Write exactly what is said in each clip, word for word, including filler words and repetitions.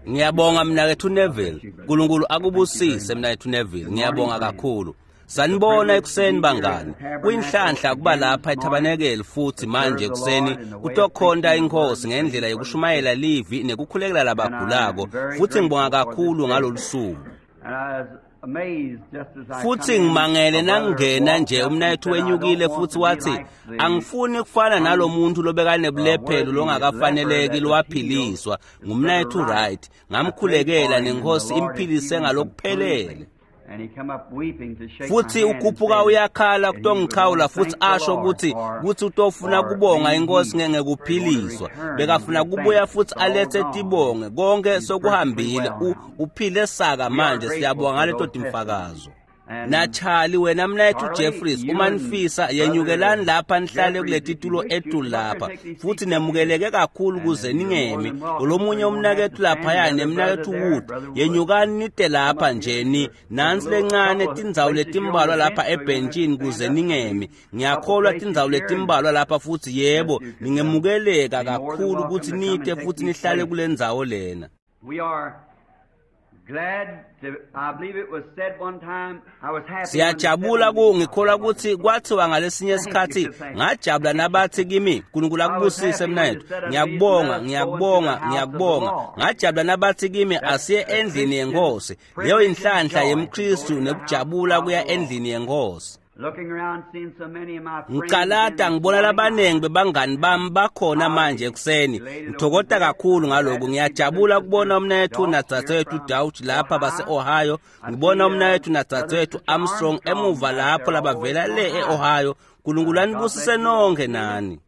Ngiyabonga mnaketfu Neville. Nkulunkulu akubusise mnaketfu Neville. Ngiyabonga kakhulu. Sanibona ekuseni bangani. Kuyinhlanhla kuba lapha ethabanekeli futhi manje ekuseni kutokhonta inkosi ngendlela yokushumayela livi nekukhulekela labagulako, futhi ngibonga kakhulu ngalolu suku. Futhi ngimangele nangingena nje umnayethu wenyukile futhi wathi angifuni kufana nalomuntu lobekanebulephelo longakafaneleki lowaphiliswa ngumnayethu Wright. Ngamkhulekela nenkosi imphilise ngalokuphelele. Futhi ukhuphuka uyakhala kutongichawula futhi asho ukuthi kutsi utofuna kubonga inkosi ngekuphiliswa. Bekafuna kubuya futhi alethe tibonge konke sokuhambile, uphile saka manje. Siyabonga ngaleto timfakazo. Na Charlie wena mnayethu Jeffries, uma nifisa yenyukelani lapha nihlale kuleti tulo etulu lapha, futhi nemukeleke kakhulu kuze ningemi. Lomunye umnakethu laphaya nemnakethu Wood, yenyukani nite lapha nje ni nansi lencane tindzawo letimbalwa lapha ebhentshini kuze ningemi. Ngiyakholwa tindzawo letimbalwa lapha futhi yebo ningemukeleka kakhulu ukuthi nite futhi nihlale kule ndzawo lena. Siyajabula ku ngikholwa ukuthi kwathiwa ngalesinye isikhathi ngajabula nabathi kimi Nkulunkulu akubusise mnayethu. Ngiyakubonga, ngiyakubonga, ngiyakubonga. Ngajabula nabathi kimi asiye endlini yenkosi. Leyo inhlanhla yemKristu nekujabula kuya endlini yenkosi. Ngicalata ngibona labanengi bebangani bami bakhona manje ekuseni. Ngithokota kakhulu ngalokhu. Ngiyajabula ukubona umnayethu nadzadzewethu Dauch lapha base-Ohio. Ngibona umnayethu nadzadzewethu Armstrong emuva lapho labavela le e-Ohio. Nkulunkulu anibusise nonke nani.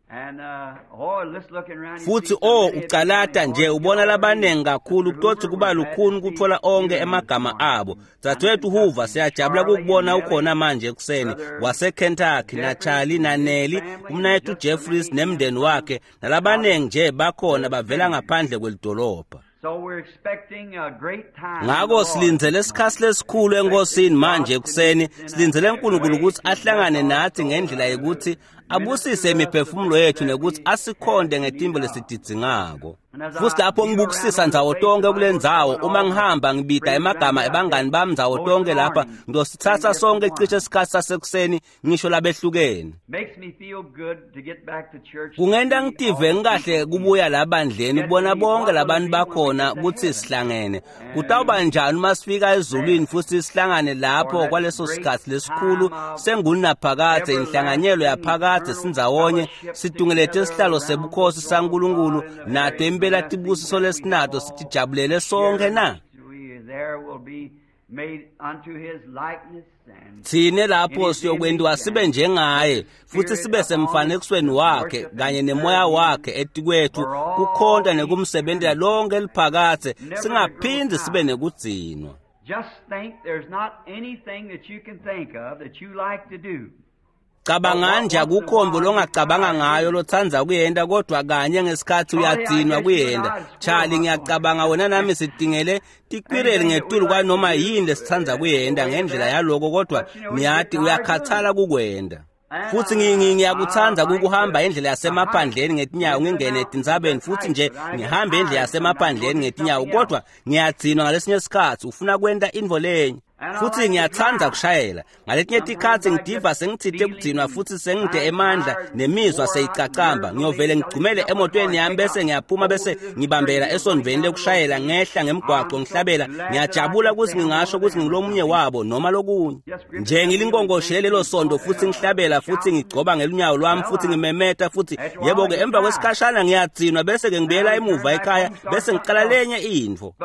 Futhi oh ucalata nje ubona labanengi kakhulu kutothi kuba lukhuni kuthola onke emagama abo. Dzadzewethu Hoover, siyajabula ukukubona ukhona manje ekuseni, waseKentucky, na Charlie na Nelly, umnayethu Jeffries nemndeni wakhe nalabanengi nje bakhona bavela ngaphandle kwelidolobha. Ngako silindzele isikhathi lesikhulu enkosini manje ekuseni. Silindzele uNkulunkulu ukuthi ahlangane nathi ngendlela yokuthi abusise imiphefumulo yethu nekuthi asikhonde ngetimbo lesididzingako. Futhi lapho ngibukusisa ndzawo tonke kule ndzawo, uma ngihamba ngibida emagama ebangani bami ndzawo tonke lapha, ngiyosithatha sonke cishe isikhathi sasekuseni ngisho labehlukene. Kungenta ngitive ngikahle kubuya labandleni kubona bonke labantu bakhona ukuthi sihlangene. Kutawuba njani uma sifika ezulwini futhi sihlangane lapho kwaleso sikhathi lesikhulu sengunaphakadze, inhlanganyelo yaphakadze sindzawonye situngelete isihlalo sebukhosi saNkulunkulu nato impela tibusiso lesinato sitijabulele sonke na? Thine lapho siyokwentiwa sibe njengaye futhi sibe semfanekisweni wakhe kanye nemoya wakhe etikwethu kukhonta nekumsebentela lonke liphakadze singaphindzi sibe nekudzinwa. Just think there's not anything that you can think of that you like to do. Cabanga nje akukhombo longacabanga ngayo lotsandza kuyenta kodwa kanye ngesikhathi uyadzinwa kuyenta. Charlie, ngiyacabanga wena nami sidingele tikwireli ngetulu kwanoma yini lesitsandza kuyenta ngendlela yaloko, kodwa niyati uyakhathala kukwenta. Futhi ngiyakuthanda ukuhamba indlela yasemaphandleni ngetinyawo ngingene etintsabeni futhi nje ngihambe indlela yasemaphandleni ngetinyawo, kodwa ngiyadzinwa ngalesinye isikhathi ufuna kwenta intfo lenye. Futhi ngiyathanda kushayela. Ngaletinye tikhatsi ngidiva sengitsite kudzinwa futhi sengide emandla nemizwa seyicacamba. Ngiyovele ngigcumele emotweni yami bese ngiyaphuma bese ngibambela esondveni lekushayela ngehla ngemgwaqo ngihlabela. Ngiyajabula ukuthi ngingasho ukuthi ngilomunye wabo noma lokunye. Nje ngilinkonkoshele lelo sondo futhi ngihlabela futhi ngigcoba ngelunyawo lwami futhi ngimemeta futhi yebo ke emva kwesikhashana ngiyadzinwa bese ke ngibuyela emuva ekhaya bese ngiqala lenye intfo.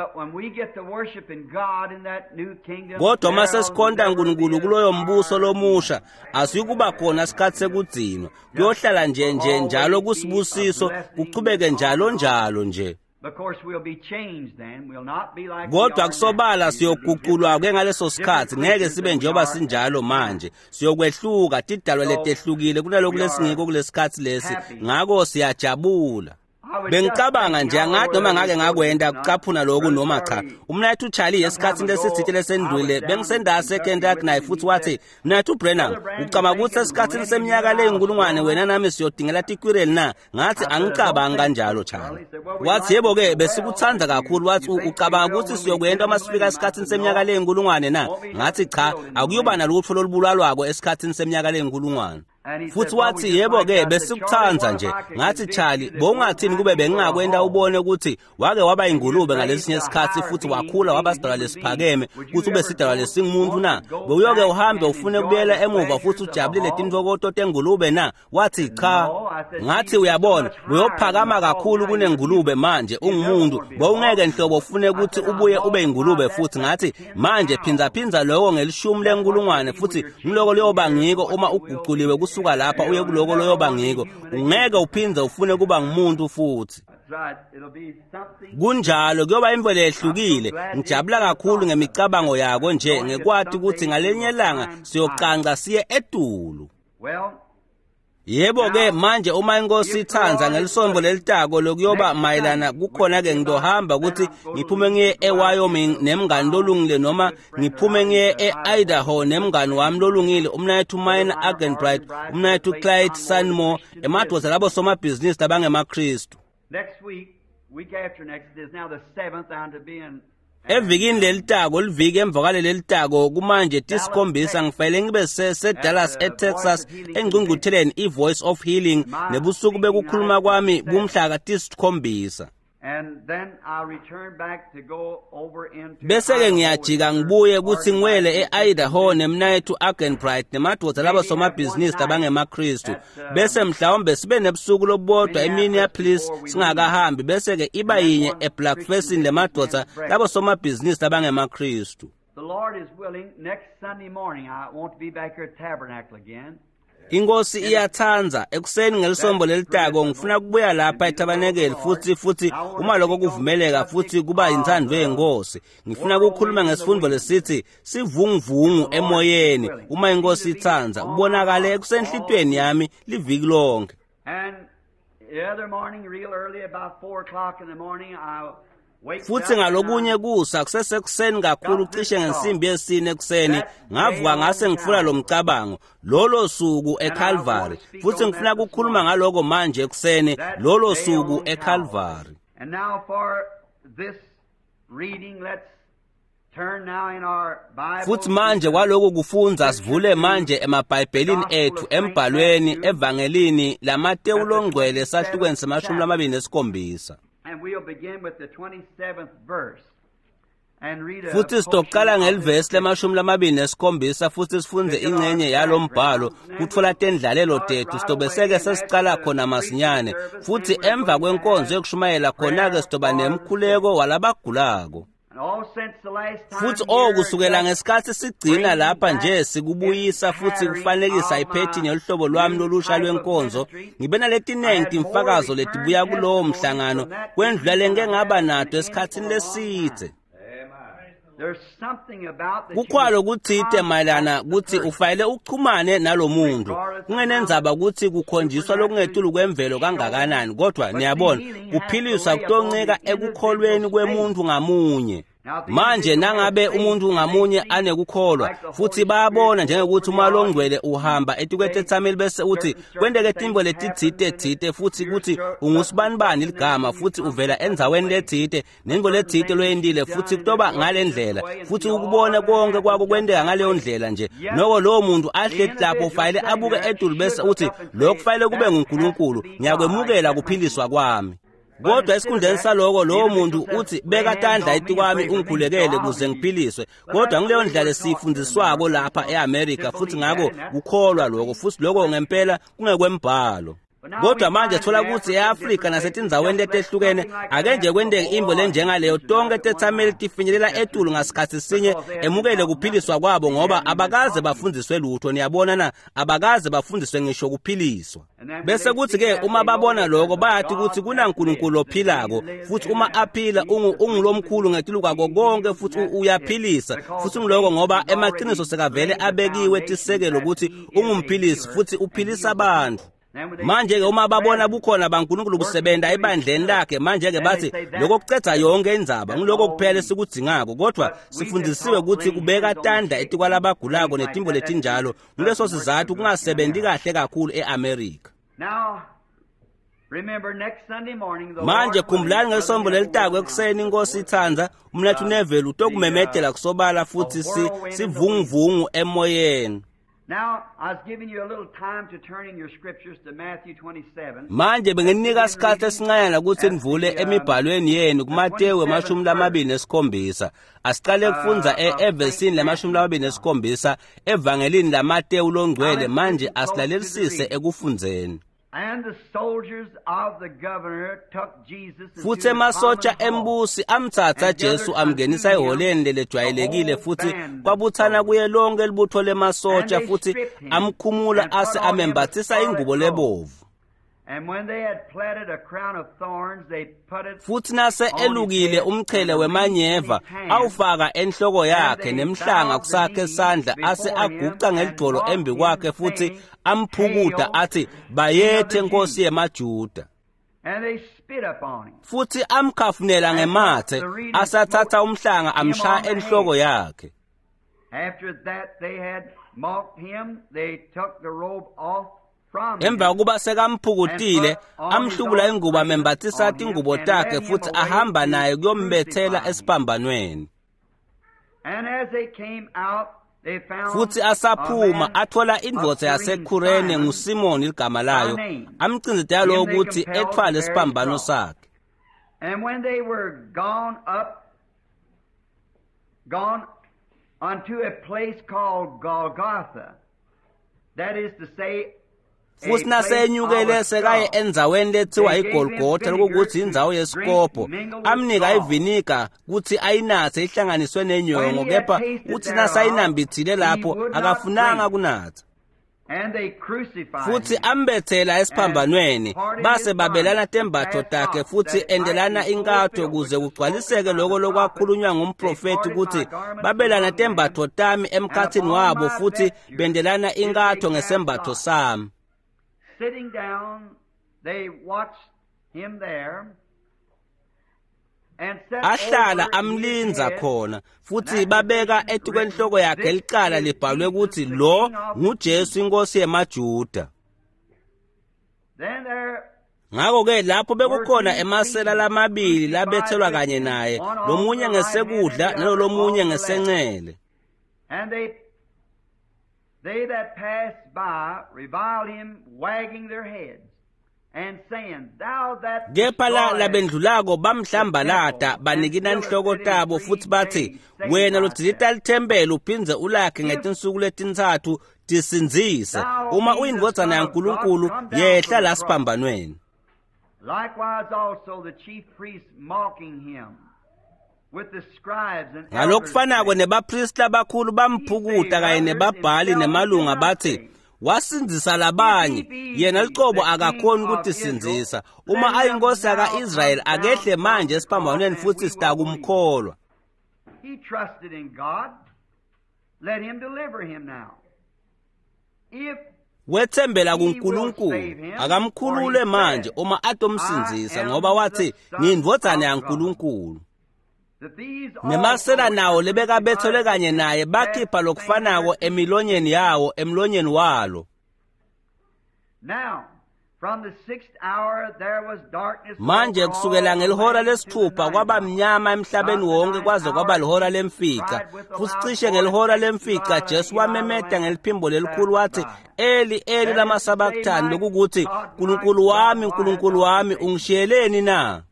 Kodwa uma sesikhonta uNkulunkulu kuloyo mbuso lomusha asiyukuba khona isikhathi sekudzinwa. Kuyohlala nje nje njalo kusibusiso kuchubeke njalo njalo nje. Kodwa kusobala siyoguqulwa ke ngaleso sikhathi, ngeke sibe njengoba sinjalo manje. Siyokwehluka tidalwa letehlukile kunaloku lesingiko kulesikhathi lesi. Ngako siyajabula. Bengicabanga nje angathi noma ngake ngakwenda kucaphuna lokhu noma cha. Umnayethu Charlie esikhathini lesitsite lesendlule bengisendase eKentucky naye futhi wathi, "Mnayethu Branham, ucabanga ukuthi esikhathini seminyaka leyinkulungwane wena nami siyodingela tikwireli na?" Ngathi angicabangi kanjalo Charlie. Wathi, "Yebo-ke besikuthanda kakhulu." Wathi, "Ucabanga ukuthi siyokwenda uma sifika esikhathini seminyaka leyinkulungwane na?" Ngathi cha, akuyoba nalutho lolubulalwako esikhathini seminyaka leyinkulungwane. Futhi wathi, "Yebo-ke besikuthanda nje." Ngathi, "Charlie, bowungathini kube bengingakwenda ubone ukuthi wake waba ingulube ngalesinye isikhathi futhi wakhula waba sidalwa lesiphakeme ukuthi ube sidalwa lesingumuntu na? Bewuyoke uhambe ufune kubuyela emuva futhi ujabulile tintfokoto tengulube na?" Wathi, "Cha." Ngathi, "Uyabona, uyophakama kakhulu kunengulube manje ungumuntu, bowungeke nhlobo ufune ukuthi ubuye ube ingulube futhi." Ngathi, "Manje phindza lokho ngelishumi lenkulungwane futhi ngiloko liyoba ngiko uma uguquliwe kusuka lapha uye kuloko loyoba ngiko, ungeke uphindze ufune kuba ngumuntu futhi." Kunjalo, kuyoba imvelo ehlukile. Ngijabula kakhulu ngemicabango yako nje ngekwati ukuthi ngalenye ilanga siyocanca siye etulu. Yebo-ke manje uma inkosi ithanda ngelisonto lelitako lokuyoba mayelana kukhona-ke ngitohamba ukuthi ngiphume ngiye eWyoming nemngani lolungile noma ngiphume ngiye e-Idaho nemngani wami lolungile umnayethu Miner Argenbright, umnayethu Clyde Sanmore, emadoda labo somabhizinisi labangemaKristu. Evikini lelitako liviki emva kwaleli litako kumanje tisikhombisa ngifanele ngibe seDallas eTexas engqungqutheleni iVoice of Healing nebusuku bekukhuluma kwami bumhla tisikhombisa. Bese-ke ngiyajika ngibuye kuthi ngiwele e-Idaho nemnayethu Argenbright nemadoda labo somabhizinisi labangemaKristu. Bese mhlawumbe sibe nebusuku lobodwa eMinneapolis singakahambi, bese-ke iba yinye eBlackfesin lemadoda labo somabhizinisi labangemaKristu. Inkosi iyathanda ekuseni ngelisonto lelitako ngifuna kubuya lapha etabanekeli futhi futhi uma lokho kuvumeleka futhi kuba inthando yenkosi. Ngifuna ukukhuluma ngesifundo lesithi sivunguvungu emoyeni uma inkosi ithanda kubonakale kusenhlitweni yami liviki lonke. Futhi ngalokunye kusa kusesekuseni kakhulu cishe ngensimbi yesine ekuseni ngavuka ngase ngifuna lo mcabango lolo suku eCalvary, futhi ngifuna ukukhuluma ngaloko manje ekuseni lolo suku eCalvary. Futhi manje kwaloko kufunza sivule manje emabhayibhelini ethu embhalweni evangelini laMatewu longcwele sahlukweni semashumi lamabili nesikhombisa. Futhi sitoqala ngelivesi lemashumi lamabili nesikhombisa futhi sifunze ingxenye yalombhalo kutfola tendlalelo tethu sitobeseke sesicala khona masinyane. Futhi emva kwenkonzo yokushumayela khona-ke sitoba nemkhuleko walabagulako. Futhi oh kusukela ngesikhathi sigcina lapha nje sikubuyisa futhi kufanekisa iphethini yoluhlobo lwami lolusha lwenkonzo, ngibe naletinengi timfakazo letibuya kulowo mhlangano kwendlula lengike ngaba nato esikhathini lesitse. Kukhwalo kutsite mayelana kutsi ufanele uchumane nalomuntu, kungenendzaba kutsi kukhonjiswa lokungetulu kwemvelo kangakanani, kodwa niyabona kuphiliswa kutoncika ekukholweni kwemuntu ngamunye. Manje nangabe umuntu ngamunye anekukholwa futhi bayabona njengokuthi uma longcwele uhamba etikwetethameli bese uthi kwenteke tintfo letitsite tsite futhi kuthi ungusibanibani ligama futhi uvela endzaweni letsite nentfo letsite loyentile futhi kutoba ngale ndlela futhi ukubone konke kwako kwenteka ngaleyo ndlela nje, noko lowo muntu ahleti lapho ufanele abuke etulu bese uthi lokhu kufanele kube nguNkulunkulu, ngiyakwemukela kuphiliswa kwami. Kodwa esikhundleni saloko lowo muntu uthi beka tandla etikwami ungikhulekele kuze ngiphiliswe. Kodwa ngileyo ndlela lesiyifundiswako lapha eAmerica futhi ngako kukholwa lokho futhi lokho ngempela kungekwembhalo. Kodwa manje thola ukuthi eAfrika nasetindzaweni letehlukene ake nje kwenteke imbo lenjengaleyo tonke tethameli tifinyelela etulu ngasikhathi sinye emukele kuphiliswa kwabo ngoba abakaze bafundiswe lutho. Niyabona na, abakaze bafundiswe ngisho kuphiliswa. Bese kuthi ke uma babona lokho bayathi ukuthi kunaNkulunkulu ophilako futhi uma aphila ungulomkhulu ngetulu kwako konke futhi uyaphilisa futhi ngiloko ngoba emaqiniso sekavele abekiwe tisekelo ukuthi ungumphilisi futhi uphilisa abantu. Manje-ke uma babona bukhona baNkulunkulu busebenta ebandleni lakhe, manje-ke bathi lokho kucedza yonke indzaba, ngiloko kuphela esikudzingako. Kodwa sifundisiwe ukuthi kubeka tandla etikwalabagulako netintfo letinjalo, nguleso sizatfu kungasebenti kahle kakhulu e-Amerika. Manje khumbulani ngelisonto lelitako ekuseni inkosi itsandza, umnetfu Neville utokumemetela kusobala futhi si sivunguvungu emoyeni. Manje benginika isikhathi esincanyana ukuthi nivule emibhalweni yenu kuMateyu emashumi lamabili nesikhombisa. Asiqale kufundza evesini lamashumi lamabili nesikhombisa evangelini laMateyu longcwele. Manje asilalelisise ekufundzeni. Futhi emasotsha embusi amtsatsa Jesu amngenisa eholeni lelejwayelekile, futhi kwabuthana kuye lonke libutho lemasotsha, futhi amkhumula ase amembathisa ingubo lebovu. Futhi nase elukile umchele wemanyeva awufaka enhloko yakhe nemhlanga kusakhe sandla, ase aguca ngelidvolo embi kwakhe futhi amphukuta athi, "Bayethe Nkosi yemaJuda." Futhi amkhafunela ngemathe, asathatha umhlanga amshaya enhloko yakhe. Emva kokuba sekamphukutile, amhlubula ingubo amembathisa tingubo takhe, futhi ahamba naye kuyombethela esiphambanweni. Futhi asaphuma athola indvodza yaseKurene nguSimoni ligama layo, amcinzetela ukuthi ethwale isiphambano sakhe. And when they were gone up, gone unto a place called Golgotha, that is to say, futhi nasenyukele sekaye endzaweni lethiwa iGolgotha, lokukuthi indzawo yesikopho, amnika iviniga kuthi ayinathe ihlanganiswe nenyongo, kepha uthi nasayinambithile lapho akafunanga kunatha. Futhi ambethela esiphambanweni, base babelana tembatfo takhe futhi endelana inkatho kuze kugcwaliseke lokho lokwakhulunywa ngumprofethi ukuthi babelana tembatfo tami emkhathini wabo futhi bendelana inkatho ngesembatfo sami. Sitting down, they watched him there and set ahlala amlinza khona, futhi babeka etikwenhloko yakhe licala libhalwe ukuthi lo nguJesu inkosi yemaJuda. Ngakho-ke lapho bekukhona emasela lamabili labethelwa kanye naye, lomunye ngesekudla nalolomunye ngesencele. They that passed by reviled him, wagging their heads and saying, Thou that Kepha la labendlulako bamhlambalata banikina inhloko tabo futhi bathi, wena lodzilita lithempeli uphindze ulakhe ngetinsuku letintsatfu, tisindzise. Uma uyindvodzana yaNkulunkulu, yehla la siphambanweni. Likewise also the chief priests mocking him. Ngalokufanako nebapristi labakhulu bamphukuta kanye nebabhali nemalunga bathi, wasindzisa labanye, yena licobo akakhoni ukutisindzisa. Uma ayinkosi yaka-Israyeli akehle manje esiphambanweni futhi sitakumkholwa. He trusted in God. Let him deliver him now. If wethembela kuNkulunkulu, akamkhulule manje uma atomsindzisa, ngoba wathi ngiyindvodzana yaNkulunkulu. Nemasela nawo lebekabethelwe kanye naye bakhipha lokufanako emilonyeni yawo emlonyeni walo. Manje kusukela ngelihora lesithupha kwaba mnyama emhlabeni wonke kwaze kwaba lihora lemfica. Futhi cishe ngelihora lemfica Jesu wamemeta ngeliphimbo lelikhulu wathi, Eli Eli lama sabachthani, lokukuthi Nkulunkulu wami Nkulunkulu wami ungishiyeleni na?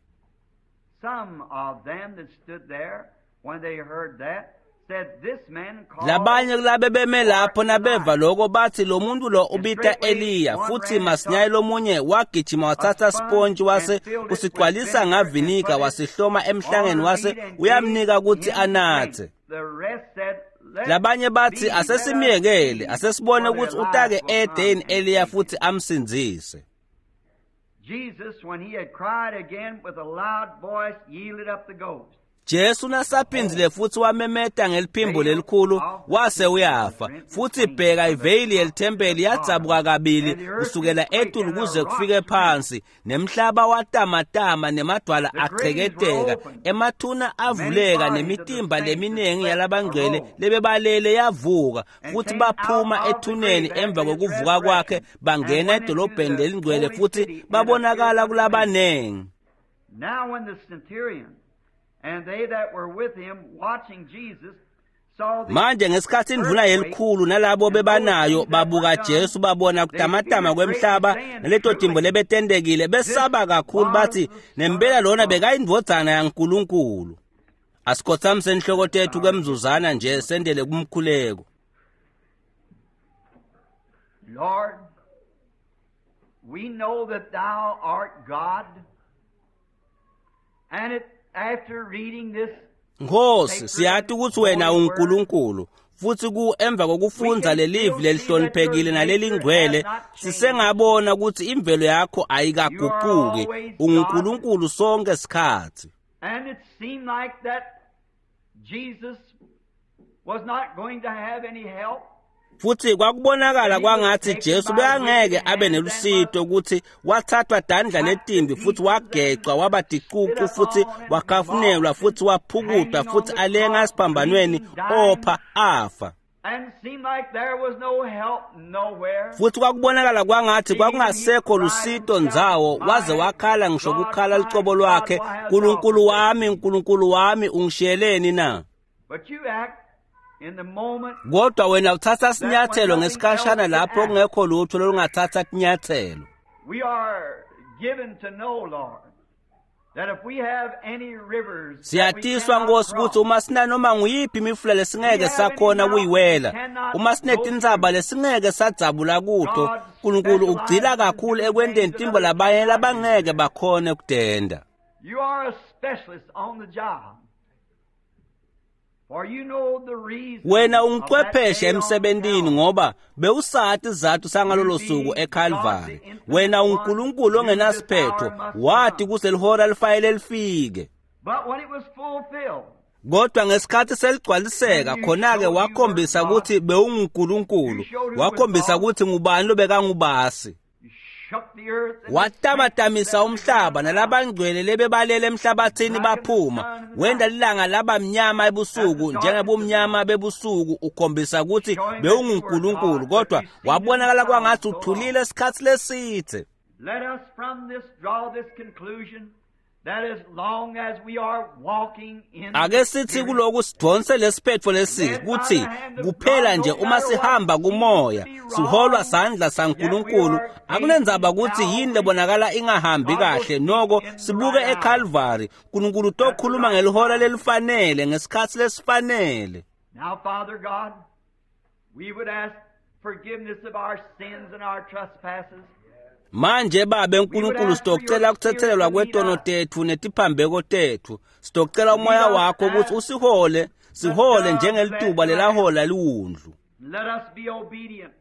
Some of them that stood there, when they heard that, said, This man called Labanye kulabe beme lapho nabeva lokho bathi lo muntu lo ubita Eliya. Futhi masinyane lomunye wagijima wathatha sipontshi wase usigcwalisa ngavinika wasihloma emhlangeni wase uyamnika ukuthi anathe. Labanye bathi asesimyekele, asesibone ukuthi utake ede Eliya futhi amsindzise. Jesus, when he had cried again with a loud voice, yielded up the ghost. Jesu nasaphindzile futhi wamemeta ngeliphimbo lelikhulu wase uyafa. Futhi bheka, iveyili yelithempeli yadzabuka kabili kusukela etulu kuze kufike phansi, nemhlaba watamatama, nemadwala acheketeka, emathuna avuleka, nemitimba leminingi yalabangcwele lebebalele yavuka, futhi baphuma ethuneni emva kokuvuka kwakhe, bangena edolobheni lelingcwele futhi babonakala kulabanengi. Now when the centurion and they that were with him watching Jesus saw the Manje ngesikhathi indvuna yelikhulu nalabo bebanayo babuka Jesu, babona kutamatama kwemhlaba naleto timbo lebetentekile, besaba kakhulu, bathi nempela lona bekayindvodzana yaNkulunkulu. Asikhothamise inhloko tethu kwemzuzwana nje sendele kumkhuleko. Lord, we know that thou art God, and it, after reading this Nkosi, siyati ukuthi wena unguNkulunkulu, futhi ku emva kokufundza lelivi lelihloniphekile nalelingcwele, sisengabona ukuthi imvelo yakho ayikaguquki. UnguNkulunkulu sonke sikhathi. And it seemed like that Jesus was not going to have any help. Futhi kwakubonakala kwangathi Jesu bekangeke abe nelusito, ukuthi wathathwa dandla letimbi futhi wagecwa waba ticucu futhi wakafunelwa futhi waphukutwa futhi alenga esiphambanweni opha afa. And it seemed like there was no help nowhere. Futhi kwakubonakala kwangathi kwakungasekho lusito ndzawo, waze wakhala ngisho kukhala lucobo lwakhe, "Nkulunkulu wami, Nkulunkulu wami, ungishiyeleni na?" But you act in the moment Kodwa wena uthatha sinyathelo ngesikhashana lapho kungekho lutho lolungathatha tinyathelo. We are given to know, Lord, that if we have any rivers that we Siyatiswa cannot Nkosi cross, ukuthi uma sinanoma nguyiphi imifula lesingeke sakhona kuyiwela, uma sinetintsaba lesingeke sadzabula kuto, Nkulunkulu ugcila kakhulu ekwenteni tintfo labanye labangeke bakhone kutenta. You are a specialist on the job. For you know the reason Wena of that ungcwepheshe day on emsebentini, Calvary. ngoba bewusati sizathu sangalolo suku eCalvary. Wena unguNkulunkulu ongenasiphetho, wati kuselihora lifanele lifike. But when it was fulfilled, Kodwa ngesikhathi seligcwaliseka, khona-ke wakhombisa ukuthi bewunguNkulunkulu, wakhombisa ukuthi ngubani lobekangubasi. you shook the earth and the Watamatamisa saints umhlaba nalabangcwele lebebalele emhlabathini baphuma, wenda lilanga laba mnyama ebusuku njengebumnyama bebusuku, ukhombisa ukuthi bewunguNkulunkulu. Kodwa wabonakala kwangathi uthulile isikhathi lesithe. Let us from this draw this conclusion that as long as we are walking in Ake the sithi Spirit, kuloku sidonse lesiphetfo lesi kuthi kuphela nje uma sihamba kumoya siholwa sandla saNkulunkulu, akunendzaba ukuthi yini lebonakala ingahambi kahle, noko sibuke eCalvary. Nkulunkulu utokhuluma ngelihora lelifanele ngesikhathi lesifanele. Now, Father God, we would ask forgiveness of our sins and our trespasses. Manje Babe Nkulunkulu, sitocela kuthethelelwa kwetono tetfu netiphambeko tetfu. Sitocela umoya wakho ukuthi usihole, sihole njengelituba lelahola liwundlu. Let us be obedient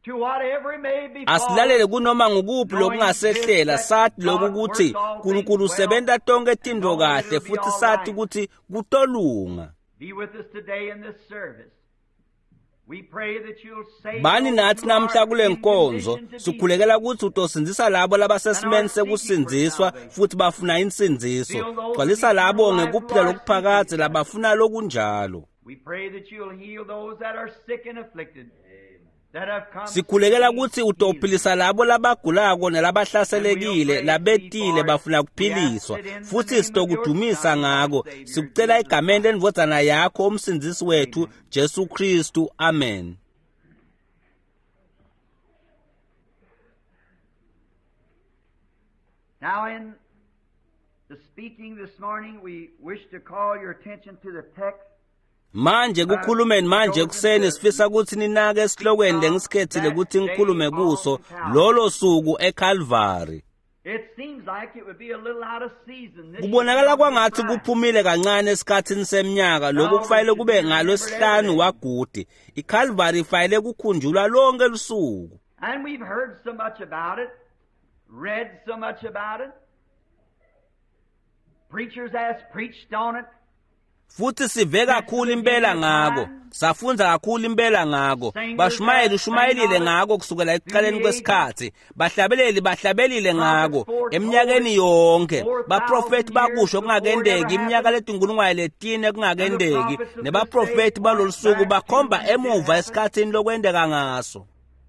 to whatever may befall Asilalele us, kunoma ngukuphi lokungasehlela, sathi lokhu ukuthi Nkulunkulu usebenta tonke tintfo kahle, futhi sathi ukuthi kutolunga. Be with us today in this service. We pray that you'll save Bani those nathi who namhla are kule in nkonzo, condition to be sikhulekela ukuthi utosindzisa labo labasesimeni sekusindziswa futhi bafuna insindziso. Gcwalisa labo ngekuphila lokuphakadze labafuna lokunjalo. We pray that you'll heal those that are sick and afflicted, that have come Sikhulekela seeking ukuthi healing. utophilisa labo labagulako nalabahlaselekile labetile bafuna kuphiliswa, futhi sitokudumisa ngako. Sikucela egameni lendvodzana yakho umsindzisi wethu Jesu Kristu, amen. Now, in the speaking this morning, we wish to call your attention to the text Manje kukhulumeni manje ekuseni sifisa ukuthi ninake esihlokweni lengisikhethile ukuthi ngikhulume kuso, lolo suku eCalvary. It seems like it would be a little out of season. This Kubonakala should be on kwangathi Friday. kuphumile kancane esikhathini seminyaka, lokhu kufanele kube ngalwesihlanu wagudi. ICalvary ifanele kukhunjulwa lonke lusuku. And we've heard so much about it, read so much about it. Preachers has preached on it. Futhi sive kakhulu impela ngako, safundza kakhulu impela ngako, bashumayeli ushumayelile ngako kusukela ekuqaleni kwesikhathi, bahlabeleli bahlabelile ngako eminyakeni yonke, baprofethi bakusho kungakendeki iminyaka letinkulungwane letine kungakendeki, nebaprofethi balolu suku bakhomba emuva esikhathini lokwenteka ngaso.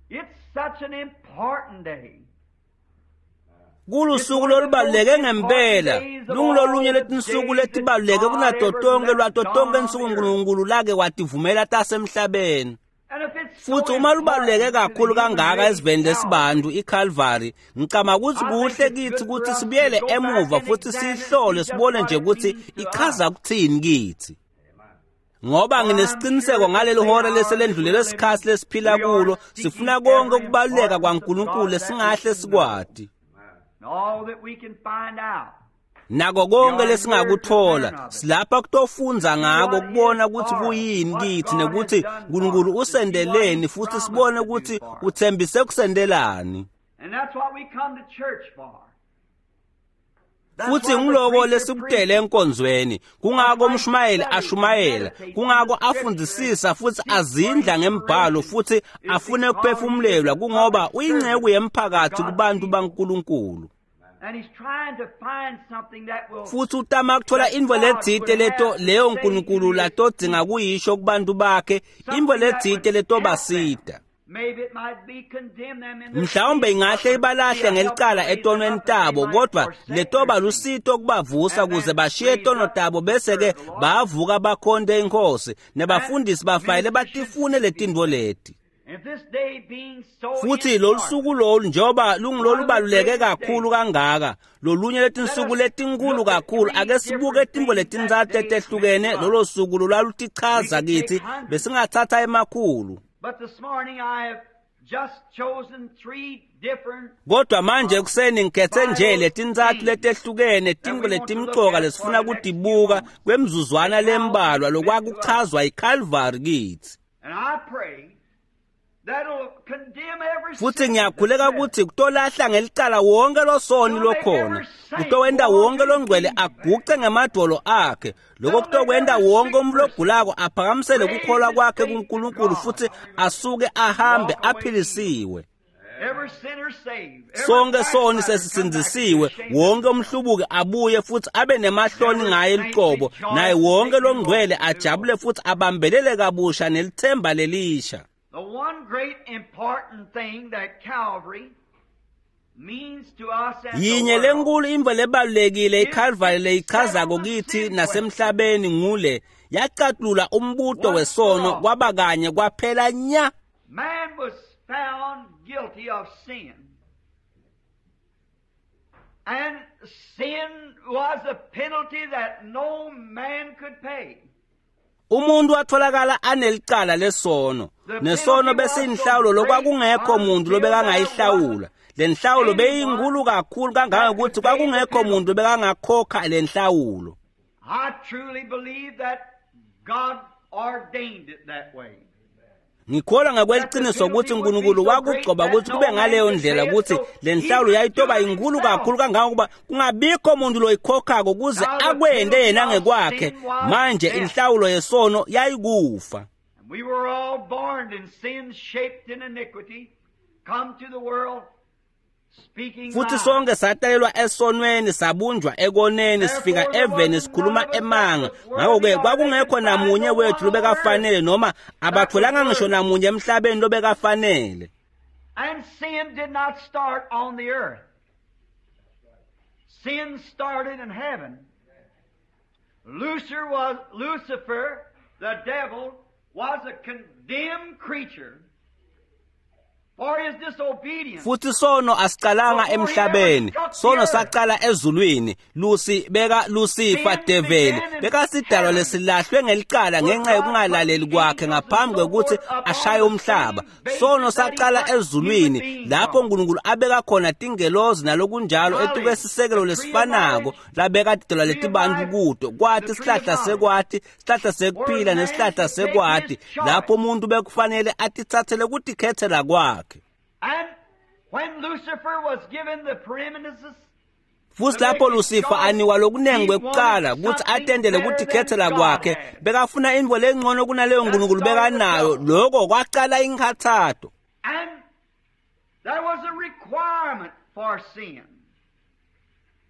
It's such an important day. Kulusuku lolubaluleke ngempela, lungulolunye letinsuku letibaluleke kunato tonke lwato tonke insuku uNkulunkulu lake wativumela tasemhlabeni. And if it's so Futhi uma lubaluleke important to kakhulu the human kangaka race esiveni now, lesibantu iCalvary, ngicabanga ukuthi kuhle kithi ukuthi sibuyele emuva futhi sihlole sibone nje ukuthi ichaza kuthini kithi. Ngoba nginesiqiniseko ngaleli hora leselendlulele lesikhathi lesiphila kulo, sifuna konke ukubaluleka kwaNkulunkulu lesingahle sikwati. and all that we can find out. Nako konke lesingakuthola silapha kutofundza ngako kubona ukuthi kuyini kithi nekuthi uNkulunkulu usendeleni futhi sibone ukuthi uthembise kusendelani. And that's what we come to church for. That's Futhi why the ngiloko preacher lesikutele preaches. enkonzweni, kungako umshumayeli ashumayela, kungako afundzisisa futhi azindla ngembhalo futhi afune ukuphefumulelwa, kungoba uyinceku yemphakathi kubantu baNkulunkulu. And he's trying to find something that will Futhi utama kuthola intfo letsite leto leyo uNkulunkulu latodzinga kuyisho kubantu bakhe, intfo letsite letobasita. Maybe it might be condemn them in their Mhlawumbe sin, ingahle but ibalahle be a help ngelicala to raise them etonweni up that they tabo, might kodwa forsake their letoba sin. lusito kubavusa kuze bashiye tono tabo bese-ke bavuka bakhonte inkosi, nebafundisi bafanele batifune letintfo leti. If this day being so Futhi lolu important, suku lolu njengoba lungulolubaluleke kakhulu kangaka, lolunye letinsuku letinkulu kakhulu, ake sibuke tintfo letintsatfu letehlukene lolo suku lolwalutichaza kithi, besingatsatsa emakhulu. But this morning I have just chosen three different Kodwa manje ekuseni ngikhethe nje letintsatfu letehlukene tintfo letimcoka lesifuna kutibuka kwemzuzwana lembalwa lokwakuchazwa yiCalvary kithi. and I pray that'll condemn every Futhi sin ngiyakhuleka that's ukuthi kutolahla ngelicala wonke losoni lokhona, kutowenta wonke longcwele aguce ngemadvolo akhe, lokho kutokwenta wonke umuntu logulako aphakamisele kukholwa kwakhe kuNkulunkulu futhi asuke ahambe aphilisiwe. Every sinner saved. Every Sonke soni backslider come back to sesisindzisiwe, the shame. wonke umhlubuki abuye futhi abe nemahloni ngaye lucobo, naye wonke longcwele ajabule futhi abambelele kabusha nelithemba lelisha. The one great important thing that Calvary means to us and the Yinye world lenkulu intfo lebalulekile iCalvary leyichazako kithi nasemhlabeni ngule yacatulula umbuto wesono kwaba kanye kwaphela nya. Man was found guilty of sin. And sin was a penalty that no man could pay. Umuntu watholakala anelicala lesono, nesono besiyinhlawulo lokwakungekho muntu lobekangayihlawula. Le nhlawulo beyinkulu kakhulu kangangokuthi kwakungekho muntu bekangakhokha le nhlawulo. I truly believe that God ordained it that way. Ngikholwa ngokweliciniso ukuthi uNkulunkulu wakugcoba ukuthi kube ngaleyo ndlela ukuthi le nhlawulo yayitoba inkulu kakhulu kangangokuba kungabikho muntu loyikhokhako kuze akwente yena ngekwakhe. Manje inhlawulo yesono yayikufa. And we were all born in sin, shaped in iniquity, come to the world speaking Futhi lies. sonke satalelwa esonweni, sabunjwa ekoneni, sifika eveni sikhuluma emanga. Ngakho-ke kwakungekho namunye wethu lobekafanele noma abatholanga ngisho namunye emhlabeni lobekafanele. And sin did not start on the earth. Sin started in heaven. Lucifer was Lucifer, the devil, was a condemned creature for his disobedience. Futhi sono asicalanga emhlabeni, sono sacala ezulwini. Lusi beka Lucifer develi bekasidalwa lesilahlwe ngelicala ngenxa yokungalaleli kwakhe ngaphambi kwekuthi ashaye umhlaba. Sono sacala ezulwini lapho uNkulunkulu abeka khona tingelozi nalokunjalo etuke sisekelo lesifanako labeka tidalwa letibantu kuto. Kwathi sihlahla sekwati, sihlahla sekuphila nesihlahla sekwati, lapho umuntu bekufanele atithathele kutikhethela kwakhe. And when Lucifer was given the preeminence Futhi lapho Lucifer anikwa lokunengi kwekuqala kutsi atendele kutikhetsela kwakhe, bekafuna intfo lengcono kunaleyo Nkulunkulu bekanayo. Loko kwacala inkhatsato. And there was a requirement for sin.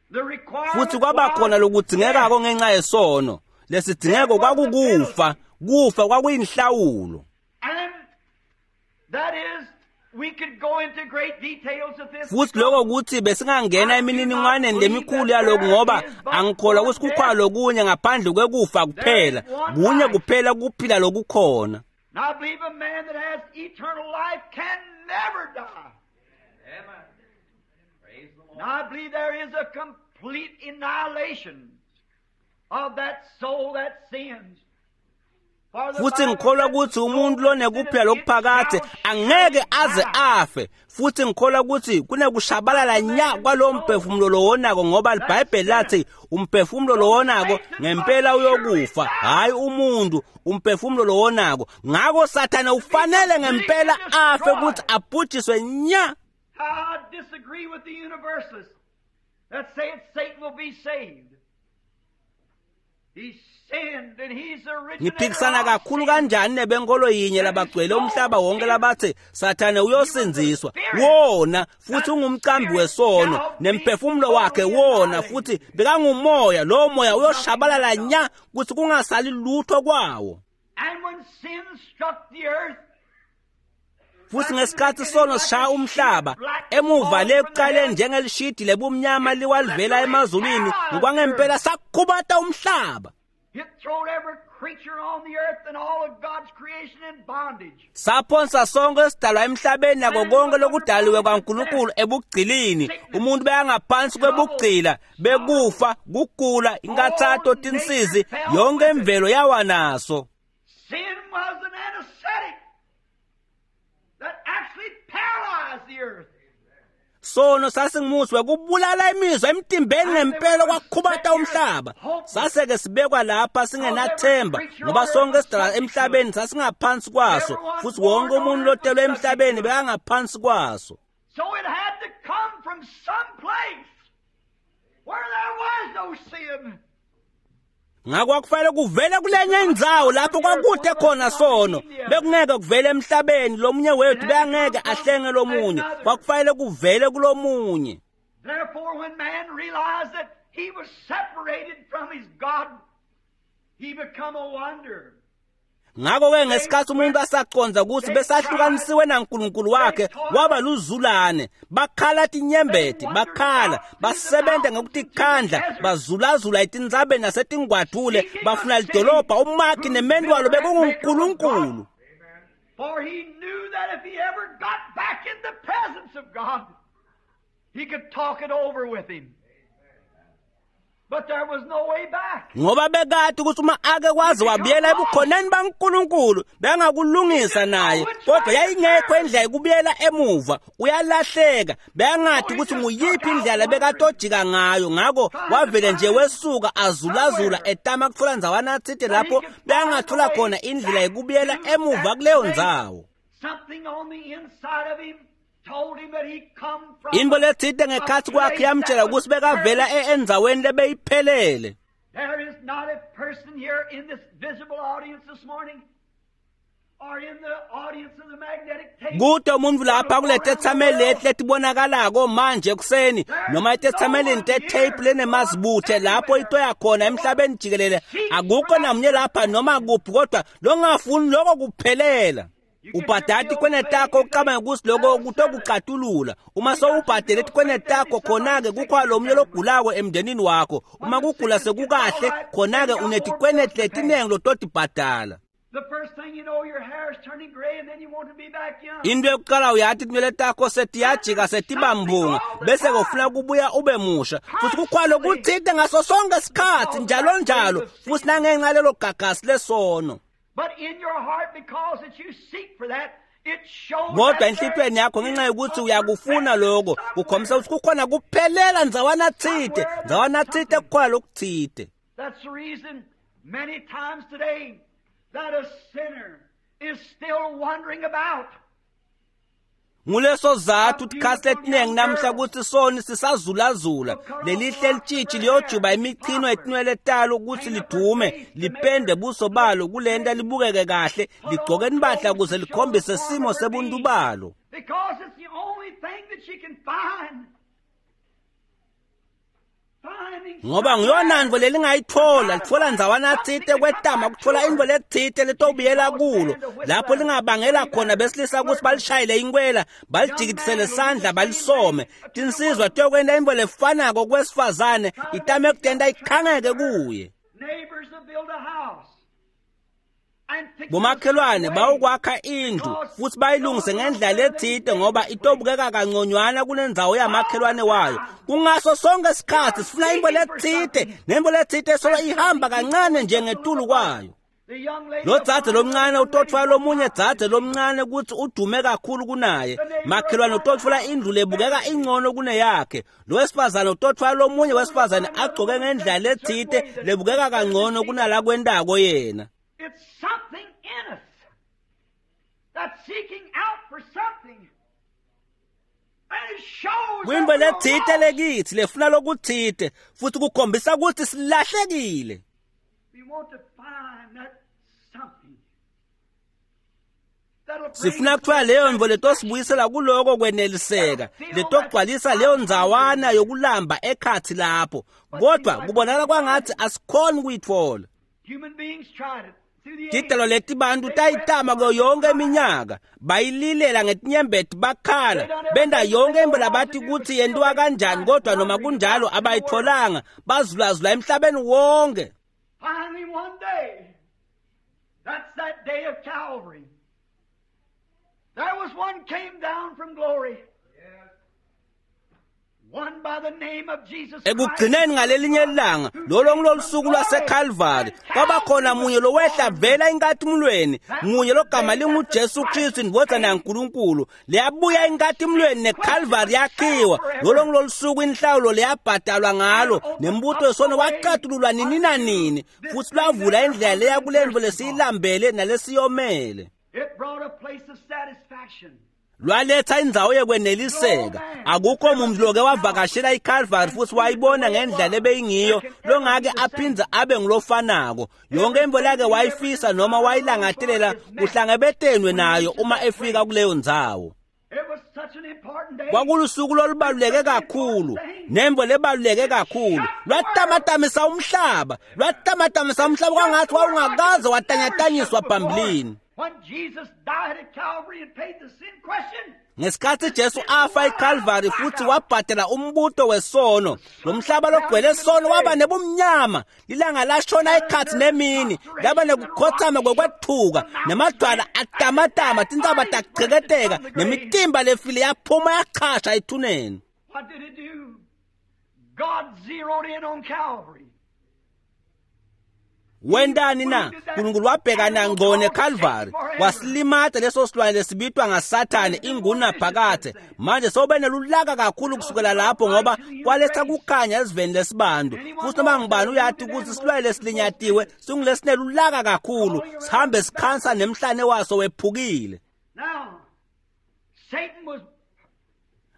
The requirement Futhi kwaba khona lokudzingekako ngenxa yesono. Lesidzingeko kwakukufa, kufa kwakuyinhlawulo. And that is, we could go into great details of this. Futhi lokho kuthi besingangena emininingwaneni lemikhulu yaloku, ngoba angikholwa kutsi kukhona lokunye ngaphandle kwekufa kuphela. Kunye kuphela kuphila lokukhona. And I believe a man that has eternal life can never die. Amen. Praise the Lord. And I believe there is a complete annihilation of that soul that sins. For the Futhi Bible ngikholwa says, kutsi umuntu lonekuphila lokuphakadze angeke aze afe. Futhi ngikholwa kutsi kunekushabalala nya kwalowo mphefumulo lowonako, ngoba iBhayibheli lathi umphefumulo lowonako ngempela uyokufa, hhayi umuntu, umphefumulo lowonako. Ngako Sathane ufanele ngempela afe kutsi abhujiswe nya. I disagree with the universalists that say Satan will be saved. He sinned and he's the originator Ngiphikisana of kakhulu sin. kanjani nebenkolo yinye labagcwele umhlaba wonke labatsi Sathane uyosindziswa. Wona futhi ungumcambi wesono, nemphefumulo wakhe wona futhi bekangumoya. Lowo moya uyoshabalala nya kutsi kungasali lutho kwawo. And when sin struck the earth, Futhi ngesikhathi sono sishaya umhlaba emuva lekuqaleni njengelishidi lebumnyama liwalivela emazulwini, ngokwangempela sakhubata umhlaba. it throwed every creature on the earth and all of God's creation in bondage. Saphonsa sonke esidalwa emhlabeni nako konke lokudaliwe kwaNkulunkulu ebugcilini. Umuntu bekangaphansi kwebugcila, bekufa, kugula, inkathato, tinsizi, yonke imvelo yawa naso. Sin was an anesthetic that actually paralyzed the earth. Sono sasingumuthi wekubulala imizwa emtimbeni ngempela kwakhubata umhlaba. Saseke sibekwa lapha singenathemba, ngoba sonke esidalwa emhlabeni sasingaphansi kwaso, futhi wonke umuntu lotelwe emhlabeni bekangaphansi kwaso. So it had to come from some place where there was no sin. Ngakho kwakufanele kuvele kulenye indzawo lapho kwakude khona sono. Bekungeke kuvele emhlabeni, lomunye wethu bekangeke ahlenge lomunye. Kwakufanele kuvele kulomunye. Therefore, when man realized that he was separated from his God, he become a wanderer. Ngakho-ke ngesikhathi umuntu asaconza ukuthi besahlukanisiwe naNkulunkulu wakhe, waba luzulane. Bakhala tinyembeti, bakhala, basebenza ngokutikhandla, bazulazula etintsabeni nasetingwadule, bafuna lidolobha, umakhi nemendwalo bekunguNkulunkulu. For he knew that if he ever got back in the presence of God, he could talk it over with him. But there was no way back. Ngoba bekade ukuthi uma ake kwaze wabuyela ebukhoneni baNkulunkulu, bengakulungisa naye, kodwa yayingekho indlela yokubuyela emuva. Uyalahleka, bengadi ukuthi nguyiphi indlela bekatojika ngayo. Ngakho wavele nje wesuka azulazula etama kutfola ndzawana atsite lapho bengathola khona indlela yokubuyela emuva kuleyo ndzawo. Something on the inside of him told him that he come from Into letsite ngekhatsi kwakhe yamtshela ukuthi bekavela e- endzaweni lebeyiphelele. There is not a person here in this visible audience this morning or in the audience of the magnetic tape. Kude umuntu lapha kule tethameli leti letibonakalako manje ekuseni, noma etethamelini te-tape lenemazibuthe lapho ito yakhona emhlabeni jikelele, akukho namunye lapha noma kuphi kodwa longafuni loko kuphelela. Ubhadala tikwene takho ucabange ukuthi loko kutokucatulula. Uma sowubhadele tikwene takho, khona-ke kukhona lomunye logulako emndenini wakho. Uma kugula sekukahle, khona-ke unetikweneti letinengi lototibhadala. The first thing you know, your hair is turning gray and then you want to be back young. Into yokuqala uyathi tinwele takho setiyajika setibambunga, bese kufuna kubuya ube musha. Futhi kukhona lokutsite ngaso sonke isikhathi njalo njalo, futhi nangenxa lelo gagasi lesono. But in your heart, because that you seek for that, it shows Kodwa that there enhlitiyweni yakho ngenxa is yokuthi a uyakufuna lokho, kukhombisa ukuthi kukhona kuphelela ndzawana tsite, ndzawana tsite kukhona lokutsite. That's the reason many times today that a sinner is still wandering about. Nguleso zathu tikhatsi letiningi namhla kutsi soni sisazulazula. Lelihle litshitshi liyojuba imichino yetinwele talo kutsi lidume, lipende buso balo kulenta libukeke kahle, ligcoke impahla kuze likhombise simo sebuntu balo. Because it's the only thing that she can find. Finding Ngoba ngiyona ntfo lelingayitfola, litfola ndzawana tsite kwetama kutfola intfo letsite letobuyela kulo, lapho lingabangela khona besilisa kutsi balishayele inkwela, balijikitisele sandla balisome. Tinsizwa tiyokwenta intfo lefanako kwesifazane, itame kutenta ikhangeke kuye. Neighbors will build a house. And fix it Bomakhelwane a certain way. bawukwakha indlu futsi bayilungise ngendlela letsite ngoba itobukeka kanconywana kunendzawo yamakhelwane wayo. Kungaso sonke sikhatsi sifuna intfo letsite, nentfo letsite solo ihamba kancane nje ngetulu kwayo. The young lady Lo dzadze lomncane utotfola lomunye dzadze lomncane kutsi udume kakhulu kunaye. Makhelwane utotfola indlu lebukeka ingcono kuneyakhe. Lo wesifazane utotfola lomunye wesifazane agcoke ngendlela letsite lebukeka kangcono kunalakwentako yena. It's something in us that's seeking out for something. And it shows Kwintfo that we're letsite lost. lekitsi lefuna lokutsite futsi kukhombisa kutsi silahlekile. We want to find that something. That'll bring Sifuna kutfola leyo ntfo letosibuyisela kuloko kweneliseka, letogcwalisa leyo ndzawana yokulamba ekhatsi lapho. Kodvwa kubonakala kwangatsi asikhoni kuyitfola. Human beings tried it through the ages. Tidalwa leti bantfu tayitama kuyo yonke iminyaka, bayililela ngetinyembeti bakhala, benta yonke intfo labati kutsi yentiwa kanjani, kodvwa noma kunjalo abayitfolanga, bazulazula emhlabeni wonke. Finally, one day, that's that day of Calvary. There was one came down from glory. One by the name of Jesus Christ. Ekugcineni ngalelinye ilanga, lolo ngulolusuku lwaseKalvari, kwabakhona munye lowehla vela enkatimulweni, munye logama linguJesu Kristu indvodzana yaNkulunkulu. Leyabuya enkatimulweni neKalvari yakhiwa. Lolo ngulolusuku inhlawulo leyabhadalwa ngalo, nembuto wesono wacatululwa nini nanini, futsi lwavula indlela leya kulentfo lesiyilambele nalesiyomele. It brought a place of satisfaction. Lwaletha indzawo yekweneliseka. Akukho muntu loke wavakashela iCalvary futsi wayibona ngendlela lebeyingiyo longake aphindze abe ngulofanako. Yonke intfo lake wayifisa noma wayilangatelela kuhlangabetenwe nayo uma efika kuleyo ndzawo. It was such an important day. Kwakulusuku lolubaluleke kakhulu, nemvo lebaluleke kakhulu. Lwatamatamisa umhlaba, lwatamatamisa umhlaba kwangathi wawungakaze watanyatanyiswa phambilini. When Jesus died at Calvary and paid the sin question, Ngesikhatsi Jesu afa eCalvary futsi wabhadala umbuto wesono, lo mhlaba logcwele sono waba nebumnyama. Lilanga lashona ekhatsi nemini, laba nekukhotsama kwekwethuka, nemadvwala atamatama, tintsaba tacheketeka, nemitimba lefile yaphuma yachasha ethuneni. what did it do? God zeroed in on Calvary. Wentani na? Nkulunkulu wabhekana ngqo neCalvary, wasilimata leso silwane lesibitwa ngaSathane ingunaphakadze. Manje sewube nelulaka kakhulu kusukela lapho ngoba kwaletha kukhanya esiveni lesibantu. Futsi noma ngubani uyati kutsi silwane lesilinyatiwe singulesinelulaka kakhulu, sihambe sikhansa nemhlane waso wephukile. Now, Satan was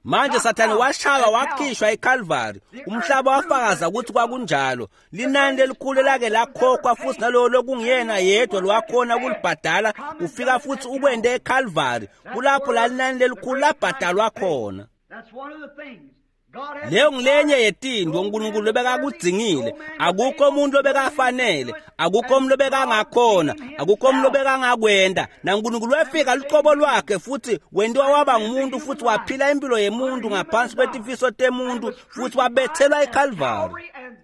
Manje Sathane washaywa wakhishwa eCalvary. Umhlaba wafakaza ukuthi kwakunjalo. Linani lelikhulu lake lakhokhwa futsi nalowo lokungiyena yedwa lwakhona kulibhadala ufika futsi ukwente eCalvary. Kulapho la linani lelikhulu labhadalwa khona. That's one of the things. God had Leyo ngilenye yetintfo uNkulunkulu lobekakudzingile. Akukho umuntu lobekafanele, akukho umuntu lobekangakhona, akukho umuntu lobekangakwenta. NaNkulunkulu wefika lucobo lwakhe futsi wentiwa waba ngumuntu futsi waphila impilo yemuntu ngaphansi kwetifiso temuntu futsi wabethelwa eCalvary.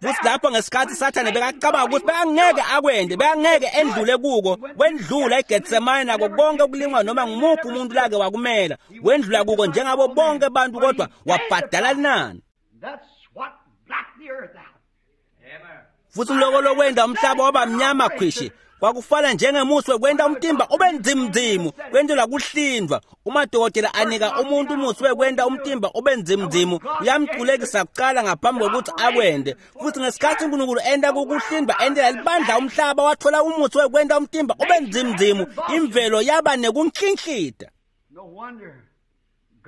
Futsi lapho ngesikhatsi Sathane bekacabanga ukuthi bekangeke akwente, bekangeke endlule kuko, wendlula eGetsemane nako konke ukulingwa noma ngumuphi umuntu lake wakumela. Wendlula kuko njengabo bonke bantu kodwa wabhadala linani. That's what blacked the earth out. Amen. Futsi loko lokwenta umhlaba waba mnyama khwishi kwakufana njengemusi wekwenta umtimba ube ndzimndzimu kwentelwa kuhlindvwa. Uma dokotela anika umuntu umusi wekwenta umtimba ube ndzimndzimu uyamculekisa kucala ngaphambi kwekutsi akwente. Futsi ngesikhatsi uNkulunkulu enta kukuhlindvwa entela libandla umhlaba watfola umusi wekwenta umtimba ube ndzimndzimu, imvelo yaba nekunklinhlita. No wonder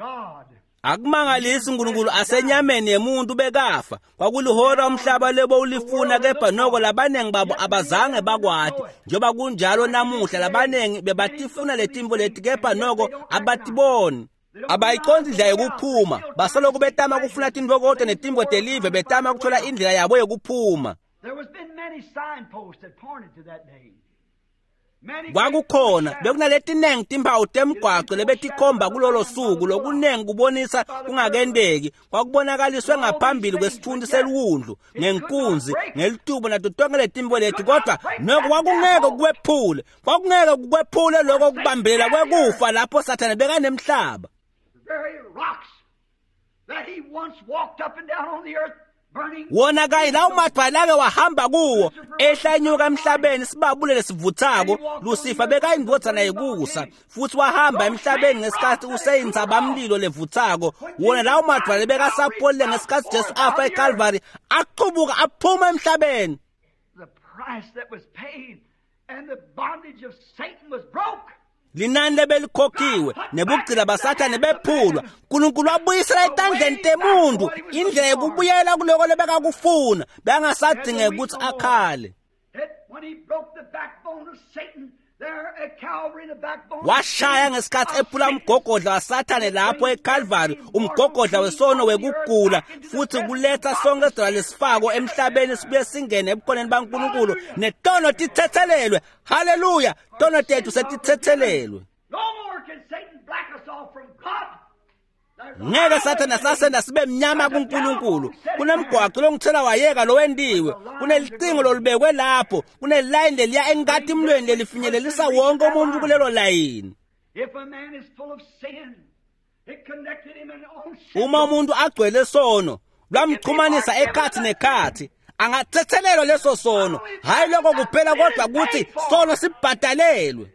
God Akumangalisi uNkulunkulu asenyameni yemuntu bekafa. Kwakulihora umhlaba lebo ulifuna kepha noko labanengi babo abazange bakwati. Njengoba kunjalo namuhla labanengi bebatifuna letimvo leti kepha noko abatiboni. Abayiqondi indlela yokuphuma, basaloku betama kufuna tintfokoto netimvo telive betama kuthola indlela yabo yokuphuma. There was been many signposts that pointed to that day. Many Kwakukhona bekunaletinengi timphawu temgwaco lebetikhomba kulolo suku lokunengi kubonisa kungakenteki kwakubonakaliswe ngaphambili kwesitfunti seliwundlu ngenkunzi ngelitubo nato tonke letimvo leti kodwa noko kwakungeke kukwephule kwakungeke kukwephule loko kubambelela kwekufa lapho sathane bekanemhlaba the very rocks that he once walked up and down on the earth burning. Wona kanye lawo madwala ake wahamba kuwo ehla enyuka emhlabeni sibabule lesivuthako Lucifer bekayindvodzana yekusa futhi wahamba emhlabeni ngesikhathi useyintsabamlilo levuthako wona lawo madwala bekasapholile ngesikhathi Jesu afa eCalvary aqubuka aphuma emhlabeni The price that was paid and the bondage of Satan was broke. Linani lebelikhokhiwe nebugcila basathane bephulwa uNkulunkulu wabuyisela etandleni temuntu indlela yokubuyela kuloko lebekakufuna bengasadingeki ukuthi akhale It, when he broke the backbone of Satan there at Calvary, the backbone of washaya ngesikhathi ephula umgogodla wasathane lapho eCalvary umgogodla wesono wekugula futhi kuletha sonke isidalwa lesifako emhlabeni sibuye singene ebukhoneni baNkulunkulu netono tithethelelwe haleluya tono tethu setithethelelwe No more can Satan black us off from God. There's a ngeke sathane sasenda sibe mnyama kuNkulunkulu kunemgwaco longithela wayeka lowentiwe kunelicingo lolubekwe lapho kunelayini leliya enkatimlweni lelifinyelelisa wonke umuntu kulelo layini If a man is full of sin, it connected him in own uma umuntu agcwele sono lwamxhumanisa ekhathi nekhathi angathethelelwa leso sono hayi lokho kuphela kodwa ukuthi sono sibhadalelwe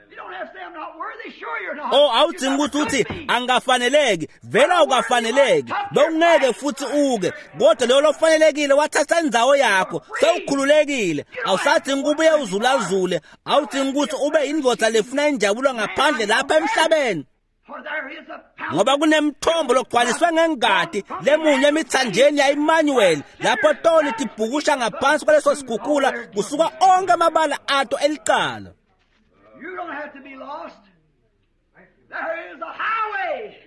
You don't have to say I'm not worthy. Sure you're not. Oh awudingi ukuthi uthi angafaneleki vela ukafaneleki bewungeke futhi uke kodwa leyo lofanelekile wathatha indzawo yakho sewukhululekile awusadingi ukubuye uzulazule awudingi ukuthi ube indvodza lefuna injabulo ngaphandle lapha emhlabeni For there is a fountain ngoba kunemthombo logcwaliswe ngengati lemunye emithanjeni ya-Emmanuel lapho toni tibhukusha ngaphansi kwaleso sigugula kusuka onke amabala ato elicala You don't have to be lost. There is a highway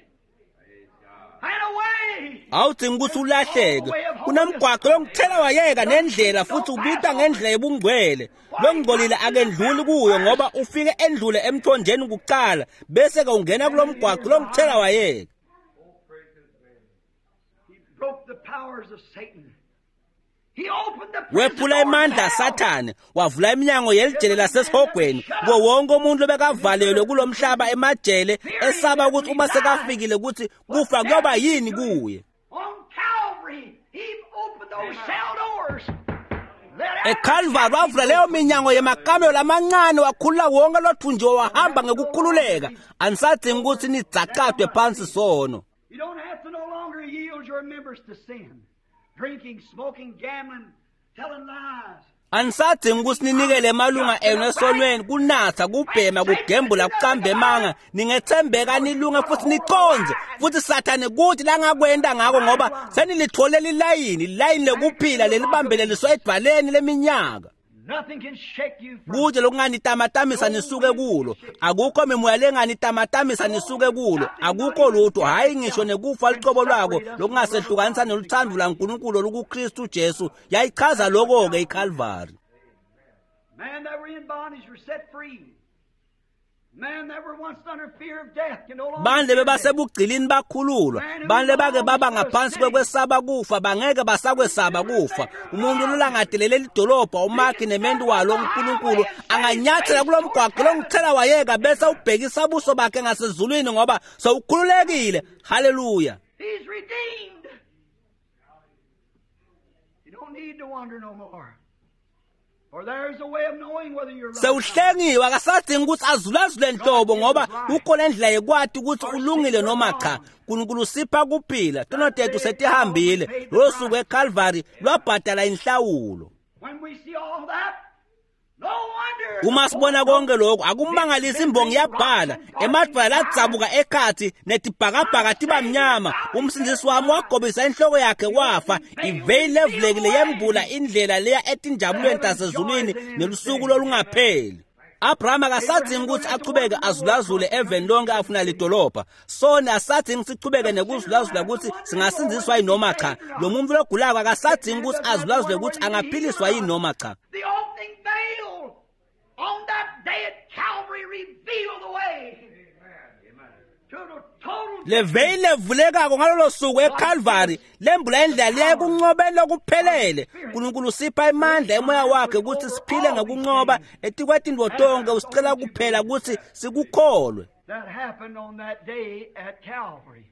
and a way. awudingi ukuthi ulahleke kunemgwaqo longithela wayeka nendlela futhi ubita ngendlela yobungcwele longcolile akendluli kuyo ngoba ufike endlule emthonjeni kuqala bese-ke ungena kulo mgwaqo longithela wayeka He broke the powers of Satan. He opened the prison wephula doors imandla of hell. asathane wavula iminyango yelijele lasesihogweni kuwo wonke umuntu obekavalelwe kulo mhlaba emajele esaba ukuthi uma sekafikile ukuthi kufa kuyoba yini kuye On Calvary, he opened those cell doors. Let every eCalvary wavula leyo minyango yemakamelo lamancane wakhulula wonke lothunjiwe wahamba ngekukhululeka anisadingi ukuthi nidzacadwe phansi sono You don't have to no longer yield your members to sin. Drinking, smoking, gambling, telling lies. Anisadingi ukuthi ninikele emalunga enu esonweni kunatha kubhema kugembula kucamba emanga ningethembeka nilunge futhi niconze futhi sathane kuthi langakwenda ngako ngoba senilitholele ilayini ilayini lekuphila lelibambeleliswa edvaleni leminyaka Nothing can shake you from kude lokunganitamatamisa nisuke kulo akukho mimoya lenganitamatamisa nisuke kulo akukho lutho hhayi ngisho nekufa lucobo lwako lokungasehlukanisa neluthando laNkulunkulu olukuKristu Jesu yayichaza lokho-ke iCalvary Men that were in bondage were set free. Men that were once under fear of death can no longer Bandle fear death. bebasebugcilini bakhululwa bandle bake baba ngaphansi kwekwesaba kufa bangeke basakwesaba kufa umuntu lolangatelele lidolobha umakhi nementu walo uNkulunkulu anganyathela kulo mgwaqo longithela wayeka bese ubhekisa buso bakhe ngasezulwini ngoba sowukhululekile haleluya He's redeemed. You don't need to wonder no more. For there's a way of knowing whether you're right. or not. sewuhlengiwe akasadingi ukuthi azulazule nhlobo ngoba kukhona indlela yekwati ukuthi ulungile noma cha uNkulunkulu usipha kuphila tono tethu setihambile lolo suku eCalvary lwabhadala inhlawulo When we see all that, Uma sibona konke lokhu akumangalisi imbongi yabhala emadvwala ladzabuka ekhatsi netibhakabhaka tiba mnyama umsindisi wami wagobisa inhloko yakhe wafa iveyili levulekile yembula indlela leya etinjabulweni tasezulwini nelusuku lolungapheli. Abraham akasadzingi ukuthi achubeke azulazule eveni lonke afuna lidolobha. Sona asadzingi sichubeke nekuzulazula ukuthi singasindziswa yini noma cha. Lo muntu logulako akasadzingi ukuthi azulazule ukuthi angaphiliswa yini noma cha. The opening veil on that day at Calvary revealed the way to the total Le veyili levulekako ngalolo suku eCalvary lembula indlela leya ekunqobeni lokuphelele. uNkulunkulu usipha imandla emoya wakhe ukuthi siphile ngokunqoba etikwetintfo tonke usicela kuphela ukuthi sikukholwe. That happened on that day at Calvary.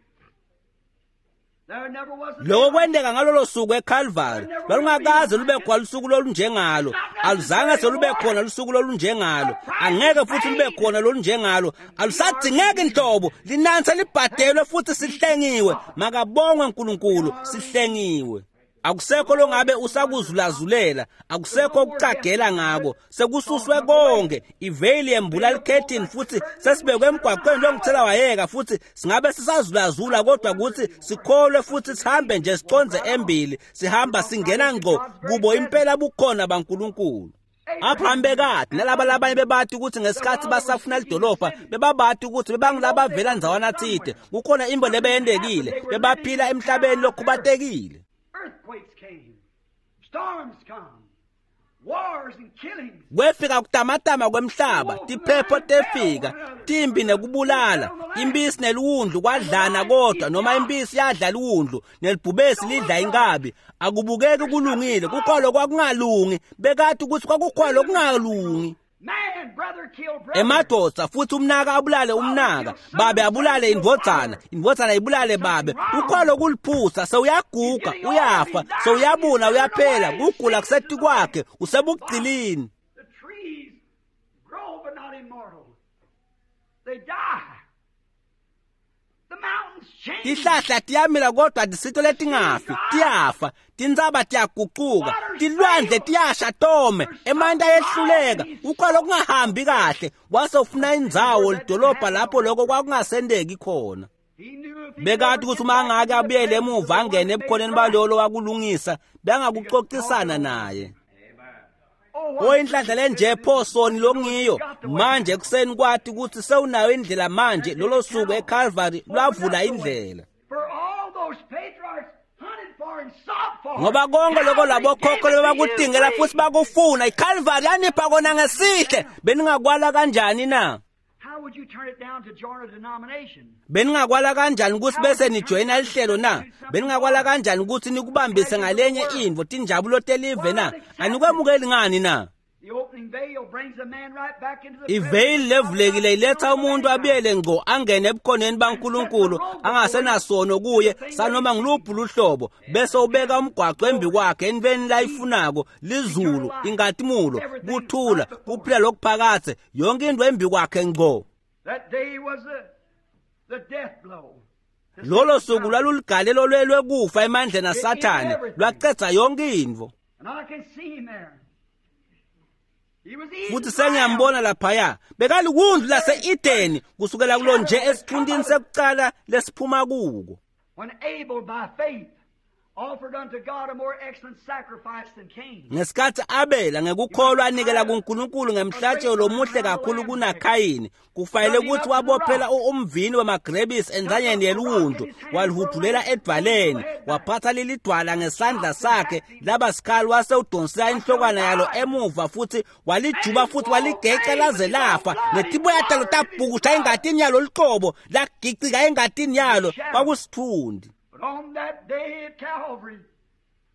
There never was a Lokho kwenteka ngalolo suku eCalvary lwalungakaze lube khona lusuku lolunjengalo aluzange selube khona lusuku lolunjengalo angeke futhi lube khona lolunjengalo alusadzingeki inhlobo linansi libhadelwe futhi sihlengiwe makabongwe uNkulunkulu sihlengiwe. Akusekho longabe usakuzulazulela akusekho ukucagela ngako sekususwe konke iveyili yembula likhethini futhi sesibekwe emgwaqweni longithela wayeka futhi singabe sisazulazula kodwa ukuthi sikholwe futhi sihambe nje siconze embili sihamba singena ngqo kubo impela bukhona baNkulunkulu. Abraham bekade nalaba labanye bebathi ukuthi ngesikhathi basafuna lidolobha bebabati ukuthi bebangilabavela ndzawana thide kukhona imbo lebeyendekile bebaphila emhlabeni lokhubatekile. Earthquakes came, storms come, wars and killings. Kwefika kutamatama kwemhlaba tiphepho tefika timbi nekubulala impisi neliwundlu kwadlana kodwa noma impisi yadla liwundlu nelibhubesi lidla inkabi akubukeki kulungile kukhona kwakungalungi bekade ukuthi kwakukhona okungalungi. Man, brother killed brother. Emadvodza futhi umnaka abulale umnaka babe abulale indvodzana indvodzana ibulale babe kukhona kuliphusa sewuyaguga uyafa sewuyabuna uyaphela kugula kuseti kwakhe usebugcilini. The trees grow but not immortal. They die. The mountains change. Tihlahla tiyamila kodwa tisito letingafi tiyafa tintsaba tiyagucuka tilwandle tiyasha tome emanti ayehluleka kukhona okungahambi kahle wase ufuna indzawo lidolobha lapho lokho kwakungasendeki khona. He knew if he Bekati ukuthi uma angake abuyele emuva angene ebukhoneni balolo wakulungisa bengakuxoxisana naye. Oh, Oyinhlanhla lenje pho soni longiyo manje ekuseni kwathi ukuthi sewunayo indlela manje lolo suku eCalvary lwavula indlela. For all those patriarchs hunted for and sought for. Ngoba konke lokho labokhokho bebakutingela Calvary futhi bakufuna iCalvary yanipha kona ngesihle beningakwala kanjani na? How would you turn it down to join a denomination? Beningakwala kanjani ukuthi bese nijoyina lihlelo na? Beningakwala kanjani ukuthi nikubambise ngalenye intfo tinjabulo telive na? Anikwemukeli ngani na? The opening veil brings a man right back into the Iveyili levulekile iletha umuntu abuyele ngqo angene ebukhoneni baNkulunkulu angasenasono kuye sanoma ngiluphi luhlobo bese ubeka umgwaqo embi kwakhe entweni layifunako lizulu inkatimulo kuthula kuphila lokuphakathe yonke into embi kwakhe ngqo. That day was the, the death blow. Lolo suku lwaluligalelo lwelwekufa emandleni aSathane lwacedza yonke intfo. And I can see him there. He was eating Futhi sengiyambona laphaya bekaliwundlu lase-Edeni kusukela kulo nje esithuntini sekucala lesiphuma kuko. When Abel by faith offered unto God a more excellent sacrifice than Cain. Ngesikhathi Abela ngekukholwa anikela kuNkulunkulu ngemhlatshelo lomuhle kakhulu kunaKhayini kufanele ukuthi wabophela umvini wemagrebisi enzanyeni yeliwundlu walihudvulela edvwaleni waphatha leli dwala ngesandla sakhe laba sikhali wase udonsela inhlokwana yalo emuva futhi walijuba futhi waligeca laze lafa netiboya talo tabhukusha engatini yalo luqobo lagicika engatini yalo kwakusithundi. But on that day at Calvary,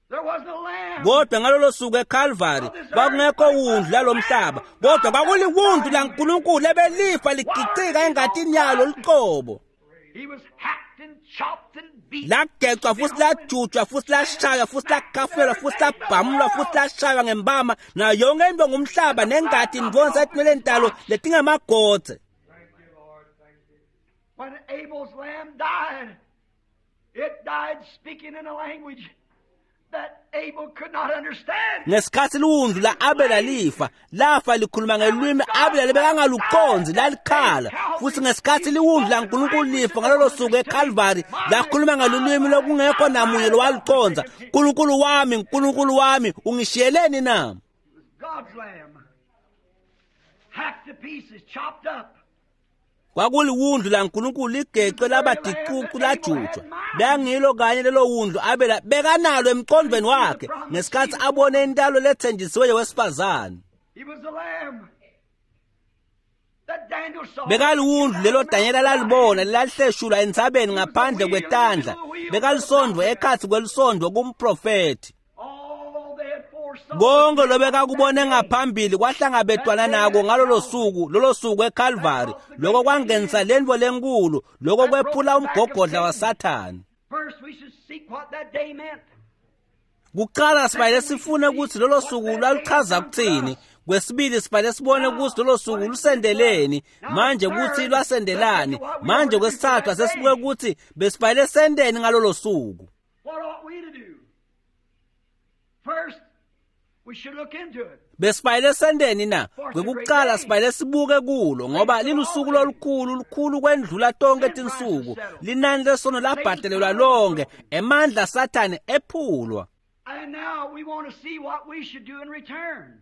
there wasn't a lamb. Kodwa ngalolo suku eCalvary kwakungekho wundlu lalomhlaba kodwa kwakuliwundlu laNkulunkulu ebelifa ligicika engatini yalo luqobo. He was hacked and chopped and beat. Lagecwa futhi lajutshwa futhi lashaywa futhi lakhafelwa futhi labhamulwa futhi lashaywa ngembama nayo yonke into ngumhlaba nengati indvonsa etinweleni talo letingemagodze. When Abel's lamb died, it died speaking in a language Ngesikhatsi liwundlu la-Abela lifa, lafa likhuluma ngelulwimi Abela lebekangalucondzi, lalikhala. Futsi ngesikhatsi liwundlu laNkulunkulu lifa ngalolo suku eKalvari, lakhuluma ngelulwimi lokungekho namunye lowalucondza. Nkulunkulu wami, Nkulunkulu wami, ungishiyeleni na? Kwakuliwundlu laNkulunkulu ligecwe laba ticucu lajutjwa. Bekangilo kanye lelo wundlu Abela bekanalo emqondweni wakhe ngesikhatsi abone intalo lethenjisiwe yowesifazane. Bekaliwundlu lelo Danyela lalibona lelahleshulwa entsabeni ngaphandle kwetandla. Bekalisondvo ekhatsi kwelisondvo kumprofethi. Konke lobekakubone ngaphambili kwahlangabetwana nako ngalolo suku, lolo suku eKalvari. Lokho kwangenisa lentfo lenkulu, lokho kwephula umgogodla waSathane. Kuqala sifanele sifune ukuthi lolo suku lwaluchaza kuthini. Kwesibili sifanele sibone ukuthi lolo suku lusendeleni, manje ukuthi lwasendelani. Manje kwesithathu asesibuke ukuthi besifanele sendeni ngalolo suku. Besifanele sendeni na? Kwekuqala sifanele sibuke kulo, ngoba lilusuku lolukhulu, lukhulu kwendlula tonke tinsuku. Linani lesono labhadalelwa lonke, emandla Sathane ephulwa. And now we want to see what we should do in return.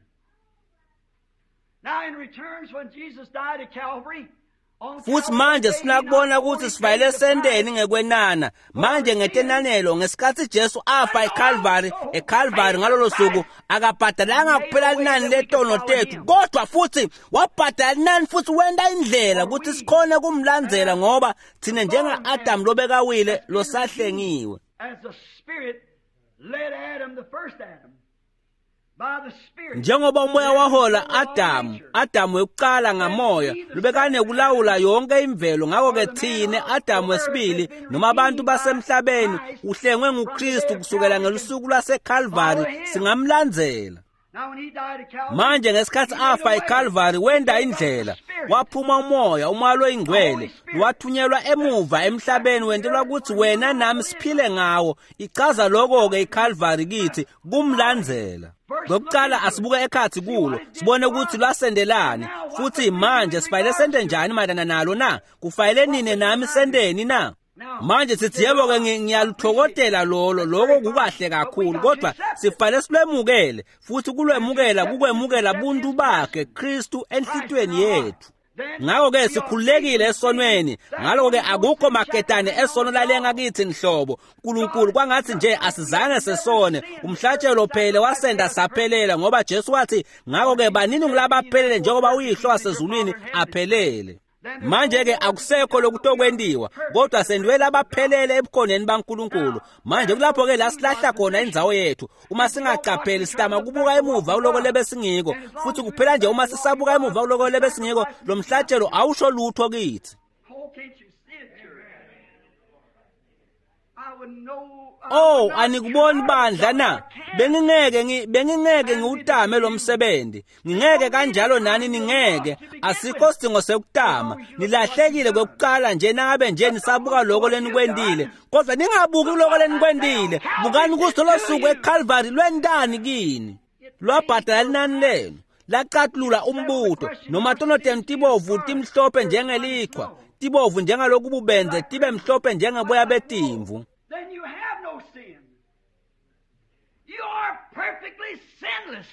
Now in returns, when Jesus died at Calvary, Futhi manje sinakubona ukuthi sifanele sendeni ngekwenana. Manje ngetenanelo, ngesikhatsi Jesu afa eKalvari, eKalvari ngalolo suku akabhadalanga kuphela linani letono tethu, kodwa futhi wabhadala linani futhi wenta indlela ukuthi sikhone kumlandzela, ngoba thine njenga-Adamu lobekawile losahlengiwe. As the Spirit led Adam, the first Adam, Njengoba umoya wahola Adamu, Adamu wekuqala ngamoya, lobekanekulawula yonke imvelo. Ngakho-ke thine Adamu wesibili noma abantu basemhlabeni uhlengwe nguKristu kusukela ngelusuku lwaseKalvari, singamlandzela. Manje ngesikhatsi afa eKalvari wenta indlela, waphuma umoya, umoya loyingcwele wathunyelwa emuva emhlabeni wentelwa ukuthi wena nami siphile ngawo. Ichaza lokho-ke iKalvari kithi, kumlandzela. Kokuqala asibuke ekhatsi kulo, sibone ukuthi lwasendelani, futhi manje sifanele sente njani mayelana nalo na? Kufanele nine nami sendeni na? Manje sithi yebo-ke ngiyaluthokodela lolo, lokho kukahle kakhulu, kodwa sifanele silwemukele, futhi kulwemukela kukwemukela buntu bakhe Kristu enhlitiyweni yethu. Ngakho-ke sikhululekile esonweni, ngaloko-ke akukho maketane esono lalenga kithi nhlobo. Nkulunkulu kwangathi nje asizange sesone, umhlatshelo phele wasenda saphelela, ngoba Jesu wathi ngakho-ke banini ngulabaphelele njengoba uyihlo wasezulwini aphelele. Manje-ke akusekho lokutokwentiwa, kodwa sendwele abaphelele ebukhoneni baNkulunkulu. Manje kulapho-ke la silahla khona indzawo yethu. Uma singaqapheli sitama kubuka emuva kuloko lebesingiko, futhi kuphela nje uma sisabuka emuva kuloko lebesingiko, lo mhlatshelo awusho lutho kithi. Oh, anikuboni bandla na? Bengingeke bengingeke ngiwutame lo msebenzi. Ngingeke kanjalo nani ningeke. Asikho sidingo sekutama. Nilahlekile kwekuqala nje nangabe nje nisabuka lokho lenikwendile. Kodwa ningabuki lokho lenikwendile. Bukani ukuthi lo suku eKalvari lwentani kini. Lwabhadala linani lenu. Laqatulula umbuto noma tono tenu tibovu timhlophe njengelichwa, tibovu njengaloku bubenze tibe mhlophe njengeboya betimvu. Then you have no sin. You are perfectly sinless.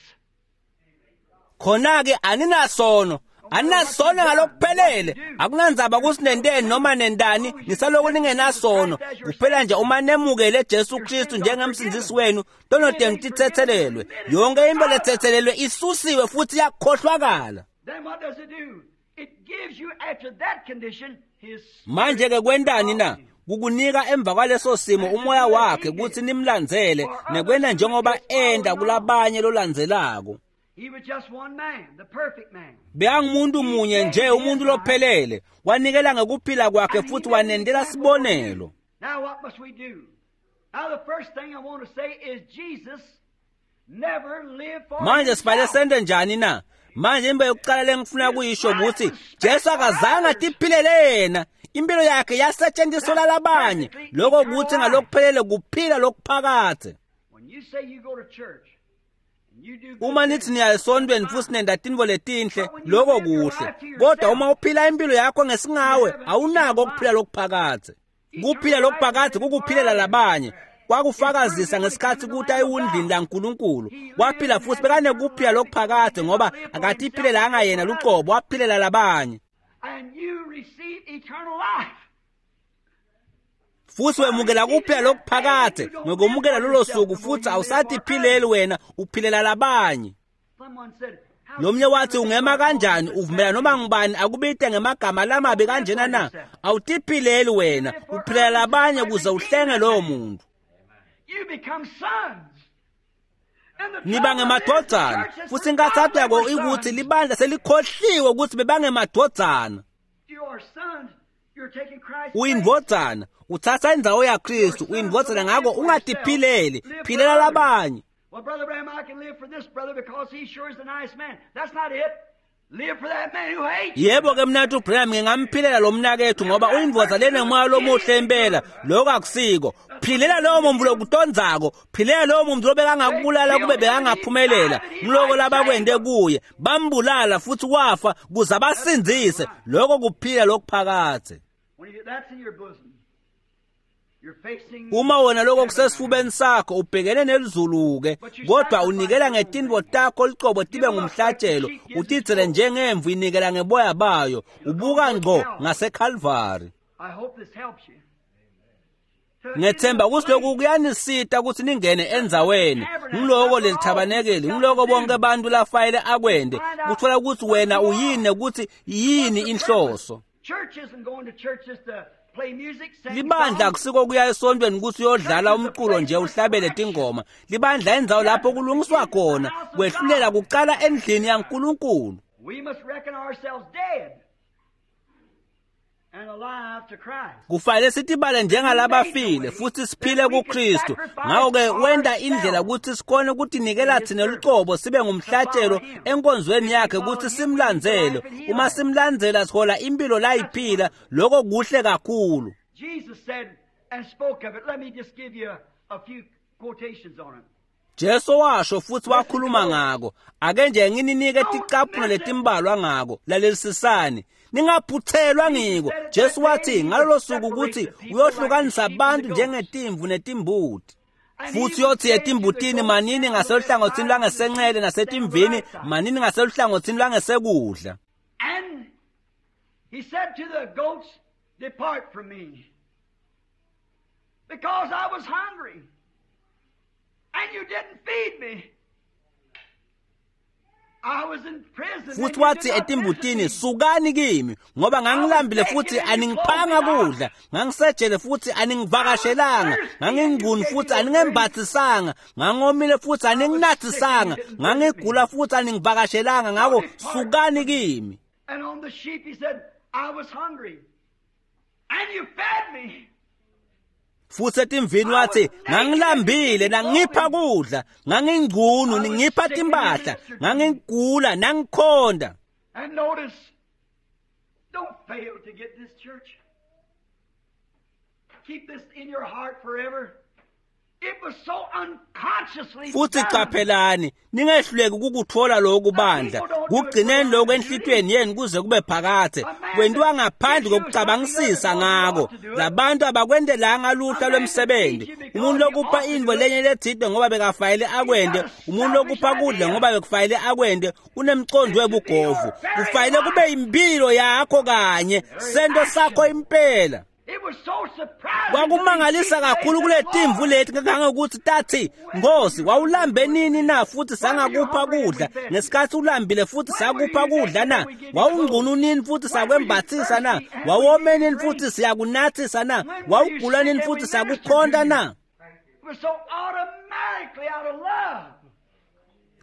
Khona-ke aninasono, aninasono ngalokuphelele. Akunandzaba kusinenteni noma nentani, nisaloku ningenasono. Kuphela nje uma nemukele Jesu Kristu njengemsindzisi wenu, tono tenu tithethelelwe. Yonke into lethethelelwe isusiwe futhi iyakhohlwakala. Then what does it do? It gives you after that condition his Manje-ke kwentani na? Kukunika emva kwaleso simo umoya wakhe ukuthi nimlandzele nekwenta njengoba enda kulabanye lolandzelako. He was just one man, the perfect man. Bekangumuntu munye nje, umuntu lophelele, wanikela ngekuphila kwakhe futhi wanendela sibonelo. Now what must we do? Now the first thing I want to say is Jesus never lived for Manje sifanele himself. sente njani na? Manje into yokuqala lengifuna kuyisho ukuthi Jesu akazange atiphilele yena. Impilo yakhe yasetshenziswa labanye. Lokho kuthi ngalokuphelele kuphila lokuphakade. When Uma nithi niya esontweni futhi nenda tintfo letinhle, loko kuhle, kodwa uma uphila impilo yakho ngesingawe awunako ukuphila lokuphakadze. Kuphila lokuphakadze kukuphilela labanye. Kwakufakazisa ngesikhatsi kuthi ayiwundlini laNkulunkulu. Waphila futhi bekanekuphila lokuphakadze ngoba akatiphilelanga yena lucobo, waphilela labanye. Futhi wemukela kuphila lokuphakadze ngokumukela lolo suku, futhi awusatiphileli wena, uphilela labanye. Lomnye wathi ungema kanjani uvumela noma ngubani akubite ngemagama lamabi kanjena na? Awutiphileli wena, uphilela labanye ukuze uhlenge lowo muntu. Niba ngemadvodzana, futhi inkathato yako ikuthi libandla selikhohliwe ukuthi bebangemadvodzana. Uyindvodzana, uthatha indzawo yaKristu, uyindvodzana, ngako ungatiphileli, philela labanye. Well, Brother Branham, I can live for this brother because he sure is a nice man. That's not it. Live for that man who hates you. Yebo ke mnathu Branham, ngingamphilela lo mnakethu ngoba uyindvodza lenemoya lomuhle impela. Lokho akusiko. Philela lowo muntu lokutondzako, philela lowo muntu lobekangakubulala kube bekangaphumelela. Ngiloko labakwende kuye, bambulala futhi wafa kuze abasindzise. Lokho kuphila lokuphakadze. Uma wena lokho kusesifubeni sakho ubhekene nelizulu-ke, kodwa unikela ngetintfo takho licobo tibe ngumhlatshelo, utitsele njengemvu inikela ngeboya bayo, ubuka ngco ngaseKalvari. Ngethemba ukuthi lokhu kuyanisita ukuthi ningene endzaweni. Ngiloko leli thabanekeli, ngiloko bonke abantu lafayele akwende, kuthola ukuthi wena uyini, ukuthi yini inhloso. Libandla akusiko kuya esontweni ukuthi uyodlala umculo nje uhlabele tingoma. Libandla indzawo lapho kulungiswa khona, kwehlulela kucala endlini yaNkulunkulu. Kufanele sitibale njengalabafile futhi siphile kuKristu. Ngakho-ke wenda indlela ukuthi sikhone ukutinikela thina lucobo sibe ngumhlatshelo enkonzweni yakhe ukuthi simlandzele. Uma simlandzela sihola impilo layiphila, lokho kuhle kakhulu. Jesus said and spoke of it. Let me just give you a, a few quotations on it. Jesu washo futhi wakhuluma ngako. Ake nje ngininike ticaphuno letimbalwa ngako. Lalelisisani, ningaphuthelwa ngiko. Jesu wathi ngalolo suku ukuthi uyohlukanisa abantu njengetimvu netimbuti. Futhi uyothi etimbutini manini ngaseluhlangothini lwangesenxele nasetimvini manini ngaseluhlangothini lwangesekudla. And he said to the goats, depart from me, because I was hungry, and you didn't feed me. I was in prison. Futhi wathi etimbutini, sukani kimi, ngoba ngangilambile futhi aningiphanga kudla, ngangisejele futhi aningivakashelanga, nganginguni futhi aningembathisanga, ngangomile futhi aninginathisanga, ngangigula futhi aningivakashelanga, ngako sukani kimi. And on the sheep he said, I was hungry, and you fed me. Futhi etimvini wathi, ngangilambile nangipha kudla, ngangingcunu ningipha timpahla, ngangigula nangikhonda. And notice, don't fail to get this, church. Keep this in your heart forever. It was so unconsciously Futhi done. qaphelani, ningehluleki ukukuthola lokhu bandla. Kugcineni lokhu enhlitiyweni yenu kuze kube phakadze. Kwentiwa ngaphandle kokucabangisisa ngako. Labantu abakwentelanga luhla lwemsebenzi. Umuntu lokupha intfo lenye letsite ngoba bekafayele akwende, umuntu lokupha kudla ngoba bekufayele akwende, unemcondo webugovu. Kufayele kube impilo yakho kanye, sento sakho impela. It was so surprising. Kwakumangalisa kakhulu kule timvu leti kangangokuthi tathi, Nkosi, wawulambe nini na futhi sangakupha kudla? Ngesikhathi ulambile futhi sakupha kudla na? Wawungcunu nini futhi sakwembathisa na? Wawome nini futhi siyakunathisa na? Wawugula nini futhi sakukhonta na? It was so automatically out of love.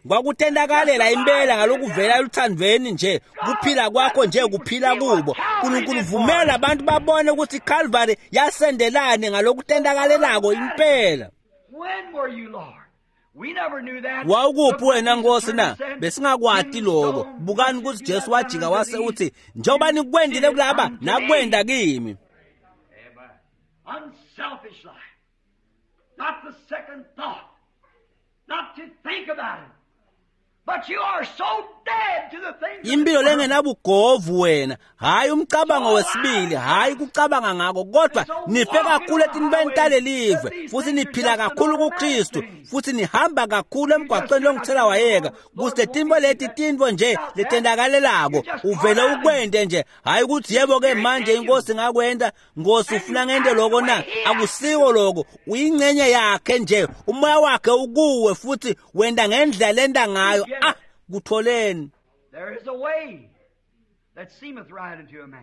Kwakutentakalela impela ngalokuvela eluthandweni nje, kuphila kwakho nje kuphila kubo. uNkulunkulu vumela abantu babone ukuthi iCalvary yasendelane ngalokutentakalelako impela. When were you, Lord? We never knew that. Wawukuphi wena Nkosi na? Besingakwati lokho. Bukani ukuthi Jesu wajika wase uthi, njengoba nikwendile kulaba, nakwenda kimi. Unselfish life. Not the second thought. Not to think about it. But you are so dead to the things of Impilo this world. lengenabugovu wena, hayi umcabango wesibili, hayi kucabanga ngako, kodwa nife kakhulu etintweni talelive, futhi niphila kakhulu kuKristu, futhi nihamba kakhulu emgwaqweni longithela wayeka, kuze tintfo leti tintfo nje letendakalelako, uvele ukwente nje, hayi ukuthi yebo ke manje inkosi ngakwenta, Nkosi ufuna ngente loko na, akusiko loko, uyingcenye yakhe nje, umoya wakhe ukuwe futhi wenta ngendlela lenta ngayo, ah, kutholeni. There is a way that seemeth right unto a man.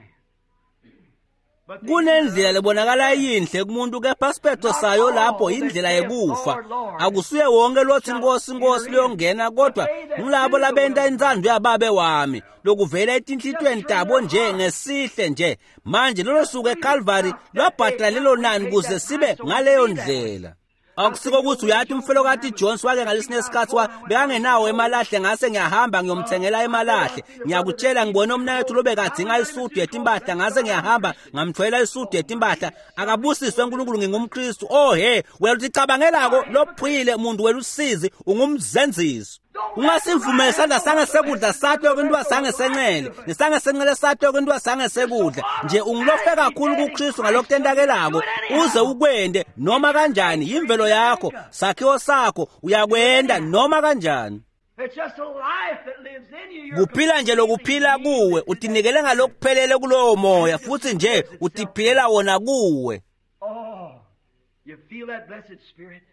But the Kunendlela lebonakala yinhle kumuntu kepha siphetho sayo lapho indlela yekufa. Akusuye wonke lothi Nkosi Nkosi liyongena kodwa ngulabo labenta intsandvo yababe wami lokuvela etinhlitiyweni tabo nje ngesihle nje. Manje lolo suku eCalvary lwabhadala lelo nani kuze sibe ngaleyo ndlela. Akusiko ukuthi uyathi umfelokati Jones wake ngalesinye isikhathi wa bekangenawo emalahle ngase ngiyahamba ngiyomthengela emalahle. Ngiyakutshela ngibona umnakethu lobekadzinga isudu yetimpahla ngase ngiyahamba ngamthwela isudu yetimpahla. Akabusiswe uNkulunkulu ngingumKristu. Oh he, wena uthi lophile umuntu welusizi ungumzenzisi. Ungasivumeli isandla sangesekudla sakho kwinto sangesencele, nesangesencele sakho kwinto sangesekudla. Nje ungilofe kakhulu kuKristu ngalokutentakelako uze ukwende noma kanjani, yimvelo yakho, sakhiwo sakho, uyakwenda noma kanjani. It's just a life that lives in you. You're Kuphila nje lokuphila kuwe, utinikele ngalokuphelele kulowo moya futhi nje utiphilela wona kuwe. Oh, you feel that blessed spirit?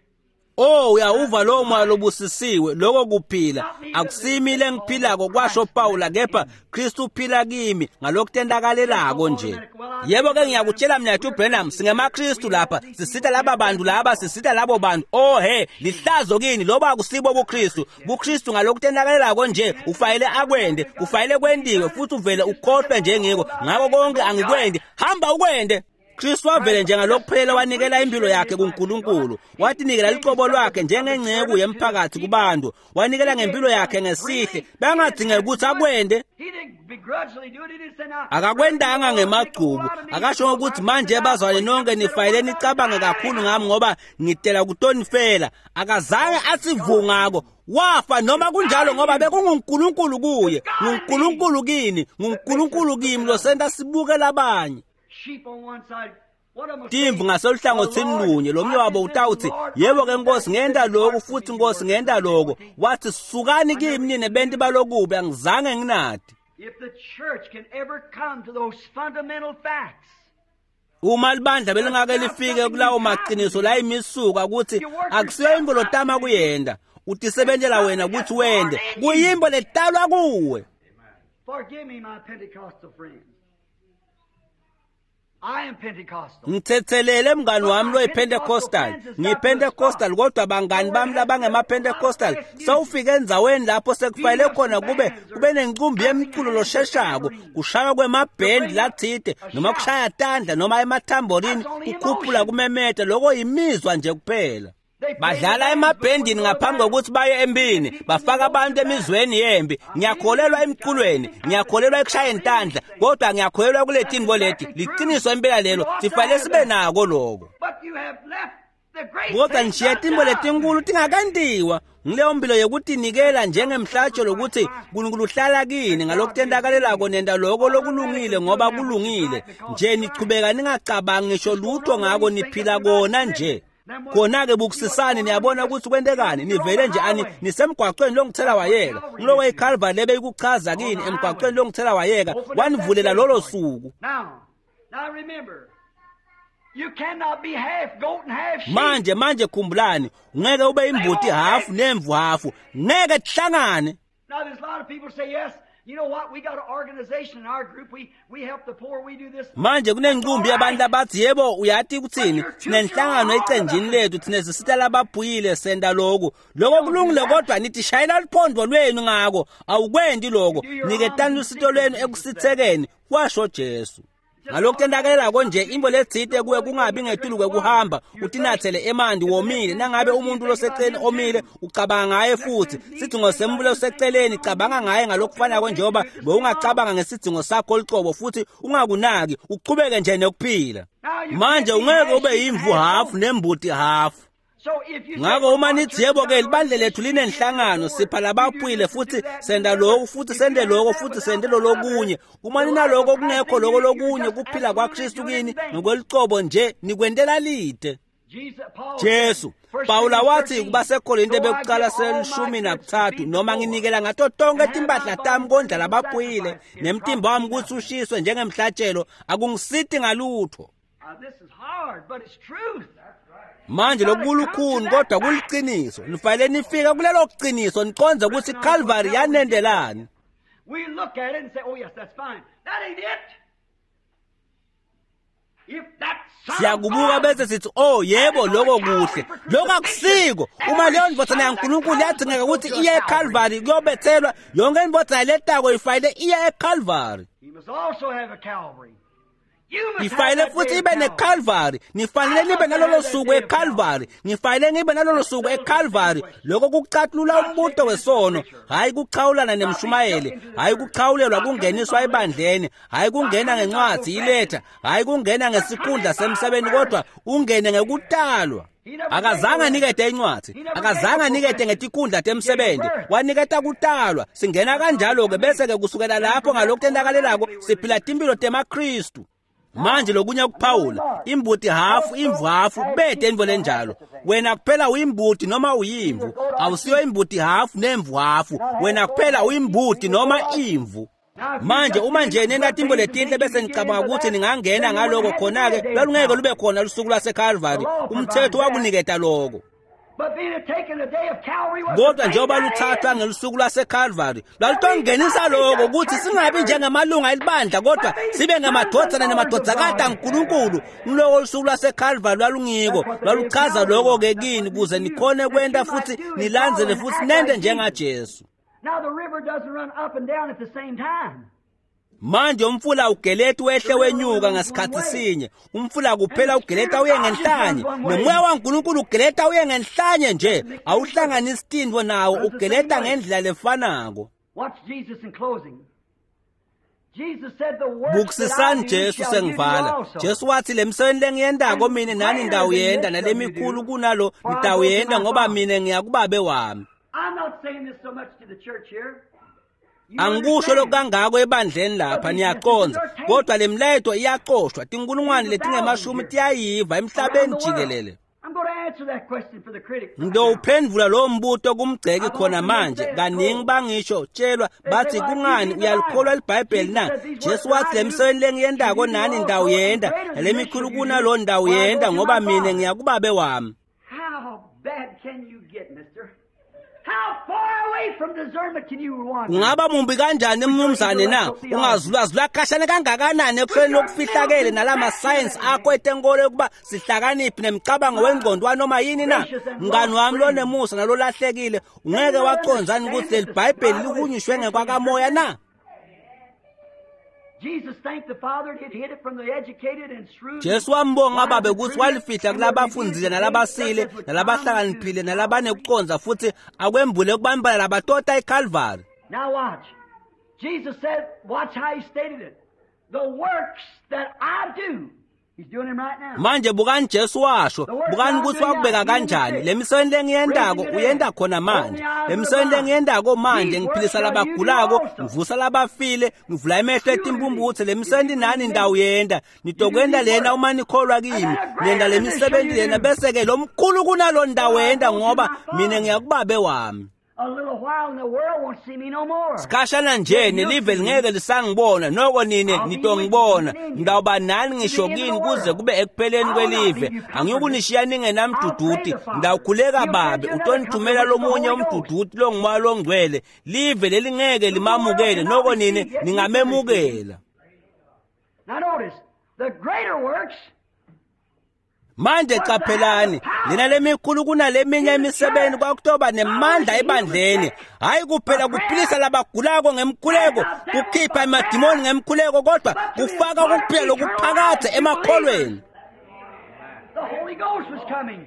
Oh, uyawuva lowo moya lobusisiwe, lokho kuphila. Akusimi lengiphilako kwasho Pawula kepha Kristu uphila kimi ngalokutentakalelako nje. Yebo ke ngiyakutshela mina Branham, singemaKristu lapha, sisita laba bantu laba, sisita labo bantu. Oh he, lihlazo kini loba akusibo buKristu. BuKristu ngalokutentakalelako nje ufanele akwende, kufanele kwendiwe futhi uvele ukhohlwe njengiko. Ngakho konke angikwendi, hamba ukwende. Kristu wavele njengalokuphelela wanikela impilo yakhe kuNkulunkulu. Watinikela licobo lwakhe njengengceku yemphakathi kubantu. Wanikela ngempilo yakhe ngesihle. Bangadingeki ukuthi akwende. He didn't begrudgingly do it. He didn't say now. Akakwendanga ngemagcubu. Akasho ukuthi manje bazwane nonke nifanele nicabange kakhulu ngami ngoba ngitela kutonifela. Akazange athi vungako. Wafa noma kunjalo ngoba bekunguNkulunkulu kuye, nguNkulunkulu kini, nguNkulunkulu kimi losenta sibuke labanye. Sheep on one side. One of them Timvu ngaseluhlangothini lunye lomnye wabo utawuthi yebo ke Nkosi ngenta lokhu futhi Nkosi ngenta lokho. Wathi sukani kimi nina benti balokubi angizange nginadi. If the church can ever come to those fundamental facts, Uma libandla belingake lifike kulawo maqiniso la imisuka ukuthi akusiyo imvo lotama kuyenda, utisebentela wena ukuthi wende, kuyimbo letalwa kuwe. forgive me, my Pentecostal friends. I am Pentecostal. Ngithethelele mngani wami loyiPentecostal. NgiyiPentecostal kodwa bangani bami labangemaPentecostal sewufike endzaweni lapho sekufanele khona kube kube nencumbi yemculo losheshako, kushaywa kwemabhendi lathide noma kushaya tandla noma emathamborini kukhuphula kumemeta, lokho yimizwa nje kuphela. Badlala emabhendini ngaphambi kokuthi baye empini, bafaka abantu emizweni yempi. Ngiyakholelwa emculweni, ngiyakholelwa ekushayeni tandla, kodwa ngiyakholelwa kule tintfo leti. Liqiniso impela lelo, sifanele sibe nako lokho. But you have left the great Kodwa things nishiye tintfo letinkulu tingakentiwa. Ngileyo mpilo yekutinikela njengemhlatshelo ukuthi uNkulunkulu uhlala kini ngalokutentakalelako nenta lokho lokulungile ngoba kulungile. Nje nichubeka ningacabangi ngisho lutho ngako niphila kona nje. Khona-ke bukusisani niyabona ukuthi kwentekani, nivele nje ani nisemgwaqweni longithela wayeka. Ngiloko iCalvary lebeyikuchaza kini emgwaqweni longithela wayeka, wanivulela lolo suku. Now, now remember, you cannot be half goat and half sheep. Manje manje khumbulani, ungeke ube imbuti hafu nemvu hafu, ngeke kuhlangane. Now, there's a lot of people say, yes, you know what? We got an organization in our group. We, we help the poor. We do this. Manje kunencumbi yabantu abathi yebo uyathi ukuthini, sinenhlangano ecenjini lethu, thina sisita labaphuyile senta lokhu. Lokho kulungile kodwa nithi shayela luphondo lwenu ngako, awukwendi lokho. Niketani lusito lwenu ekusithekeni, kwasho Jesu. Ngalokutentakelelako nje imbo letsite kuwe kungabi ngetulu kwekuhamba utinathele emanti womile. Nangabe umuntu loseceleni omile ucabanga ngaye futhi sidzingo sembulo loseceleni cabanga ngaye ngalokufanako njengoba bewungacabanga ngesidzingo sakho licobo futhi ungakunaki uchubeke nje nekuphila. Manje ungeke ube yimvu hafu nembuti hafu. Ngako uma nithi yebo-ke libandla lethu linenhlangano, sipha labaphuyile futhi senda lokhu futhi sende lokho futhi sende lolokunye, uma ninaloko kungekho loko lokunye kuphila kwaKristu kini ngokwelucobo nje nikwentela lide. Jesu Pawula wathi kubaseKorinte bekuqala selishumi nakuthathu, noma nginikela ngato tonke timpahla tami kondla labaphuyile nemtimba wami kutsi ushiswe njengemhlatshelo, akungisiti ngalutho. Manje lokulukhuni kodwa kuliciniso. Nifanele nifike kulelo qiniso niqonde ukuthi Calvary yanendelani. We look at it and say, oh yes, that's fine. That ain't it. Siyakubuka bese sithi oh yebo lokho kuhle, lokho akusiko. Uma leyo ndvodzana yaNkulunkulu yadingeka ukuthi iye eCalvary kuyobethelwa, yonke indvodzana letako ifanele iye eCalvary. Nifanele futhi ibe neCalvary, nifanele nibe nalolo suku eCalvary, nifanele nibe nalolo suku eCalvary. Lokho kucathulula umbuto wesono, hayi kuchawulana nemshumayeli, hayi kuchawulelwa kungeniswa ebandleni, hayi kungena ngencwadi iletha, hayi kungena ngesikhundla semsebeni, kodwa ungene ngekutalwa. Akazange anikete incwadi, akazange anikete ngetikhundla temsebenzi, waniketa kutalwa. Singena kanjalo-ke bese-ke kusukela lapho ngalokutentakalelako siphila timpilo temaKristu. Manje lokunye kuphawula, imbuti hafu imvu hafu bede intfo lenjalo. Wena kuphela uyimbuti noma uyimvu, awusiyo imbuti hafu nemvu hafu, wena kuphela uyimbuti noma imvu. Manje uma nje nena timbo letinhle bese nicabanga ukuthi ningangena ngaloko, khona-ke lwalungeke lube khona lusuku lwaseCalvary. Umthetho wakuniketa loko. Kodwa njengoba luthathwa ngelusuku lwaseCalvary, lwalutongenisa loko ukuthi singabi njengamalunga elibandla kodwa sibe ngamadvodzana nemadvodzakati aNkulunkulu. Ngiloko lusuku lwaseCalvary lwalungiko, lwaluchaza loko-ke kini kuze nikhone kwenta futhi nilandzele futhi nente njengaJesu. Now the river doesn't run up and down at the same time. Manje umfula ugeleta wehle wenyuka ngasikhathi sinye. Umfula kuphela ugeleta uye ngenhlanye, nomoya waNkulunkulu ugeleta uye ngenhlanye nje, awuhlanganisi tintfo nawo, ugeleta ngendlela lefanako. Watch Jesus in closing. Jesus said the works Bukusisani Jesu sengivala. Jesu wathi lemsebenti lengiyentako mine nani ndawuyenta, nalemikhulu kunalo nitawuyenta ngoba mine ngiyakubabe wami. I'm not saying this so much to the church here. Angikusho lokangako ebandleni lapha, niyaqonza, kodwa lemlayeto iyacoshwa, tinkulungwane letingemashumi tiyayiva emhlabeni jikelele. I'm going to answer that question for the critics. Ngidowuphendvula lowo mbuto kumgceki khona manje. Kaningi bangisho tshelwa bathi kungani uyalikholwa liBhayibheli na? Jesu wathi lemsebenti lengiyentako nani ndawuyenta, nalemikhulu kunalo ndawuyenta ngoba mine ngiyakubabe wami. How bad can you get, mister? How far away from discernment can you wander? Ungaba mumbi kanjani mnumzane na? Ungazulazula khashane kangakanani ekuhleni lokufihlakele nalama science akho etenkolo yokuba sihlakaniphi nemicabango wengqondo wanoma yini na? Mngani wami lonemusa nalolahlekile, ungeke wacondzani ukuthi leli Bhayibheli lihunyushwe ngekwakamoya na? Jesus thanked the Father that hid it from the educated and shrewd. Jesu wambonga babe ukuthi walifihla kulabafundzile nalabasile nalabahlakaniphile nalabanekucondza futhi akwembule kubantwana labatota eCalvary. Now watch. Jesus said, watch how he stated it. The works that I do. He's doing them right now. Manje bukani Jesu washo, bukani ukuthi wakubeka kanjani. Le misebenti lengiyentako uyenta khona manje. Le misebenti lengiyentako manje ngiphilisa labagulako, ngivusa labafile, ngivula emehlo etimphumphutse. Le misebenti nani ndawuyenta. Nitokwenta lena uma nikholwa kimi. Nenda le misebenti lena bese-ke lo mkhulu kunalo ndawuyenta ngoba mina ngiyakubabe wami. A little while and the world won't see me no more. Sikhashana nje nelive lingeke lisangibona, noko nine nitongibona. Ngitawuba nani ngisho kini kuze kube ekupheleni kwelive. Angiyukunishiya ningenamduduti, ngitawukhuleka babe utonithumela lomunye umduduti longumoya longcwele. Live lelingeke limamukele, noko nine ningamemukela. Now notice, the greater works Manje qaphelani, lena lemikhulu kunaleminye imisebenzi kwakutoba nemandla ebandleni. Hayi kuphela kuphilisa labagulako ngemkhuleko, kukhipha emadimoni ngemkhuleko, kodwa kufaka ukuphila lokuphakadze emakholweni. The Holy Ghost was coming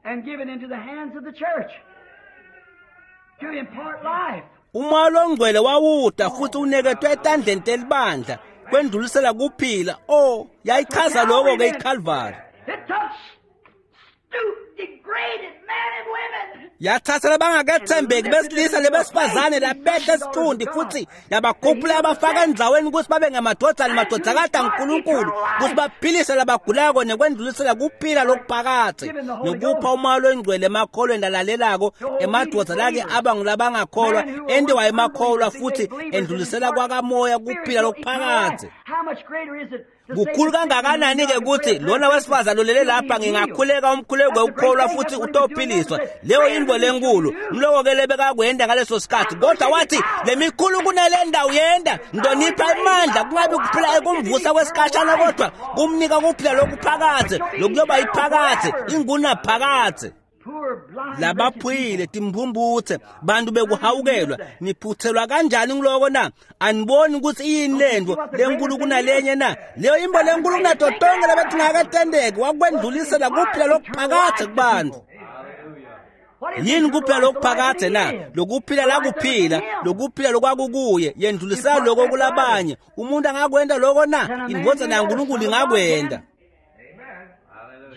and given into the hands of the church to impart life. Umoya longcwele wawuda futhi uniketwe etandleni telibandla kwendlulisela kuphila. Oh, yayichaza lokho ke iCalvary. It took stoop degraded men and women. Yathatha labangakethembeki besilisa lebesifazane labehle esithundi futhi yabakhuphula yabafaka endzaweni ukuthi babe ngamadvodzana nemadvodzakati aNkulunkulu ukuthi baphilise labagulako nekwendlulisela kuphila lokuphakathe nekupha umoya longcwele emakholweni lalalelako emadvodza lake aba ngulabangakholwa entiwa emakholwa futhi endlulisela kwakamoya kuphila lokuphakathe. How much greater is it to say Kukhulu kangakanani-ke ukuthi lona wesifazane olele lapha ngingakhuleka umkhuleko wekukholwa futhi utophiliswa. Leyo yintfo lenkulu mloko-ke lebekakwenda ngaleso sikhathi, kodwa wathi lemikhulu kunale ndawo yenda ngidonipha imandla kungabi kuphila ekumvusa kwesikhashana kodwa kumnika kuphila lokuphakathe lokuyoba yiphakathe ingunaphakathe. poor blind Labaphuyile timphumputhe bantu bekuhawukelwa niphuthelwa kanjani ngiloko na? Aniboni ukuthi iyini lento lenkulu kunalenye na? Leyo imbo lenkulu kunato tonke lebetingakatendeki wakwendlulisela kuphila lokuphakathe kubantu. What is Yini it? kuphila lokuphakathe na? Lokuphila lakuphila, lokuphila lokwakukuye, yendlulisela lokho kulabanye. Umuntu angakwenda lokho na? Indvodzana yaNkulunkulu ingakwenda.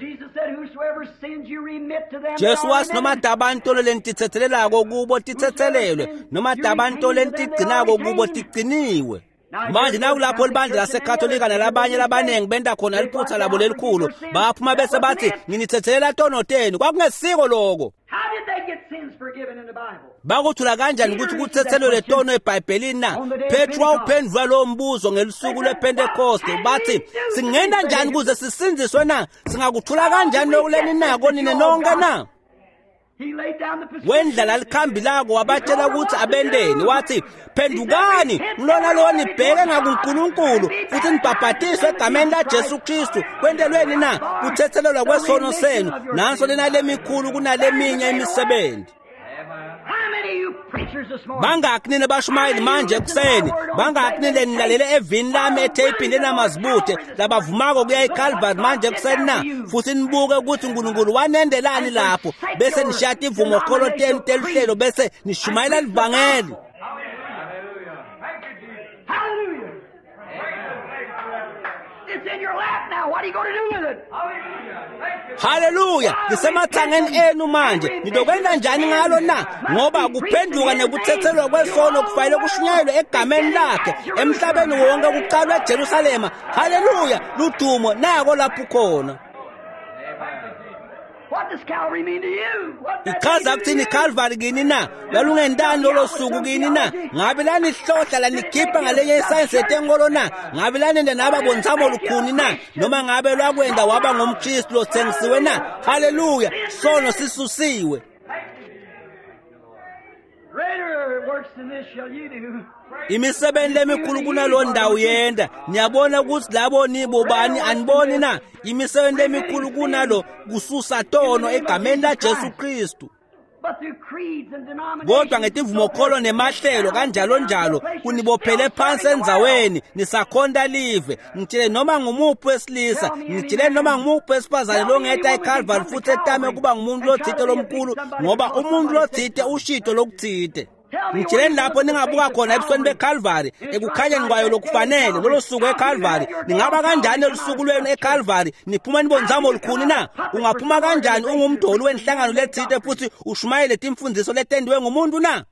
Jesus said, whosoever sins you remit to them, they Jesu are wathi noma remitted. dabantolo lentithethelelako kubo tithethelelwe noma dabantolo lentigcinako kubo tigciniwe. Manje nakulapho libandla laseKatolika nalabanye labanengi benta khona liphutha labo lelikhulu baphuma bese bathi nginithethelela tono tenu. Kwakungesiko lokho. How did they get sins forgiven in the Bible? Bakuthula kanjani ukuthi kuthethelelwe tono eBhayibhelini na? Petru wawuphendula lowo mbuzo ngelusuku lwePentekoste bathi singena njani ukuze sisindziswe na? Singakuthula kanjani lokuleni nako nine nonke na? He laid down the prescription. Wendlala likhambi lako wabatshela ukuthi abendeni wathi phendukani ngilona lo nibheke ngakuNkulunkulu futhi nibhabhatiswe egameni laJesu Kristu kwentelweni na kuthethelelwa kwesono senu nanso lena lemikhulu kunaleminye imisebenzi. How many of you preachers this morning? Bangaki nina bashumayeli manje ekuseni? Bangaki nina nilalele evini lami etheyipini lenamazibuthe labavumako kuya eCalvary manje ekuseni na? Futhi nibuke ukuthi uNkulunkulu wanendelani lapho bese nishiya tivumokholo tenu teluhlelo bese nishumayela livangeli. Hallelujah. It's in your lap now. What are you going to do with it? Haleluya, lisemathangeni enu manje. Nitokwenda njani ngalo na? Ngoba kuphenduka nekuthethelwa kwesono kufanele kushunyayelwe egameni lakhe emhlabeni wonke kuqalwe eJerusalema. Haleluya, ludumo nako lapho khona. What does Calvary mean to you? What does Ichaza it kuthini mean to you? iCalvary kini na? Lalungentani lolo suku kini na? Ngabe lanihlohla lanikhipha ngalenye isayensi yetenkolo na? Ngabe lanenda naba bontsamo lukhuni na? Noma ngabe lwakwenda waba ngumKristu lotsengisiwe na? Haleluya, sono sisusiwe. Greater works than this shall you do. Imisebenzi lemikhulu kunalo ndawo yenda. Niyabona ukuthi labo nibobani aniboni na? Imisebenzi lemikhulu kunalo kususa tono egameni laJesu Kristu. But through creeds and denominations. Kodwa ngetivumokholo nemahlelo kanjalo njalo kunibophele phansi endzaweni nisakhonta live. Ngitshele noma ngumuphi wesilisa, ngitshele noma ngumuphi wesifazane longeta eCalvary futhi etame kuba ngumuntu lothite lomkhulu ngoba umuntu lothite ushito lokuthite. Ngitsheleni lapho ningabuka khona ebusweni beCalvary ekukhanyeni kwayo lokufanele lolo suku eCalvary. Ningaba kanjani lolusuku lwenu eCalvary niphuma nibonzamo olukhulu na? Ungaphuma kanjani ungumdoli wenhlangano lethite futhi ushumayele timfundiso letendiwe ngumuntu na?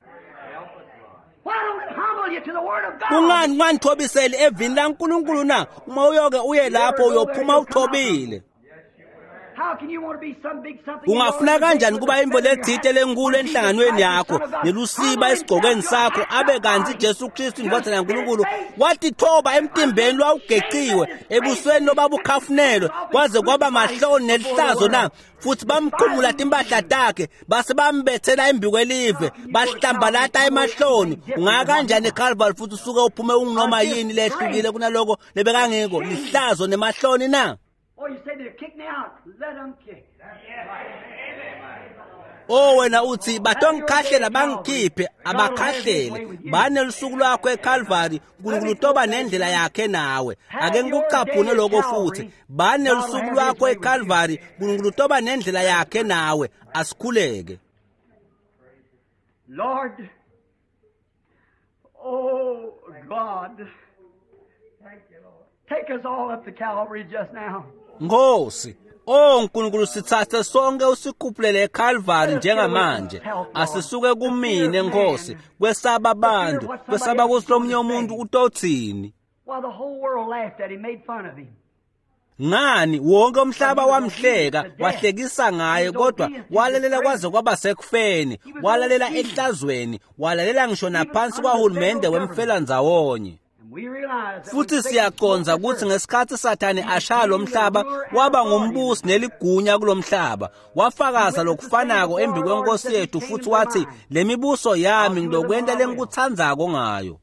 Why don't it humble you to the Word of God? Kungani unganithobiseli evini laNkulunkulu na? Uma uyoke uye lapho uyophuma uthobile. How can you want to be some big something? Ungafuna kanjani kuba imvo lethite lenkulu enhlanganweni yakho nelusiba esigqokweni sakho abe kanti Jesu Kristu indvodzana yaNkulunkulu watithoba emtimbeni lwawugeciwe ebusweni lobabukhafunelwe kwaze kwaba mahloni nelihlazo na? Futhi bamkhumula timpahla takhe base bambethela embikwelive bahlambalata emahloni. Ungaya kanjani eCalvary futhi usuke uphume unginoma yini lehlukile kunaloko lebekangiko lihlazo nemahloni na? Oh, you say they'll kick me out. Let them kick. Oh wena uthi batongikhahlela bangikhiphe abakhahlele bane lusuku lwakho eCalvary uNkulunkulu utoba nendlela yakhe nawe. Ake ngikucaphune lokho futhi bane lusuku lwakho eCalvary uNkulunkulu utoba nendlela yakhe nawe. Asikhuleke. Lord, oh God, take us all up to Calvary just now. Nkosi, O Nkulunkulu, sitsatse sonke usikhuphulele eKalvari njengamanje. Asisuke kumine Nkosi, kwesaba abantu, kwesaba kutsi lomunye umuntu utotsini. While the whole world laughed at him, made fun of him. Ngani wonke umhlaba wamhleka, wahlekisa ngaye, kodwa walalela kwaze kwaba sekufeni, walalela ehlazweni, walalela ngisho naphansi kwahulumende wemfelandzawonye. And we realize that Futhi when Satan siyacondza spoke kutsi this earth, ngesikhatsi Sathane ashaya lo mhlaba, waba ngumbusi neligunya kulomhlaba. Wafakaza lokufanako embi kwenkosi yethu futhi wathi, le mibuso yami ngilokwenta lengikutsandzako ngayo.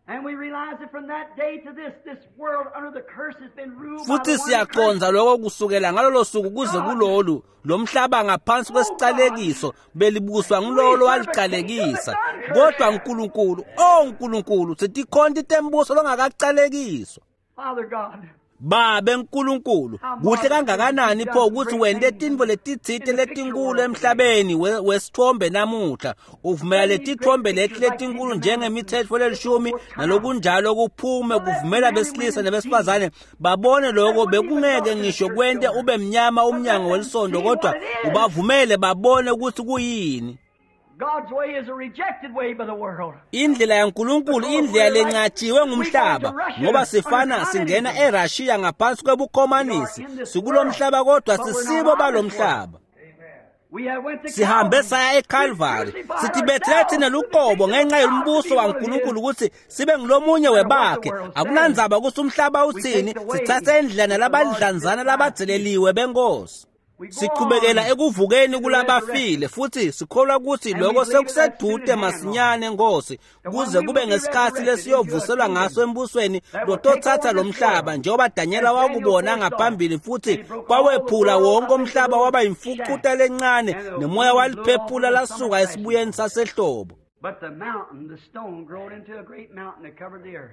And we realize that from that day to this, this world under the curse has been ruled by Futhi the one that cursed. siyacondza lokho kusukela ngalolo suku kuze kulolu, lo mhlaba ngaphansi kwesicalekiso belibuswa ngulolo walicalekisa. Kodwa Nkulunkulu, oh Nkulunkulu, sitikhonti tembuso longakacalekiswa. Father God, Babe Nkulunkulu, kuhle kangakanani pho ukuthi wente tintfo letitsite letinkulu emhlabeni we- wesithombe namuhla. Uvumela letithombe leti letinkulu njengemitsetfo lelishumi nalokunjalo kuphume, kuvumela besilisa nebesifazane babone lokho. Bekungeke ngisho kwente ube mnyama umnyango welisondo, kodwa ubavumele babone ukuthi kuyini. God's way is a rejected way by the world. Indlela yaNkulunkulu indlela lenqatshiwe ngumhlaba, ngoba sifana singena eRussia ngaphansi kwebukhomanisi. Sikulomhlaba kodwa sisibo balomhlaba. We have went to Sihambe Calvary. saya eCalvary, sithibethele thina luqobo ngenxa yombuso waNkulunkulu ukuthi sibe ngulomunye webakhe. Akunandzaba ukuthi umhlaba uthini, sithathe indlela nalabadlanzana labadzeleliwe benkosi. Sichubekela ekuvukeni kulabafile futhi sikholwa ukuthi lokho sekusedude masinyane Nkosi, kuze kube ngesikhathi lesiyovuselwa ngaso embusweni lotothatha lo mhlaba, njengoba Danyela wakubona ngaphambili futhi kwawephula wonke umhlaba waba imfucuta lencane, nemoya waliphephula lasuka esibuyeni sasehlobo. But the mountain, the stone, growed into a great mountain that covered the earth.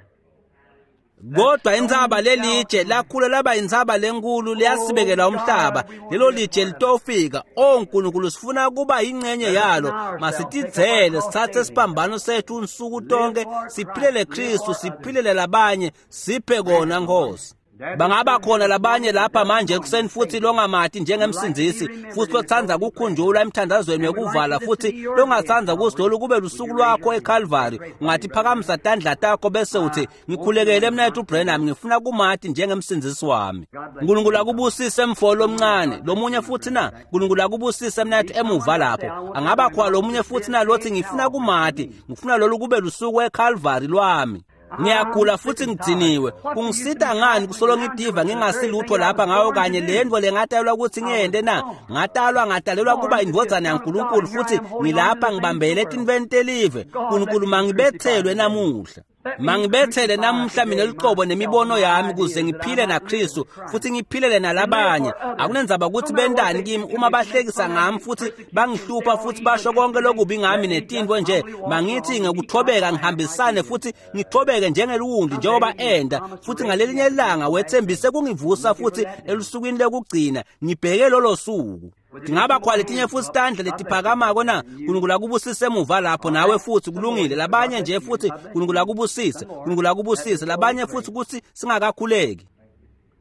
Kodwa intsaba lelitshe lakhula laba intsaba lenkulu liyasibekela umhlaba. Lelo litshe litofika. O Nkulunkulu, sifuna kuba yingxenye yalo. Masitidzele, sithathe siphambano sethu nsuku tonke, siphilele Kristu, siphilele labanye, siphe kona Nkosi. Bangaba khona labanye lapha manje ekuseni futhi longamati njengemsindzisi, futhi lotsandza kukhunjulwa emthandazweni wekuvala, futhi longatsandza kutsi lolu kube lusuku lwakho eCalvary. Ungathi phakamisa tandla takho bese uthi, ngikhulekele mnethu Branham, ngifuna kumati njengemsindzisi wami. Nkulunkulu akubusise mfo lomncane. Lomunye futhi na? Nkulunkulu akubusise mnethu emuva lapho. Angaba khona lomunye futhi na lothi, ngifuna kumati, ngifuna lolu kube lusuku eCalvary lwami. Ngiyagula futhi ngidiniwe. Kungisita ngani kusolo ngidiva ngingasilutho lapha ngayo kanye le nto lengatalelwa ukuthi ngiyente na? Ngatalwa ngatalelwa kuba indvodzana yaNkulunkulu futhi ngilapha ngibambele etintfweni telive. Nkulunkulu mangibethelwe namuhla. Mangibethele namuhla mina luqobo nemibono yami kuze ngiphile naKristu futhi ngiphilele nalabanye. Akunendzaba ukuthi bentani kimi, uma bahlekisa ngami futhi bangihlupha futhi basho konke lokubi ngami netintfo nje, mangithi ngekuthobeka ngihambisane futhi ngithobeke njengeliwundlu njengoba enda. Futhi ngalelinye ilanga wethembise kungivusa futhi elusukwini lokugcina, ngibheke lolo suku. Tingaba khona letinye futhi tandla letiphakamako na? Nkulunkulu akubusise emuva lapho nawe futhi, kulungile. Labanye nje futhi, Nkulunkulu akubusise, Nkulunkulu akubusise. Labanye futhi kutsi singakakhuleki.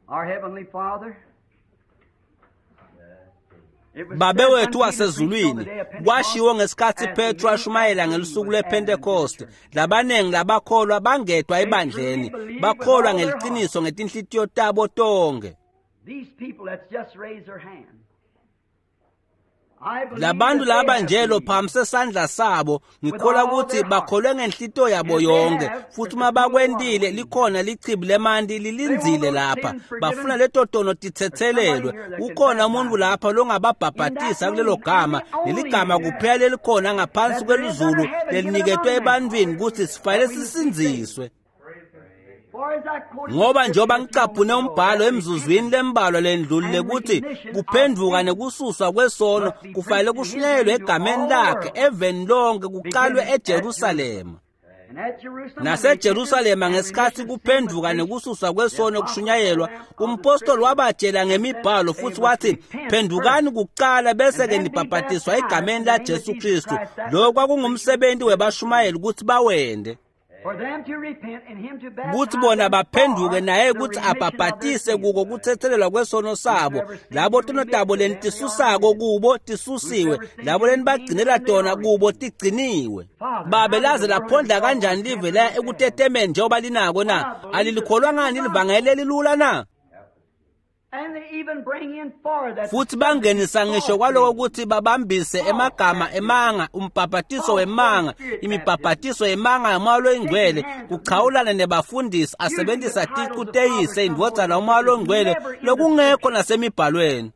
Our Heavenly Father, it was Babe said wethu unto Peter wasezulwini, on the day of Pentecost, kwashiwo ngesikhatsi as the Petro new ashumayela ngelusuku was added to the lwePhentekoste, church. labaningi labakholwa bangedwa ebandleni, bakholwa ngeliqiniso ngetinhlitiyo tabo tonke. These people that's just raised their hand. I believe Labantu that they laba have nje believed. lophakamisa sandla sabo, ngikholwa ukuthi bakholwe ngenhlitiyo yabo yonke, futhi uma bakwentile likhona lichibi lemanti lilindzile lapha, bafuna leto tono tithethelelwe. Ukhona umuntu lapha longababhabhatisa kulelo gama, leligama kuphela lelikhona ngaphansi kwelizulu leliniketwe ebantwini ukuthi sifanele sisindziswe. For as I quoted Ngoba the njengoba scripture a few ngicaphune moments ago, umbhalo that emzuzwini lembalwa lendlulile ukuthi kuphenduka nekususwa kwesono kufanele kushunyayelwe egameni lakhe eveni lonke, kuqalwe eJerusalema. And at Jerusalem, NaseJerusalema ngesikhathi kuphenduka nekususwa kwesono kushunyayelwa, umpostoli wabatshela ngemibhalo futhi wathi, phendukani kuqala bese-ke nibhabhatiswa egameni laJesu Kristu. Lokho kwakungumsebenzi webashumayeli ukuthi bawende. Kutsi bona baphenduke naye kutsi abhabhatise kuko kutsetselelwa kwesono sabo. Labo tono tabo lentisusako kubo tisusiwe, labo lenibagcinela tona kubo tigciniwe. Babe, laze laphondla kanjani live la ekutetemeni njengoba linako na? Alilikholwa ngani livangeli lelilula na? Futhi bangenisa ngisho kwaloko kutsi babambise emagama emanga, umbhabhatiso wemanga, imibhabhatiso yemanga yaMoya loyiNgcwele, kuchawulana nebafundisi asebenzisa ticu teyise, indvodzana, uMoya loyiNgcwele lokungekho nasemibhalweni.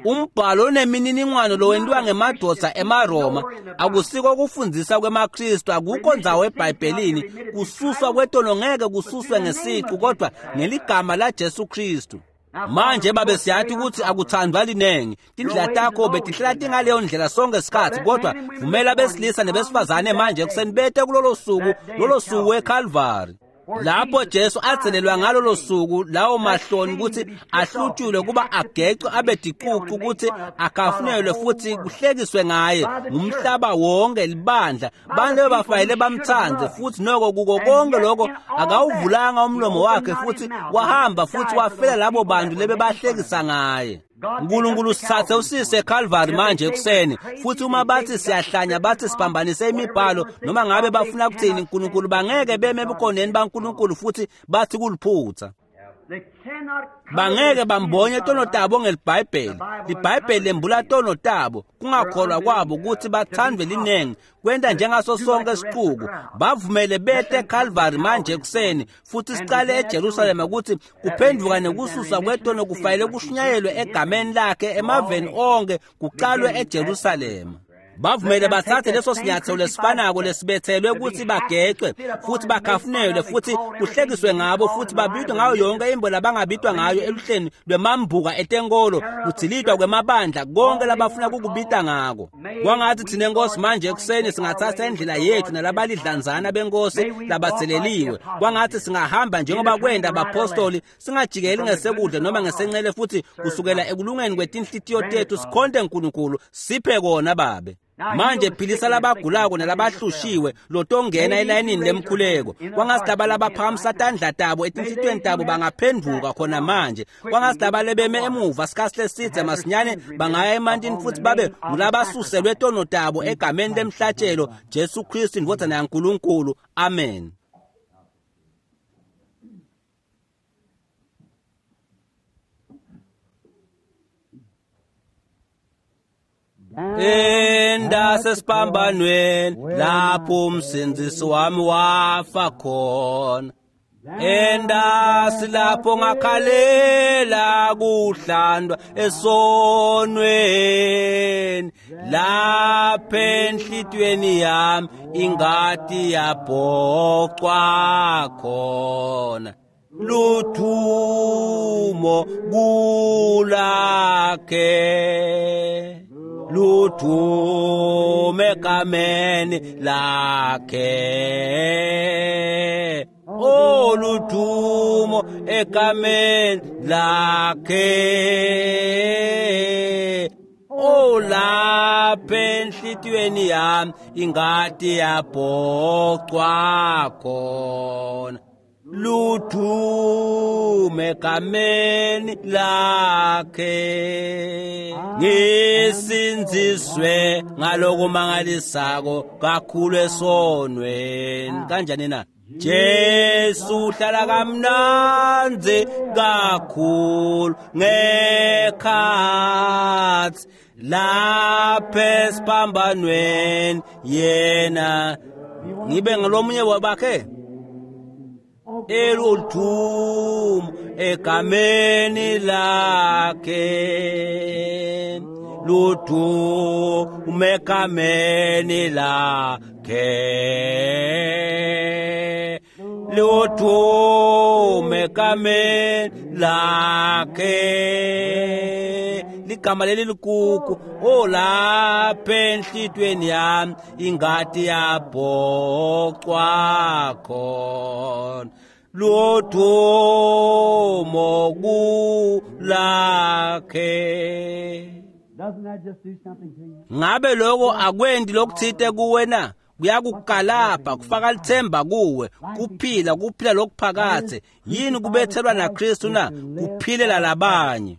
Umbhalo onemininingwano lowentiwa ngemadvodza emaRoma akusiko kufundzisa kwemaKristu, akukho ndzawo eBhayibhelini. Kususwa kwetono ngeke kususwe ngesicu, kodwa ngeligama laJesu Kristu. Manje babe, siyati kutsi akuthandwa linengi. Tindlela takho betihlala tingaleyo ndlela sonke sikhatsi, kodwa vumela besilisa nebesifazane manje ekuseni bete kulolo suku, lolo suku eKalvari, lapho Jesu atselelwa ngalolo suku, lawo mahloni kutsi ahlutshulwe kuba agecwe abe ticucu, kutsi akafunelwe futhi kuhlekiswe ngaye ngumhlaba wonke, libandla, bantu bebafanele bamtsandze. Futhi noko kuko konke lokho akawuvulanga umlomo wakhe, futhi wahamba futhi wafela labo bantu lebebahlekisa ngaye. Nkulunkulu, sithathe usise eKalvari manje ekuseni. Futhi uma bathi siyahlanya, bathi siphambanise imibhalo, noma ngabe bafuna kuthini, Nkulunkulu, bangeke beme ebukhoneni baNkulunkulu futhi bathi kuliphutha. Bangeke bambonye tono tabo ngeliBhayibheli. LiBhayibheli lembula tono tabo, kungakholwa kwabo kutsi bathandwe linengi, kwenta njengaso sonke sicuku. Bavumele bete eKalvari manje ekuseni, futhi sicale eJerusalema kutsi kuphenduka nekususwa kwetono kufanele kushunyayelwe egameni lakhe emaveni onke, kucalwe eJerusalema. Bavumele batsatse leso sinyathelo lesifanako lesibethelwe kutsi bagecwe futhi bakhafunelwe futhi kuhlekiswe ngabo futhi babitwe ngayo yonke imbo labangabitwa ngayo eluhleni lwemambuka etenkolo, kudzilitwa kwemabandla, konke labafuna kukubita ngako. Kwangathi thina Nkosi manje ekuseni singatsatsa indlela yethu nalabalidlanzana benkosi labatseleliwe. Kwangathi singahamba njengoba kwenta abapostoli, singajikeli ngesekudla noma ngesencele, futhi kusukela ekulungeni kwetinhlitiyo tethu sikhonte Nkulunkulu. Siphe kona Babe. Manje philisa labagulako nalabahlushiwe lotongena elayinini lemkhuleko. Kwangathi laba labaphakamisa tandla tabo etinhlitiyweni tabo bangaphenduka khona manje. Kwangathi laba lebeme emuva sikhatsi lesidze masinyane bangaya emantini futhi babe ngulabasuselwe tono tabo egameni lemhlatshelo Jesu Kristu indvodzana yaNkulunkulu. Amen. Endasesiphambanweni lapho umsindzisi wami wafa khona, endasi lapho ngakhalela kuhlandwa esonweni, lapha enhlitiyweni yami ingati yabhocwa khona. Luthumo kulakhe, luthume egameni lakhe, oh luthumo egameni lakhe, oh lapha enhlitiyweni yami ingati yabhocwa khona. Luthume egameni lakhe, ngisindziswe ngalokumangalisako kakhulu esonweni. Kanjani na? Jesu uhlala kamnandzi kakhulu ngekhatsi lapha esiphambanweni, yena ngibe ngalomunye wabakhe eluthumo egameni lakhe, luthumo egameni lakhe, luthumo egameni lakhe. Ligama leli likuku, oh lapha enhlitiyweni yami ingati yabhocwa khona. Luthumo kulakhe. Ngabe lokho akwendi lokuthite kuwe na? Kuyakukalapha, kufaka lithemba kuwe, kuphila, kuphila lokuphakathe. Yini kubethelwa naKristu na? Kuphilela labanye.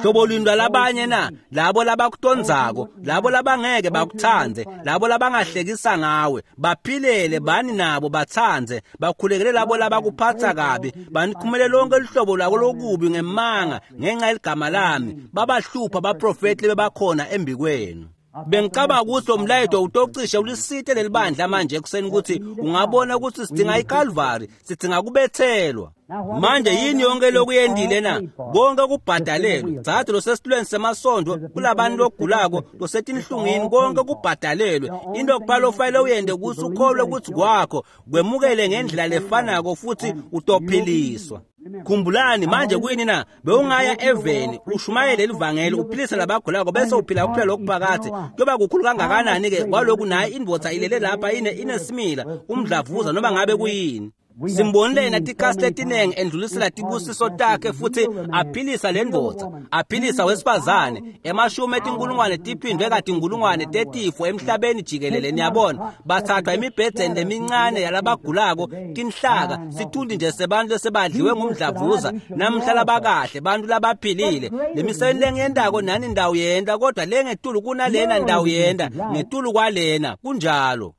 Hlobo luni lwalabanye na? Labo labakutondzako, labo labangeke bakutsandze, labo labangahlekisa ngawe, baphilele bani nabo batsandze, bakhulekele labo labakuphatsa kabi, banikhumele lonke luhlobo lwako lokubi ngemanga ngenxa yeligama lami, babahlupha baprofethi bebakhona embikwenu. Bengicabanga ukuthi lo mlayeto utocishe ulisite lelibandla manje ekuseni ukuthi ungabona ukuthi sidinga iKalvari, sidinga kubethelwa. Manje yini yonke lokuyendile na? Konke kubhadalelwe. Dzadze losesitulweni semasondo, kulabantu logulako, losetinhlungwini, konke kubhadalelwe. Into kuphela ofanele uyente ukuthi ukholwe ukuthi kwakho, kwemukele ngendlela lefanako futhi utophiliswa. Khumbulani manje kuyini na? Bewungaya eveni, ushumayele livangeli, uphilise labagulako bese uphila kuphila lokuphakathe. Kuyoba kukhulu kangakanani ke kwaloku naye indvodza ilele lapha ine inesimila, umdlavuza noma ngabe kuyini. Simbonile yena tikhatsi letinengi endlulisela tibusiso takhe futhi aphilisa le ndvodza, aphilisa wesifazane, emashumi etinkulungwane tiphindwe katinkulungwane tetifo emhlabeni jikelele. Niyabona, bathathwa emibhedzeni lemincane yalabagulako, tinhlaka, sithundi nje sebantu lesebadliwe ngumdlavuza, namhla labakahle, bantu labaphilile. Lemisebenti lengiyentako nani ndawo yenta, kodwa lengetulu kunalena ndawo yenta, ngetulu kwalena, kunjalo.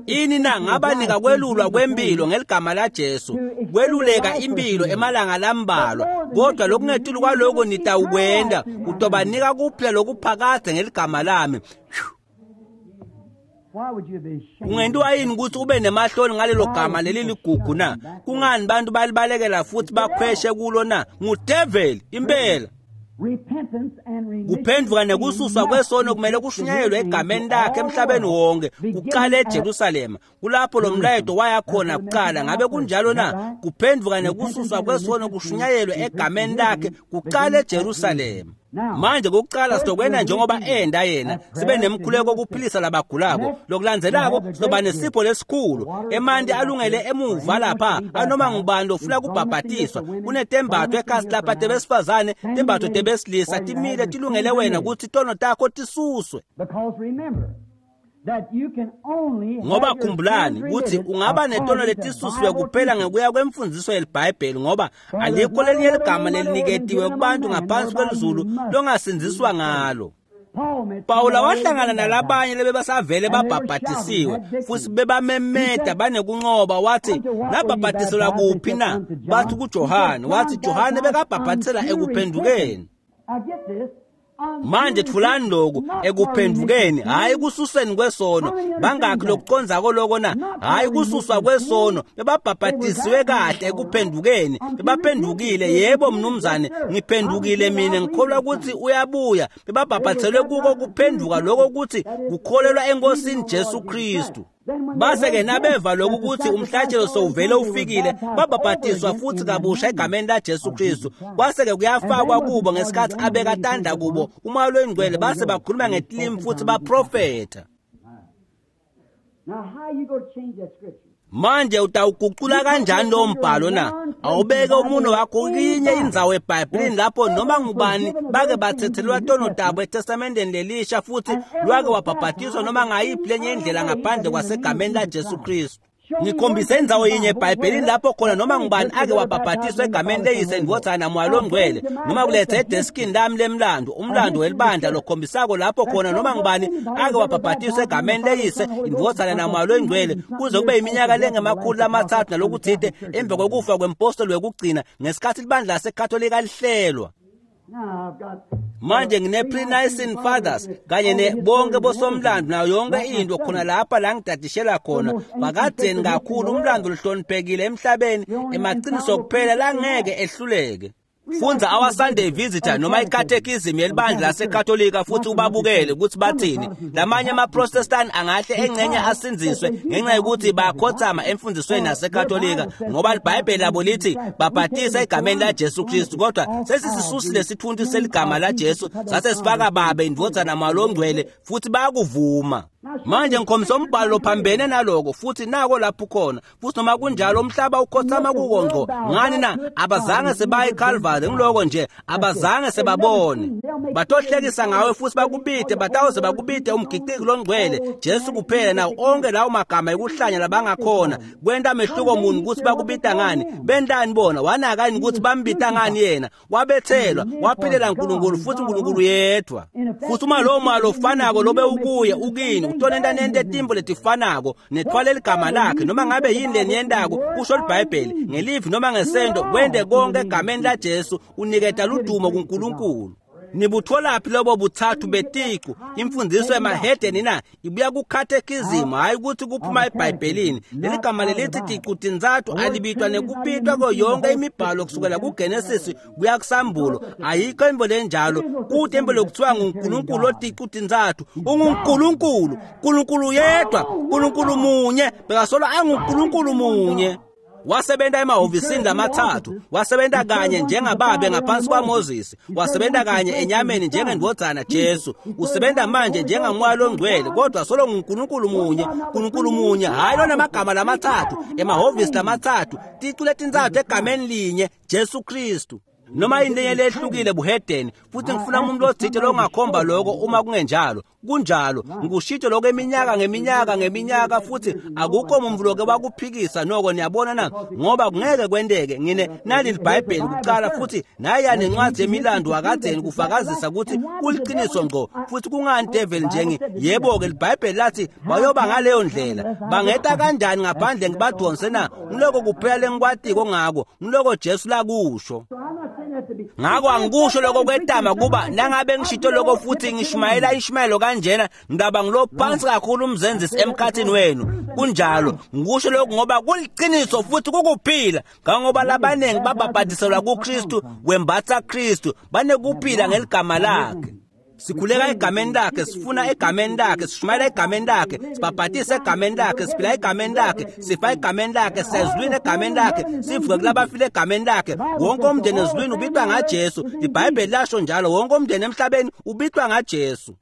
Ini na? Ngabanika kwelulwa kwempilo ngeligama laJesu, kweluleka impilo emalanga lambalwa, kodwa lokungetulu kwaloko nitawukwenta, utobanika kuphila lokuphakadze ngeligama lami. Ungentiwa yini ukuthi ube nemahloni ngalelo gama leli ligugu na? Kungani bantu balibalekela futhi bakhweshe kulo na? Ngudeveli impela. Kuphendvuka nekususwa kwesono kumele kushunyayelwe egameni lakhe emhlabeni wonke, kuqale eJerusalema. Kulapho lo mlayeto waya khona kuqala. Ngabe kunjalo na? Kuphendvuka nekususwa kwesono kushunyayelwe egameni lakhe kuqale eJerusalema. Manje kokuqala sizokwenda njengoba enda yena, sibe nemkhuleko kuphilisa labagulako. Lokulandzelako sizoba nesipho lesikhulu, emanti alungele emuva lapha anoma ngubani lofuna kubhabhatiswa. Kunetembatho ekhasi lapha tebesifazane, tembatho tebesilisa, timile tilungele wena ukuthi tono takho tisuswe. Ngoba khumbulani ukuthi ungaba netono letisusiwe kuphela ngekuya kwemfundiso yeliBhayibheli, ngoba alikho lelinye ligama leliniketiwe kubantu ngaphansi kwelizulu longasindziswa ngalo. Pawula wahlangana nalabanye lebebasavele babhabhatisiwe futhi bebamemeta banekunqoba. Wathi, nabhabhatiselwa kuphi na? Bathi kuJohane. Wathi Johane bekabhabhatisela ekuphendukeni. Manje thulani lokhu, ekuphendukeni, hayi kususeni kwesono. Bangakhi lokucondzako loko na? Hayi kususwa kwesono, bebabhabhatisiwe kahle ekuphendukeni, bebaphendukile. Yebo mnumzane, ngiphendukile mina, ngikholwa ukuthi uyabuya. Bebabhabhathiselwe kuko kuphenduka lokho ukuthi kukholelwa eNkosini Jesu Kristu. Base-ke nabeva lokhu ukuthi umhlatshelo sowuvele ufikile, babhabhatiswa futhi kabusha egameni laJesu Kristu. Kwase-ke kuyafakwa kubo ngesikhathi abeka tandla kubo uMoya loyiNgcwele, base bakhuluma ngetilimi futhi baprofetha. Manje utawugucula kanjani lowo mbhalo na? Awubeke umuno wakho kinye indzawo eBhayibhelini lapho noma ngubani bake bathethelwa tono tabo eTestamenteni lelisha futhi lwake wabhabhatiswa noma ngayiphi lenye indlela ngaphandle kwasegameni laJesu Kristu. Ngikhombise indzawo yinye eBhayibhelini lapho khona noma ngubani ake wabhabhatiswa egameni leYise, Ndvodzana naMoya loNgcwele, noma kulethe edeskini lami lemlando, umlando welibandla lokhombisako lapho khona noma ngubani ake wabhabhatiswa egameni leYise, Indvodzana naMoya loNgcwele, kuze kube iminyaka lengemakhulu lamatsatfu nalokutsite emva kokufa kwempostoli wekugcina ngesikhathi libandla laseKatolika lihlelwa. Manje ngine-Pre-Nicene Fathers kanye ne bonke bosomlando nayo yonke into khona lapha la ngidadishela khona. Bakadzeni kakhulu, umlando lohloniphekile emhlabeni, emaqiniso kuphela langeke ehluleke. Fundza Our Sunday Visitor noma i-Catechism yelibandla laseKatolika futhi ubabukele ukuthi bathini. Lamanye ama-Protestant angahle engcenye asindziswe ngenxa yokuthi bayakhothama emfundisweni yaseKatolika, ngoba iBhayibheli labo lithi babhatisa egameni laJesu Kristu, kodwa sesisisusile sithunti seligama laJesu sase sifaka Babe, Indvodzana, Moya loNgcwele futhi bayakuvuma. Manje ngikhombisa umbhalo lophambene naloko futhi nako lapho khona. Futhi noma kunjalo umhlaba ukhothama kuko ngco. Ngani na? Abazange sebaye eCalvary eKhalvari. Ngiloko nje abazange sebabone. Batohlekisa ngawe futhi bakubite, batawuze bakubite umgiciki longcwele Jesu kuphela nawo onke lawo magama ekuhlanya labangakhona. Kwenta mehluko muni ukuthi bakubita ngani? Bentani bona? Wanakani ukuthi bambita ngani yena? Wabethelwa, waphilela uNkulunkulu futhi uNkulunkulu yedwa. Futhi uma lowo moya lofanako lobe ukuye ukini utonenta nente timbo letifanako nethwala ligama lakhe noma ngabe yini leniyentako kusho iBhayibheli ngelivi noma ngesento kwente konke egameni laJesu uniketa ludumo kuNkulunkulu. Nibutholaphi lobo buthathu beticu? Imfundiso emahedeni na ibuya ku-catechism, hayi ukuthi kuphuma eBhayibhelini. Leli gama lelithi ticu tintsatfu alibitwa nekubitwa kuyo yonke imibhalo kusukela kuGenesis kuya kuSambulo. Ayikho imvo lenjalo. Kude imvo lokuthiwa nguNkulunkulu oticu tintsatfu. UnguNkulunkulu, uNkulunkulu yedwa, uNkulunkulu munye, bekasolo anguNkulunkulu munye. Wasebenta emahhovisini lamathathu, wasebenta kanye njengababe ngaphansi kwaMoses, wasebenta kanye enyameni njengendvodzana Jesu, usebenta manje njengaMoya loNgcwele, kodwa solo nguNkulunkulu munye, uNkulunkulu munye, hayi lona amagama lamathathu, emahhovisi lamathathu, ticu letintsatfu egameni linye, Jesu Kristu. Noma yini lenye lehlukile buhedeni, futhi ngifuna umuntu othile longakhomba lokho uma kungenjalo. Kunjalo, ngikushito lokho eminyaka ngeminyaka ngeminyaka futhi akukho umuntu loke wakuphikisa noko. Niyabona na? Ngoba kungeke kwenteke. Ngine nali iBhayibheli kuqala futhi naya nencwadi yemilando wakadzeni kufakazisa ukuthi kuliqiniso ngqo. Futhi kungani devil njengi yebo ke iBhayibheli lathi bayoba ngaleyo ndlela. Bangeta kanjani ngaphandle ngibadonse na? Ngiloko kuphela lengikwatiko ngako, ngiloko Jesu lakusho. Ngako angikusho lokho kwetama kuba nangabe ngishito lokho futhi ngishumayela ishumayelo kanjena ngidaba ngilophansi kakhulu umzenzisi emkhathini wenu. Kunjalo, ngikusho lokho ngoba kuliqiniso futhi kukuphila. Kangoba labaningi babhabhadiselwa kuKristu, wembatha Kristu, banekuphila ngeligama lakhe. Sikhuleka egameni lakhe, sifuna egameni lakhe, sishumayela egameni lakhe, sibhabhatise egameni lakhe, siphila egameni lakhe, sifa egameni lakhe, siyezulwini egameni lakhe, sivuke kulabafile egameni lakhe. Wonke umndeni ezulwini ubitwa ngaJesu. iBhayibheli lasho njalo, wonke umndeni emhlabeni ubitwa ngaJesu.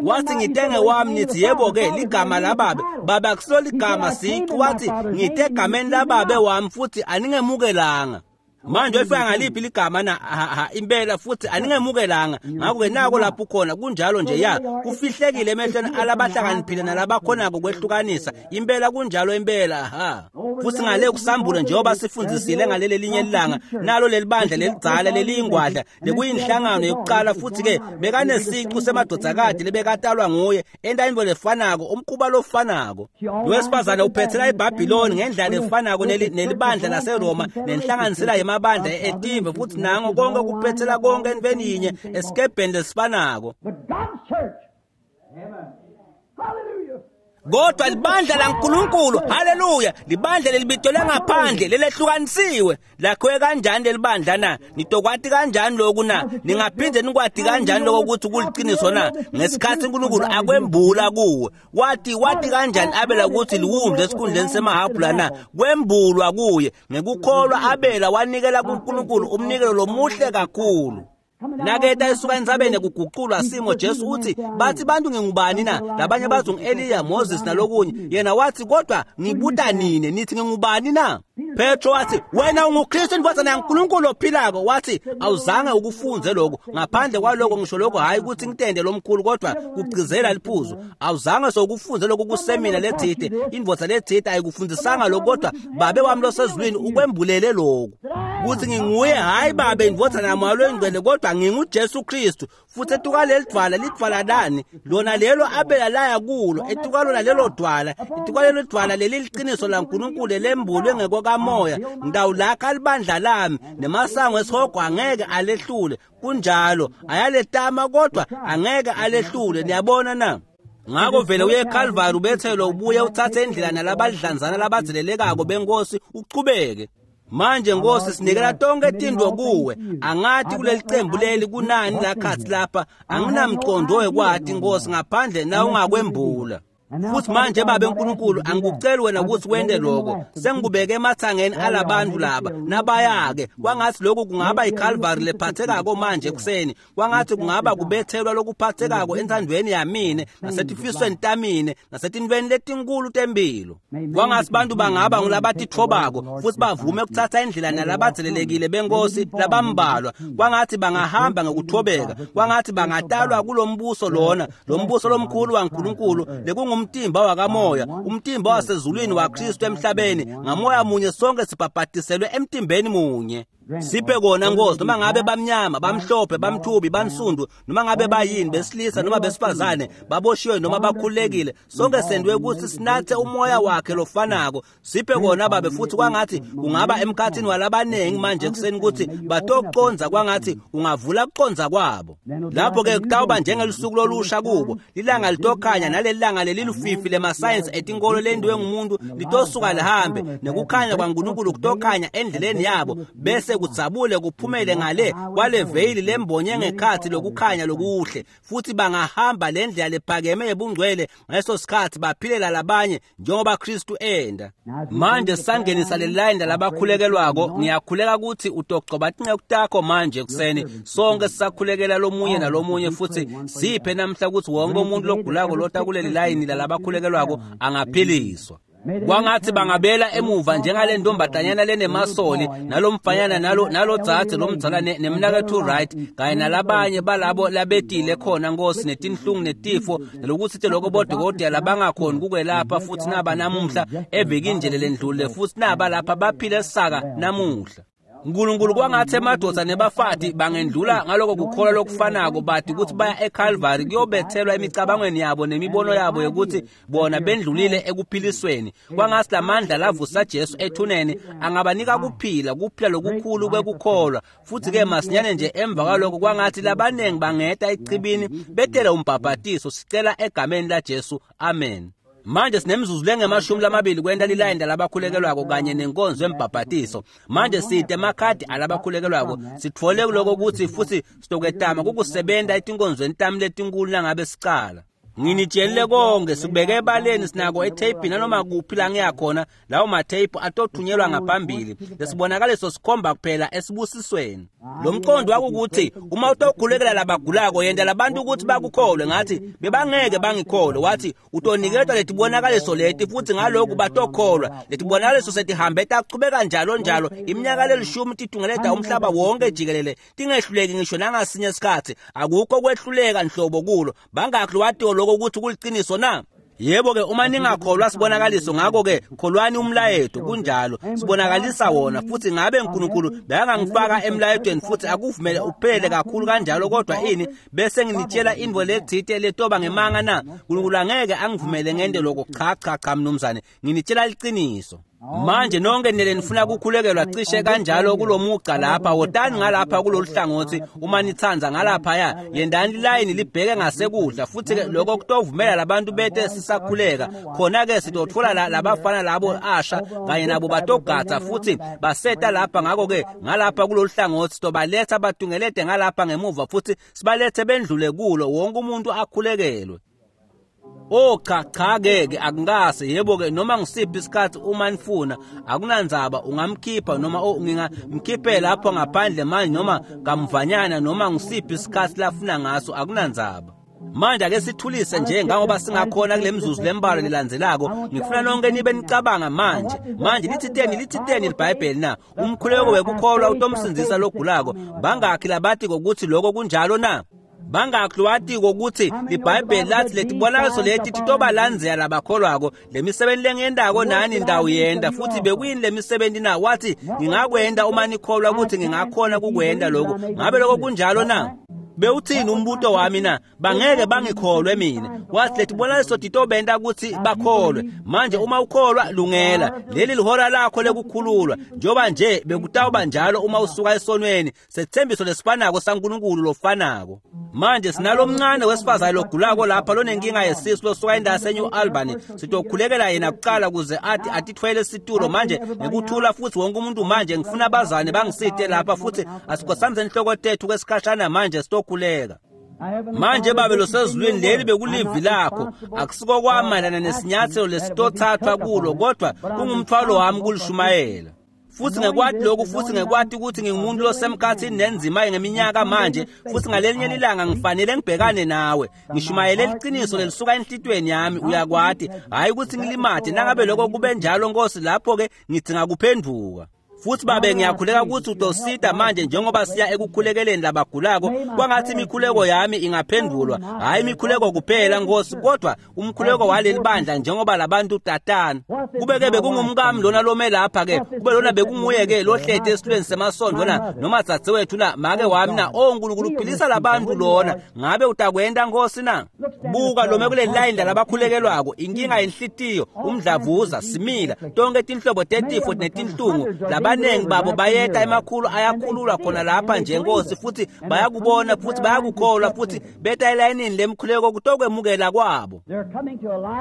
Wathi ngitenge wami, nithi yebo ke ligama lababe. Baba akusilo ligama siqu. Wathi ngite egameni lababe wami futhi aningemukelanga. Manje uyifaka ngaliphi ligama na? Ha, impela futhi aningemukelanga. Ngakho-ke nako lapho khona kunjalo nje ya kufihlekile emehlweni alabahlakaniphile nalabakhonako kwehlukanisa. Impela kunjalo impela ha. Futhi ngale kuSambulo njengoba sifundisile ngaleli linye ilanga, nalo leli bandla lelidzala leliyingwadla lekuyinhlangano yokuqala, futhi-ke bekanesiqu semadvodzakati lebekatalwa nguye enta intfo lefanako, umkhuba lofanako. Lowesifazane uphethela iBhabhiloni ngendlela efanako nelibandla laseRoma nenhlanganisela yemabandla etive, futhi nango konke kuphethela konke entweni yinye esikebheni lesifanako. Kodwa libandla laNkulunkulu, haleluya, libandla lelibitelwe ngaphandle, lelehlukanisiwe. Lakhiwe kanjani lelibandla na? Nitokwati kanjani lokhu na? Ningaphinde nikwati kanjani lokho ukuthi kuliqiniso na? Ngesikhathi uNkulunkulu akwembula kuwe, wathi wathi kanjani Abela ukuthi liwundlu esikhundleni semahabhula na? Kwembulwa kuye. Ngekukholwa Abela wanikela kuNkulunkulu umnikelo lomuhle kakhulu. Naketa esuka entsabeni kuguqulwa simo, Jesu uthi bathi bantu ngingubani na? Labanye bathi ngu-Eliya, Moses nalokunye. Yena wathi kodwa ngibuta nine nithi ngingubani na? Petro wathi wena unguKristu indvodzana yaNkulunkulu ophilako. Wathi awuzange ukufunze lokho, ngaphandle kwaloko ngisho lokho, hayi ukuthi ngitende lomkhulu kodwa kugcizela liphuzu. Awuzange sokufunze lokho kusemina lethide, indvodza lethide ayikufundisanga lokho, kodwa babe wami losezulwini ukwembulele lokho kuthi nginguye, hayi babe indvodzana yaMoya loNgcwele, kodwa nginguJesu Kristu. Futhi etuka lidvwala, lidvwala lani? Lona lelo Abela laya kulo, etuka lona lelo dvwala, etuka lelo dvwala leli liqiniso laNkulunkulu lembulwe ngekokamoya. Ngidawulakha libandla lami nemasango esihogo angeke alehlule. Kunjalo, ayaletama kodwa angeke alehlule. Niyabona na? Ngakho vele uye eKalvari ubethelwe, ubuye uthathe indlela nalabadlanzana labadzelelekako benkosi uchubeke. Manje Nkosi sinikela tonke tintfo kuwe. Angathi kuleli cembu leli kunani lakhathi lapha, anginamqondo wekwati Nkosi ngaphandle na ungakwembula. Futhi manje Babe Nkulunkulu, angikuceli wena ukuthi wente lokho, sengikubeke emathangeni alabantu laba nabayake. Kwangathi lokhu kungaba iCalvary lephathekako manje ekuseni, kwangathi kungaba kubethelwa lokuphathekako enthandweni yamine nasetifisweni tamine nasetintweni letinkulu tempilo. Kwangathi bantu bangaba ngulabatithobako futhi bavume ukuthatha indlela nalabadzelelekile benkosi labambalwa. Kwangathi bangahamba ngokuthobeka, kwangathi bangatalwa kulombuso lona, lombuso lomkhulu waNkulunkulu lekungumtimba wakamoya, umtimba wasezulwini waKristu emhlabeni. Ngamoya munye sonke sibhabhadiselwe emtimbeni munye. Siphe kona Nkosi, noma ngabe bamnyama, bamhlophe, bamthubi, bansundu, noma ngabe bayini, besilisa noma besifazane, baboshiwe noma bakhululekile, sonke sendwe ukuthi sinathe umoya wakhe lofanako. Siphe kona Babe, futhi kwangathi kungaba emkhathini walabanengi manje ekuseni ukuthi batoconza, kwangathi ungavula kuconza kwabo. Lapho-ke kutawuba njengelusuku lolusha kubo, lilanga litokhanya naleli langa lelilufifi lemasayensi etinkolo lendiwe ngumuntu litosuka lihambe, nekukhanya kwaNkulunkulu kutokhanya endleleni yabo, bese kudzabule kuphumele ngale kwale veyili lembonye ngekhathi lokukhanya lokuhle. Futhi bangahamba le ndlela lephakeme yebungcwele ngaleso sikhathi, baphilela labanye njengoba Kristu enda. Manje sangenisa le layini labakhulekelwako, ngiyakhuleka ukuthi utogcoba tinceku takho manje ekuseni, sonke sisakhulekela lomunye nalomunye, futhi siphe namhla ukuthi wonke umuntu logulako lota kuleli layini lalabakhulekelwako angaphiliswa. Kwangathi bangabela emuva njengale ntombatanyana lenemasoli nalomfanyana nalo nalodzadze lomdzala nemnakethu Wright kanye nalabanye balabo labetile khona Nkosi, netinhlungu netifo nalokuthi lokho bodokotela labangakhoni kukwelapha, futhi naba namuhla evikini nje lelendlule, futhi naba lapha baphile saka namuhla. Nkulunkulu, kwangathi emadoda nebafati bangendlula ngaloko kukholwa lokufanako, bathi ukuthi baya eCalvary kuyobethelwa emicabangweni yabo nemibono yabo yokuthi bona bendlulile ekuphilisweni. Kwangathi lamandla lavusa Jesu ethuneni angabanika kuphila, kuphila lokukhulu kwekukholwa. Futhi-ke masinyane nje emva kwaloko kwangathi labanengi bangeta echibini betele umbhabhatiso. Sicela egameni laJesu, amen. Manje sinemzuzu lengemashumi lamabili kwenta lilayini labakhulekelwako kanye nenkonzo yembhabhatiso. Manje site emakhadi alabakhulekelwako, sitfole kuloko ukuthi futhi sitokwetama kukusebenta etinkonzweni tami letinkulu nangabe sicala. Nginitshelile konke, sikubeke ebaleni, sinako etheyiphi nanoma kuphi la ngiyakhona, lawo matheyiphu atothunyelwa ngaphambili. Lesibonakaliso sikhomba kuphela esibusisweni. Lo mqondo wakukuthi uma utokhulekela labagulako, yenta labantu ukuthi bakukholwe. Ngathi bebangeke bangikholwe. Wathi utoniketwa letibonakaliso leti futhi ngalokhu batokholwa. Letibonakaliso setihambe tachubeka njalo njalo iminyaka lelishumi titungeleta umhlaba wonke jikelele, tingehluleki ngisho nangasinye isikhathi. Akukho kwehluleka nhlobo kulo. Bangakhi lwatiwo lokho ukuthi kuliqiniso na? Yebo-ke, uma ningakholwa sibonakaliso, ngakho-ke kholwani umlayeto. Kunjalo, sibonakalisa wona. Futhi ngabe uNkulunkulu bekangangifaka emlayetweni futhi akuvumele uphele kakhulu kanjalo, kodwa ini bese nginitshela intfo letsite letoba ngemanga na? Nkulunkulu angeke angivumele ngente lokho. Cha cha cha mnumzane, nginitshela liqiniso. Manje nonke nele nifuna kukhulekelwa cishe kanjalo kulomugca lapha, wotani ngalapha kulolu hlangothi uma nithanza ngalaphaya, yendani lilayini libheke ngasekudla. Futhi-ke lokho kutovumela labantu bete sisakhuleka. Khona-ke sitotfola labafana labo asha kanye nabo batogatsa futhi baseta lapha. Ngakho-ke ngalapha kulolu hlangothi sitobaletha batungelete ngalapha ngemuva futhi sibalethe bendlule kulo, wonke umuntu akhulekelwe. Oh cha cha ke akungase. Yebo-ke, noma ngisiphi isikhathi uma nifuna, akunandzaba, ungamkhipha noma oh, ngingamkhiphe lapho ngaphandle manje noma kamvanyana, noma ngisiphi isikhathi lafuna ngaso, akunandzaba. Manje ake sithulise nje ngangoba singakhona kule mzuzu lembalwa lelandzelako. Ngifuna nonke nibe nicabanga manje. Manje lithiteni lithiteni liBhayibheli na? Umkhuleko wekukholwa utomsindzisa logulako. Bangakhi labathi kokuthi lokho kunjalo na? Bangakhi lwatiko ukuthi liBhayibheli lathi letibonakaliso leti titobalandzela labakholwako, lemisebenzi lengiyentako nani ndawo yenta. Futhi bekuyini lemisebenzi na? Wathi ngingakwenta uma nikholwa ukuthi ngingakhona kukwenta lokho. Ngabe lokho kunjalo na? Bewuthini umbuto wami na? Bangeke bangikholwe mina. Wathi letibonakaliso titobenta ukuthi bakholwe. Manje uma ukholwa, lungela leli lihora lakho lekukhululwa, njengoba nje bekutawuba njalo uma usuka esonweni. Sethembiso lesifanako saNkulunkulu lofanako. Manje sinalomncane wesifazane logulako lapha lonenkinga yesisu losuka indawo yaseNew Albany. Sitokhulekela yena kuqala ukuze athi atithwele isitulo manje ngekuthula. Futhi wonke umuntu manje ngifuna abazane bangisite lapha, futhi asikhothamise inhloko tethu kwesikhashana manje sitokhuleka. Manje Babe losezulwini, leli bekulivi lakho, akusiko kwami mayelana nesinyathelo lesitothathwa kulo, kodwa kungumthwalo wami kulishumayela. Futhi ngekwati lokhu, futhi ngekwati ukuthi ngingumuntu losemkhathini nenzima ngeminyaka manje, futhi ngalelinye lilanga ngifanele ngibhekane nawe, ngishumayele liqiniso lelisuka enhlitweni yami, uyakwati, hhayi ukuthi ngilimate. Nangabe lokho kube njalo Nkosi, lapho-ke ngidinga kuphenduka. Futhi Babe, ngiyakhuleka ukuthi utosita manje njengoba siya ekukhulekeleni labagulako, kwangathi imikhuleko yami ingaphendulwa, hhayi imikhuleko kuphela Nkosi, kodwa umkhuleko waleli bandla njengoba labantu tatana. Kube-ke bekungumkami lona lome lapha-ke, kube lona bekunguye-ke lohlete esitulweni semasondo na, noma dzadzewethu na, make wami na, o Nkulunkulu philisa labantu lona, ngabe utakwenta Nkosi na? Buka lome kuleli layini lalabakhulekelwako, inkinga yenhlitiyo, umdlavuza, simila, tonke tinhlobo tetifo netinhlungu, labanengi babo bayeta emakhulu ayakhululwa khona lapha nje Nkosi, futhi bayakubona futhi bayakukholwa, futhi beta elayinini lemkhuleko kutokwemukela kwabo.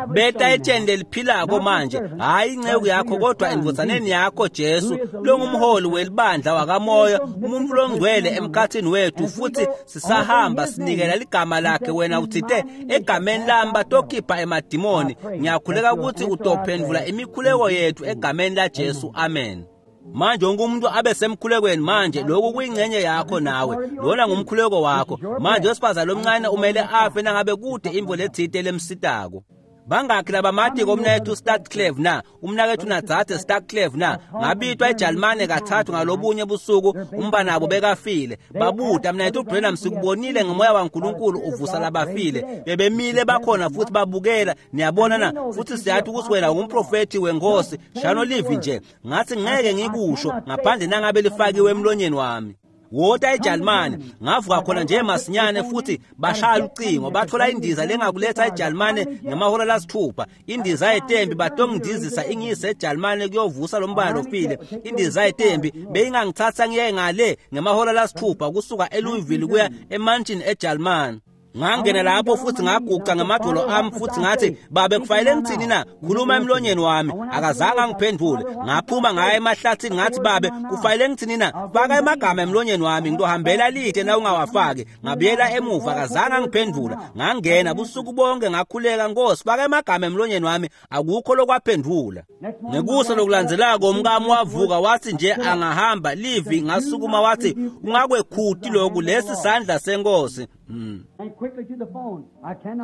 Beta etsheni leliphilako manje, hhayi inceku yakho kodwa endvodzaneni yakho Jesu, longumholi welibandla wakamoya, umuntu longcwele emkhathini wethu, futhi sisahamba sinikela ligama lakhe. Wena uthite egameni lami batokhipha emadimoni. Ngiyakhuleka ukuthi utophendvula imikhuleko yethu egameni laJesu, amen. Manje wonke umuntu abe semkhulekweni manje, lokhu kuyingxenye yakho nawe, lona ngumkhuleko wakho. Manje wesifazane lomncane umele afe nangabe kude imvo lethite lemsitako. Bangakhi labamatiko umnakethu Starclave na, umnakethu nadzadze Starclave na? Ngabitwa eJalimane kathathu ngalobunye busuku, umbanabo bekafile. Babuta mnakethu Branham, sikubonile ngomoya waNkulunkulu uvusa labafile. Bebemile bakhona futhi babukela, niyabona na, futhi siyathi ukuthi wena ungumprofethi wenkosi, shano livi nje. Ngathi ngeke ngikusho ngaphandle nangabe lifakiwe emlonyeni wami. Wota eJalimane, ngavuka khona nje masinyane futhi bashaya ucingo, bathola indiza lengakuletha eJalimane ngemahora lasithupha. Indiza yetembi batongindizisa ingiyise eJalimane kuyovusa lo mbala lofile. Indiza yetembi beyingangithatha ngiye ngale ngemahora lasithupha kusuka eLouisville kuya eMansion eJalimane. Ngangena lapho futhi ngaguqa ngamadolo ami futhi ngathi, Babe kufanele ngithini na? Khuluma emlonyeni wami. Akazange angiphendule. Ngaphuma ngaya emahlathini ngathi, Babe kufanele ngithini na? Faka emagama emlonyeni wami, ngitohambela lide na ungawafaki. Ngabuyela emuva, akazange angiphendula. Ngangena busuku bonke ngakhuleka, Nkosi faka emagama emlonyeni wami, akukho lokwaphendula. Ngekusa lokulandzelako umkami wavuka wathi nje angahamba livi, ngasukuma wathi, ungakwekhuti lokhu, lesi sandla senkosi. Mm.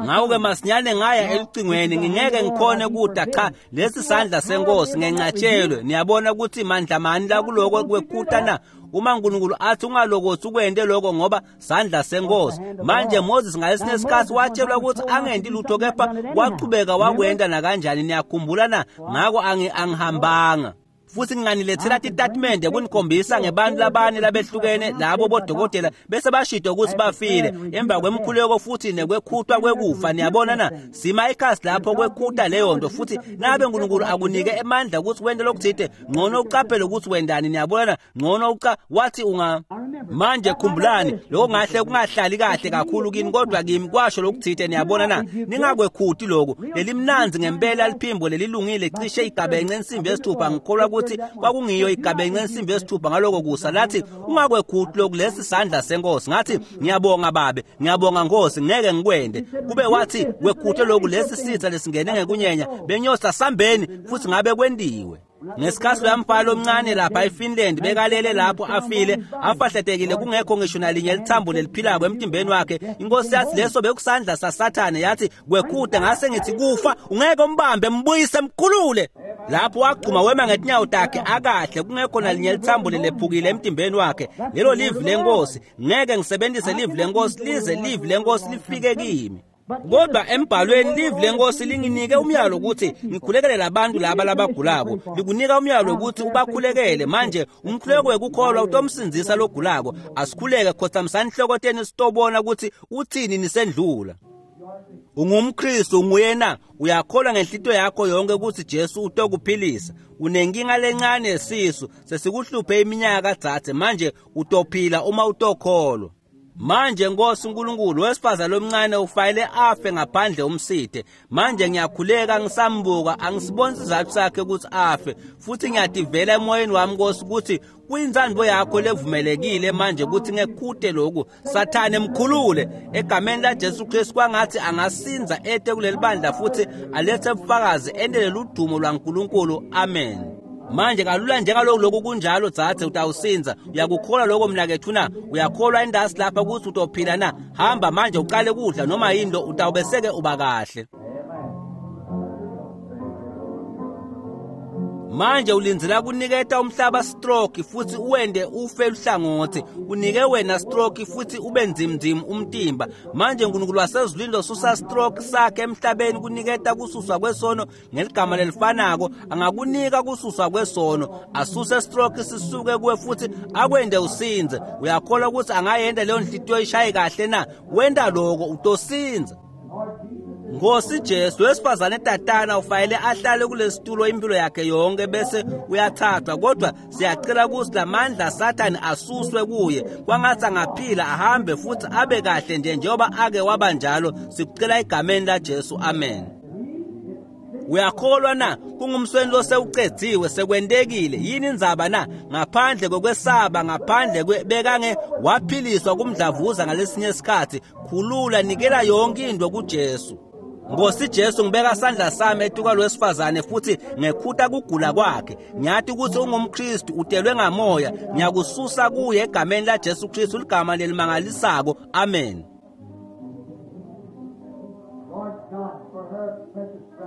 Ngakho-ke masinyane ngaya elucingweni, ngingeke ngikhone kuda, cha, lesi sandla senkosi ngenqatshelwe. Niyabona ukuthi mandla mani la kuloko kwekhuta na? Uma uNkulunkulu athi ungalokothi ukwente lokho ngoba sandla senkosi. Manje Moses ngalesinye isikhathi watshelwa ukuthi angenti lutho, kepha waqhubeka wakwenta nakanjani. Niyakhumbula na? Ngako angihambanga. Futhi nginganilethela titatimende kunikhombisa ngebantu labane labehlukene labo bodokotela bese bashida ukuthi bafile emva kwemkhuleko futhi nekwekhutwa kwekufa. Niyabona na? Sima ikhasi lapho kwekhuta leyo nto, futhi nabe uNkulunkulu akunike emandla ukuthi wente lokuthite, ngcono uqaphele ukuthi wendani. Niyabona na? Ngcono uca wathi unga. Manje khumbulani, lokho ngahle kungahlali kahle kakhulu kini, kodwa kimi kwasho lokuthite. Niyabona na? Ningakwekhuti lokhu. Lelimnanzi ngempela liphimbo lelilungile, cishe igabence ensimbi yesithupha, ngikholwa ukuthi kwakungiyo igabence ensimbi yesithupha ngaloko kusa, lathi ungakwekhuti lokhu, lesi sandla senkosi. Ngathi ngiyabonga Babe, ngiyabonga Nkosi, ngeke ngikwende. Kube wathi kwekhute lokhu, lesi sitha lesingene ngekunyenya, benyosa sambeni, futhi ngabe kwendiwe. Ngesikhathi loyamfana omncane lapha eFinland bekalele lapho afile, afahletekile, kungekho ngisho nalinye lithambo leliphilako emtimbeni wakhe, inkosi yathi leso bekusandla saSathane, yathi kwekhuta. Ngase ngithi kufa ungeke umbambe, mbuyise, mkhulule. Lapho wagcuma wema ngetinyawo takhe akahle, kungekho nalinye lithambo lelephukile emtimbeni wakhe. Lelo livi lenkosi, ngeke ngisebenzise livi lenkosi lize livi lenkosi lifike kimi. Kodwa embhalweni livi lenkosi linginike umyalo ukuthi ngikhulekele labantu laba labagulako, likunika umyalo ukuthi ubakhulekele. Manje umkhuleko wekukholwa utomsindzisa logulako. Asikhuleke, khotsamisani inhloko sitobona ukuthi uthini nisendlula. UngumKristu nguyena, uyakholwa ngenhlito yakho yonke ukuthi Jesu utokuphilisa. Unenkinga lencane yesisu, sesikuhluphe iminyaka dzadze, manje utophila uma utokholwa. Manje Nkosi uNkulunkulu, wesifazane lomncane ufanele afe ngaphandle umsithe. Manje ngiyakhuleka ngisambuka, angisiboni isizathu sakhe ukuthi afe, futhi ngiyativela emoyeni wami Nkosi ukuthi kuyintsandvo yakho levumelekile manje ukuthi ngekhute lokhu. Sathane mkhulule egameni laJesu Kristu, kwangathi angasinza ete kuleli bandla futhi alethe ubufakazi endele ludumo lwaNkulunkulu. Amen. Manje kalula njengaloku lokhu kunjalo dzadze, utawusinza. Uyakukholwa lokho mnakethu na? Uyakholwa indasi lapha ukuthi utophila na? Hamba manje uqale kudla noma yini lo, utawubeseke uba kahle. Manje ulindzela kuniketa umhlaba stroke futhi uwende ufe luhlangothi, unike wena stroke futhi ube nzimnzim umtimba. Manje uNkulunkulu wasezulwini losusa stroke sakhe emhlabeni kuniketa kususwa kwesono ngeligama lelifanako, angakunika kususwa kwesono, asuse stroke sisuke kuwe futhi akwende usinze. Uyakholwa ukuthi angayenda leyo nhliziyo ishaye kahle na? Wenda lokho utosinza. Nkosi Jesu, wesifazane tatana ufanele ahlale kulesitulo impilo yakhe yonke bese uyathathwa, kodwa siyacela ukuthi lamandla Sathane asuswe kuye, kwangathi angaphila ahambe futhi abe kahle nje njengoba ake waba njalo. Sikucela egameni laJesu, amen. Uyakholwa na? Kungumsweni losewucedziwe, sekwentekile. Yini indzaba na? Ngaphandle kokwesaba, ngaphandle bekange waphiliswa kumdlavuza ngalesinye isikhathi. Khulula, nikela yonke into kuJesu. Nkosi Jesu, ngibeka sandla sami etuka lwesifazane futhi ngekhuta kugula kwakhe. Ngiyathi ukuthi ungumKristu, utelwe ngamoya. Ngiyakususa kuye egameni laJesu Kristu, ligama lelimangalisako. Amen.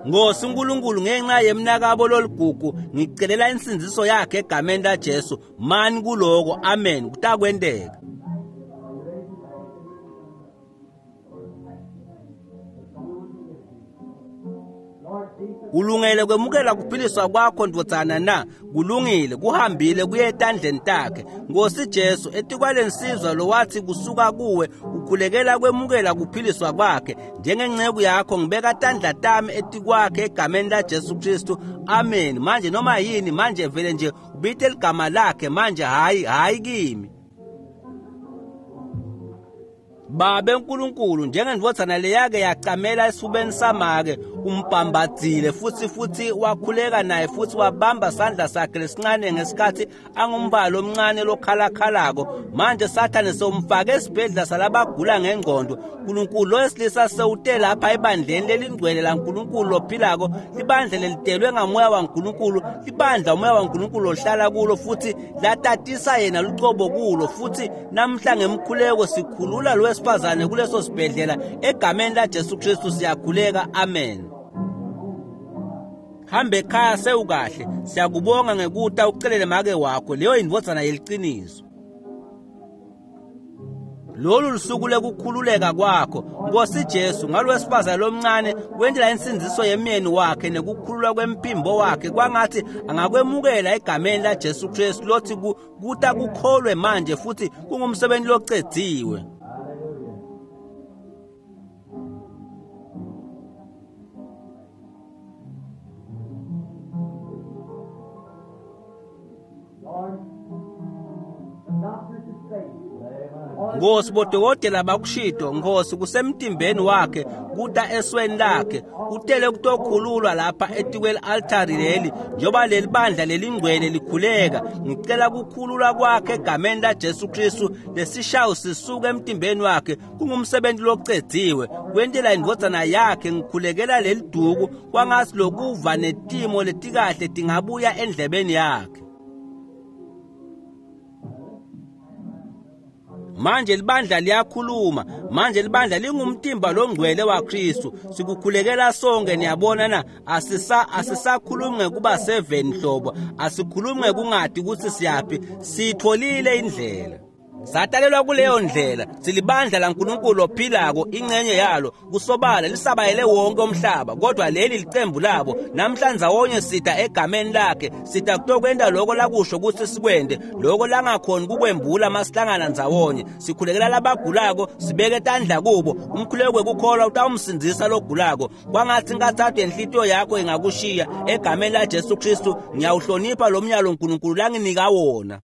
Nkosi uNkulunkulu, ngenxa yemnakabo loligugu, ngicelela insindziso yakhe egameni laJesu. Mani kuloko, amen. Kutakwenteka. Ulungele kwemukela kuphiliswa kwakho ndvodzana na? Kulungile, kuhambile kuye etandleni takhe. Nkosi Jesu, etikwalensizwa lowathi kusuka kuwe ukhulekela kwemukela kuphiliswa kwakhe, njengenceku yakho ngibeka tandla tami etikwakhe egameni laJesu Kristu. Amen. Manje noma yini manje vele nje ubite ligama lakhe manje, hayi hayi kimi. Babe uNkulunkulu, njengendvodzana leyake yacamela esifubeni samake, umbambadzile futhi futhi wakhuleka naye futhi wabamba sandla sakhe lesincane ngesikhathi angumbalo omncane lokhalakhalako. Manje Sathane sewumfake esibhedlela salabagula ngengqondo. uNkulunkulu lo wesilisa sewute lapha ebandleni lelingcwele laNkulunkulu lophilako, libandla lelitelwe ngamoya waNkulunkulu, libandla umoya waNkulunkulu ohlala kulo futhi latatisa yena lucobo kulo. Futhi namhla ngemkhuleko sikhulula lo wesifazane kuleso sibhedlela egameni laJesu Kristu siyakhuleka, amen. Hambe ekhaya sewukahle. Siyakubonga ngekuta ucelele make wakho, leyo indvodzana yeliciniso. Lolu lusuku lekukhululeka kwakho Nkosi Jesu, ngalowesifazane lomncane wendlela insindziso yemyeni wakhe nekukhululwa kwemphimbo wakhe, kwangathi angakwemukela egameni laJesu Kristu lothi kuta kukholwe manje futhi kungumsebenzi locedziwe. Nkosi, bodokotela bakushido, Nkosi, kusemtimbeni wakhe kuta esweni lakhe, utele kutokhululwa lapha etikweli altari leli, njengoba leli bandla lelingcwele likhuleka. Ngicela kukhululwa kwakhe egameni laJesu Kristu, lesishawo sisuke emtimbeni wakhe, kungumsebenzi locedziwe. Kwentela indvodzana yakhe ngikhulekela leli duku, kwangathi lokuva netimo letikahle tingabuya endlebeni yakhe. Manje libandla liyakhuluma, manje libandla lingumtimba longcwele waKristu. Sikukhulekela sonke, niyabona na? Asisa asisakhulumi ngekuba seven hlobo, asikhulumi ngekungadi ukuthi siyaphi, sitholile indlela. Satalelwa kuleyo ndlela, silibandla laNkulunkulu ophilako, ingcenye yalo kusobala lisabayele wonke umhlaba, kodwa leli licembu labo. Namhlanje ndawonye sida egameni lakhe, sida kutokwenta lokho lakusho ukuthi sikwende, lokho langakhoni kukwembula masihlangana ndzawonye. Sikhulekela labagulako, sibeke tandla kubo, umkhuleko wekukholwa utawumsindzisa logulako. Kwangathi ingathathu yenhlitiyo yakho ingakushiya egameni laJesu Kristu. Ngiyawuhlonipha lo myalo uNkulunkulu langinika wona.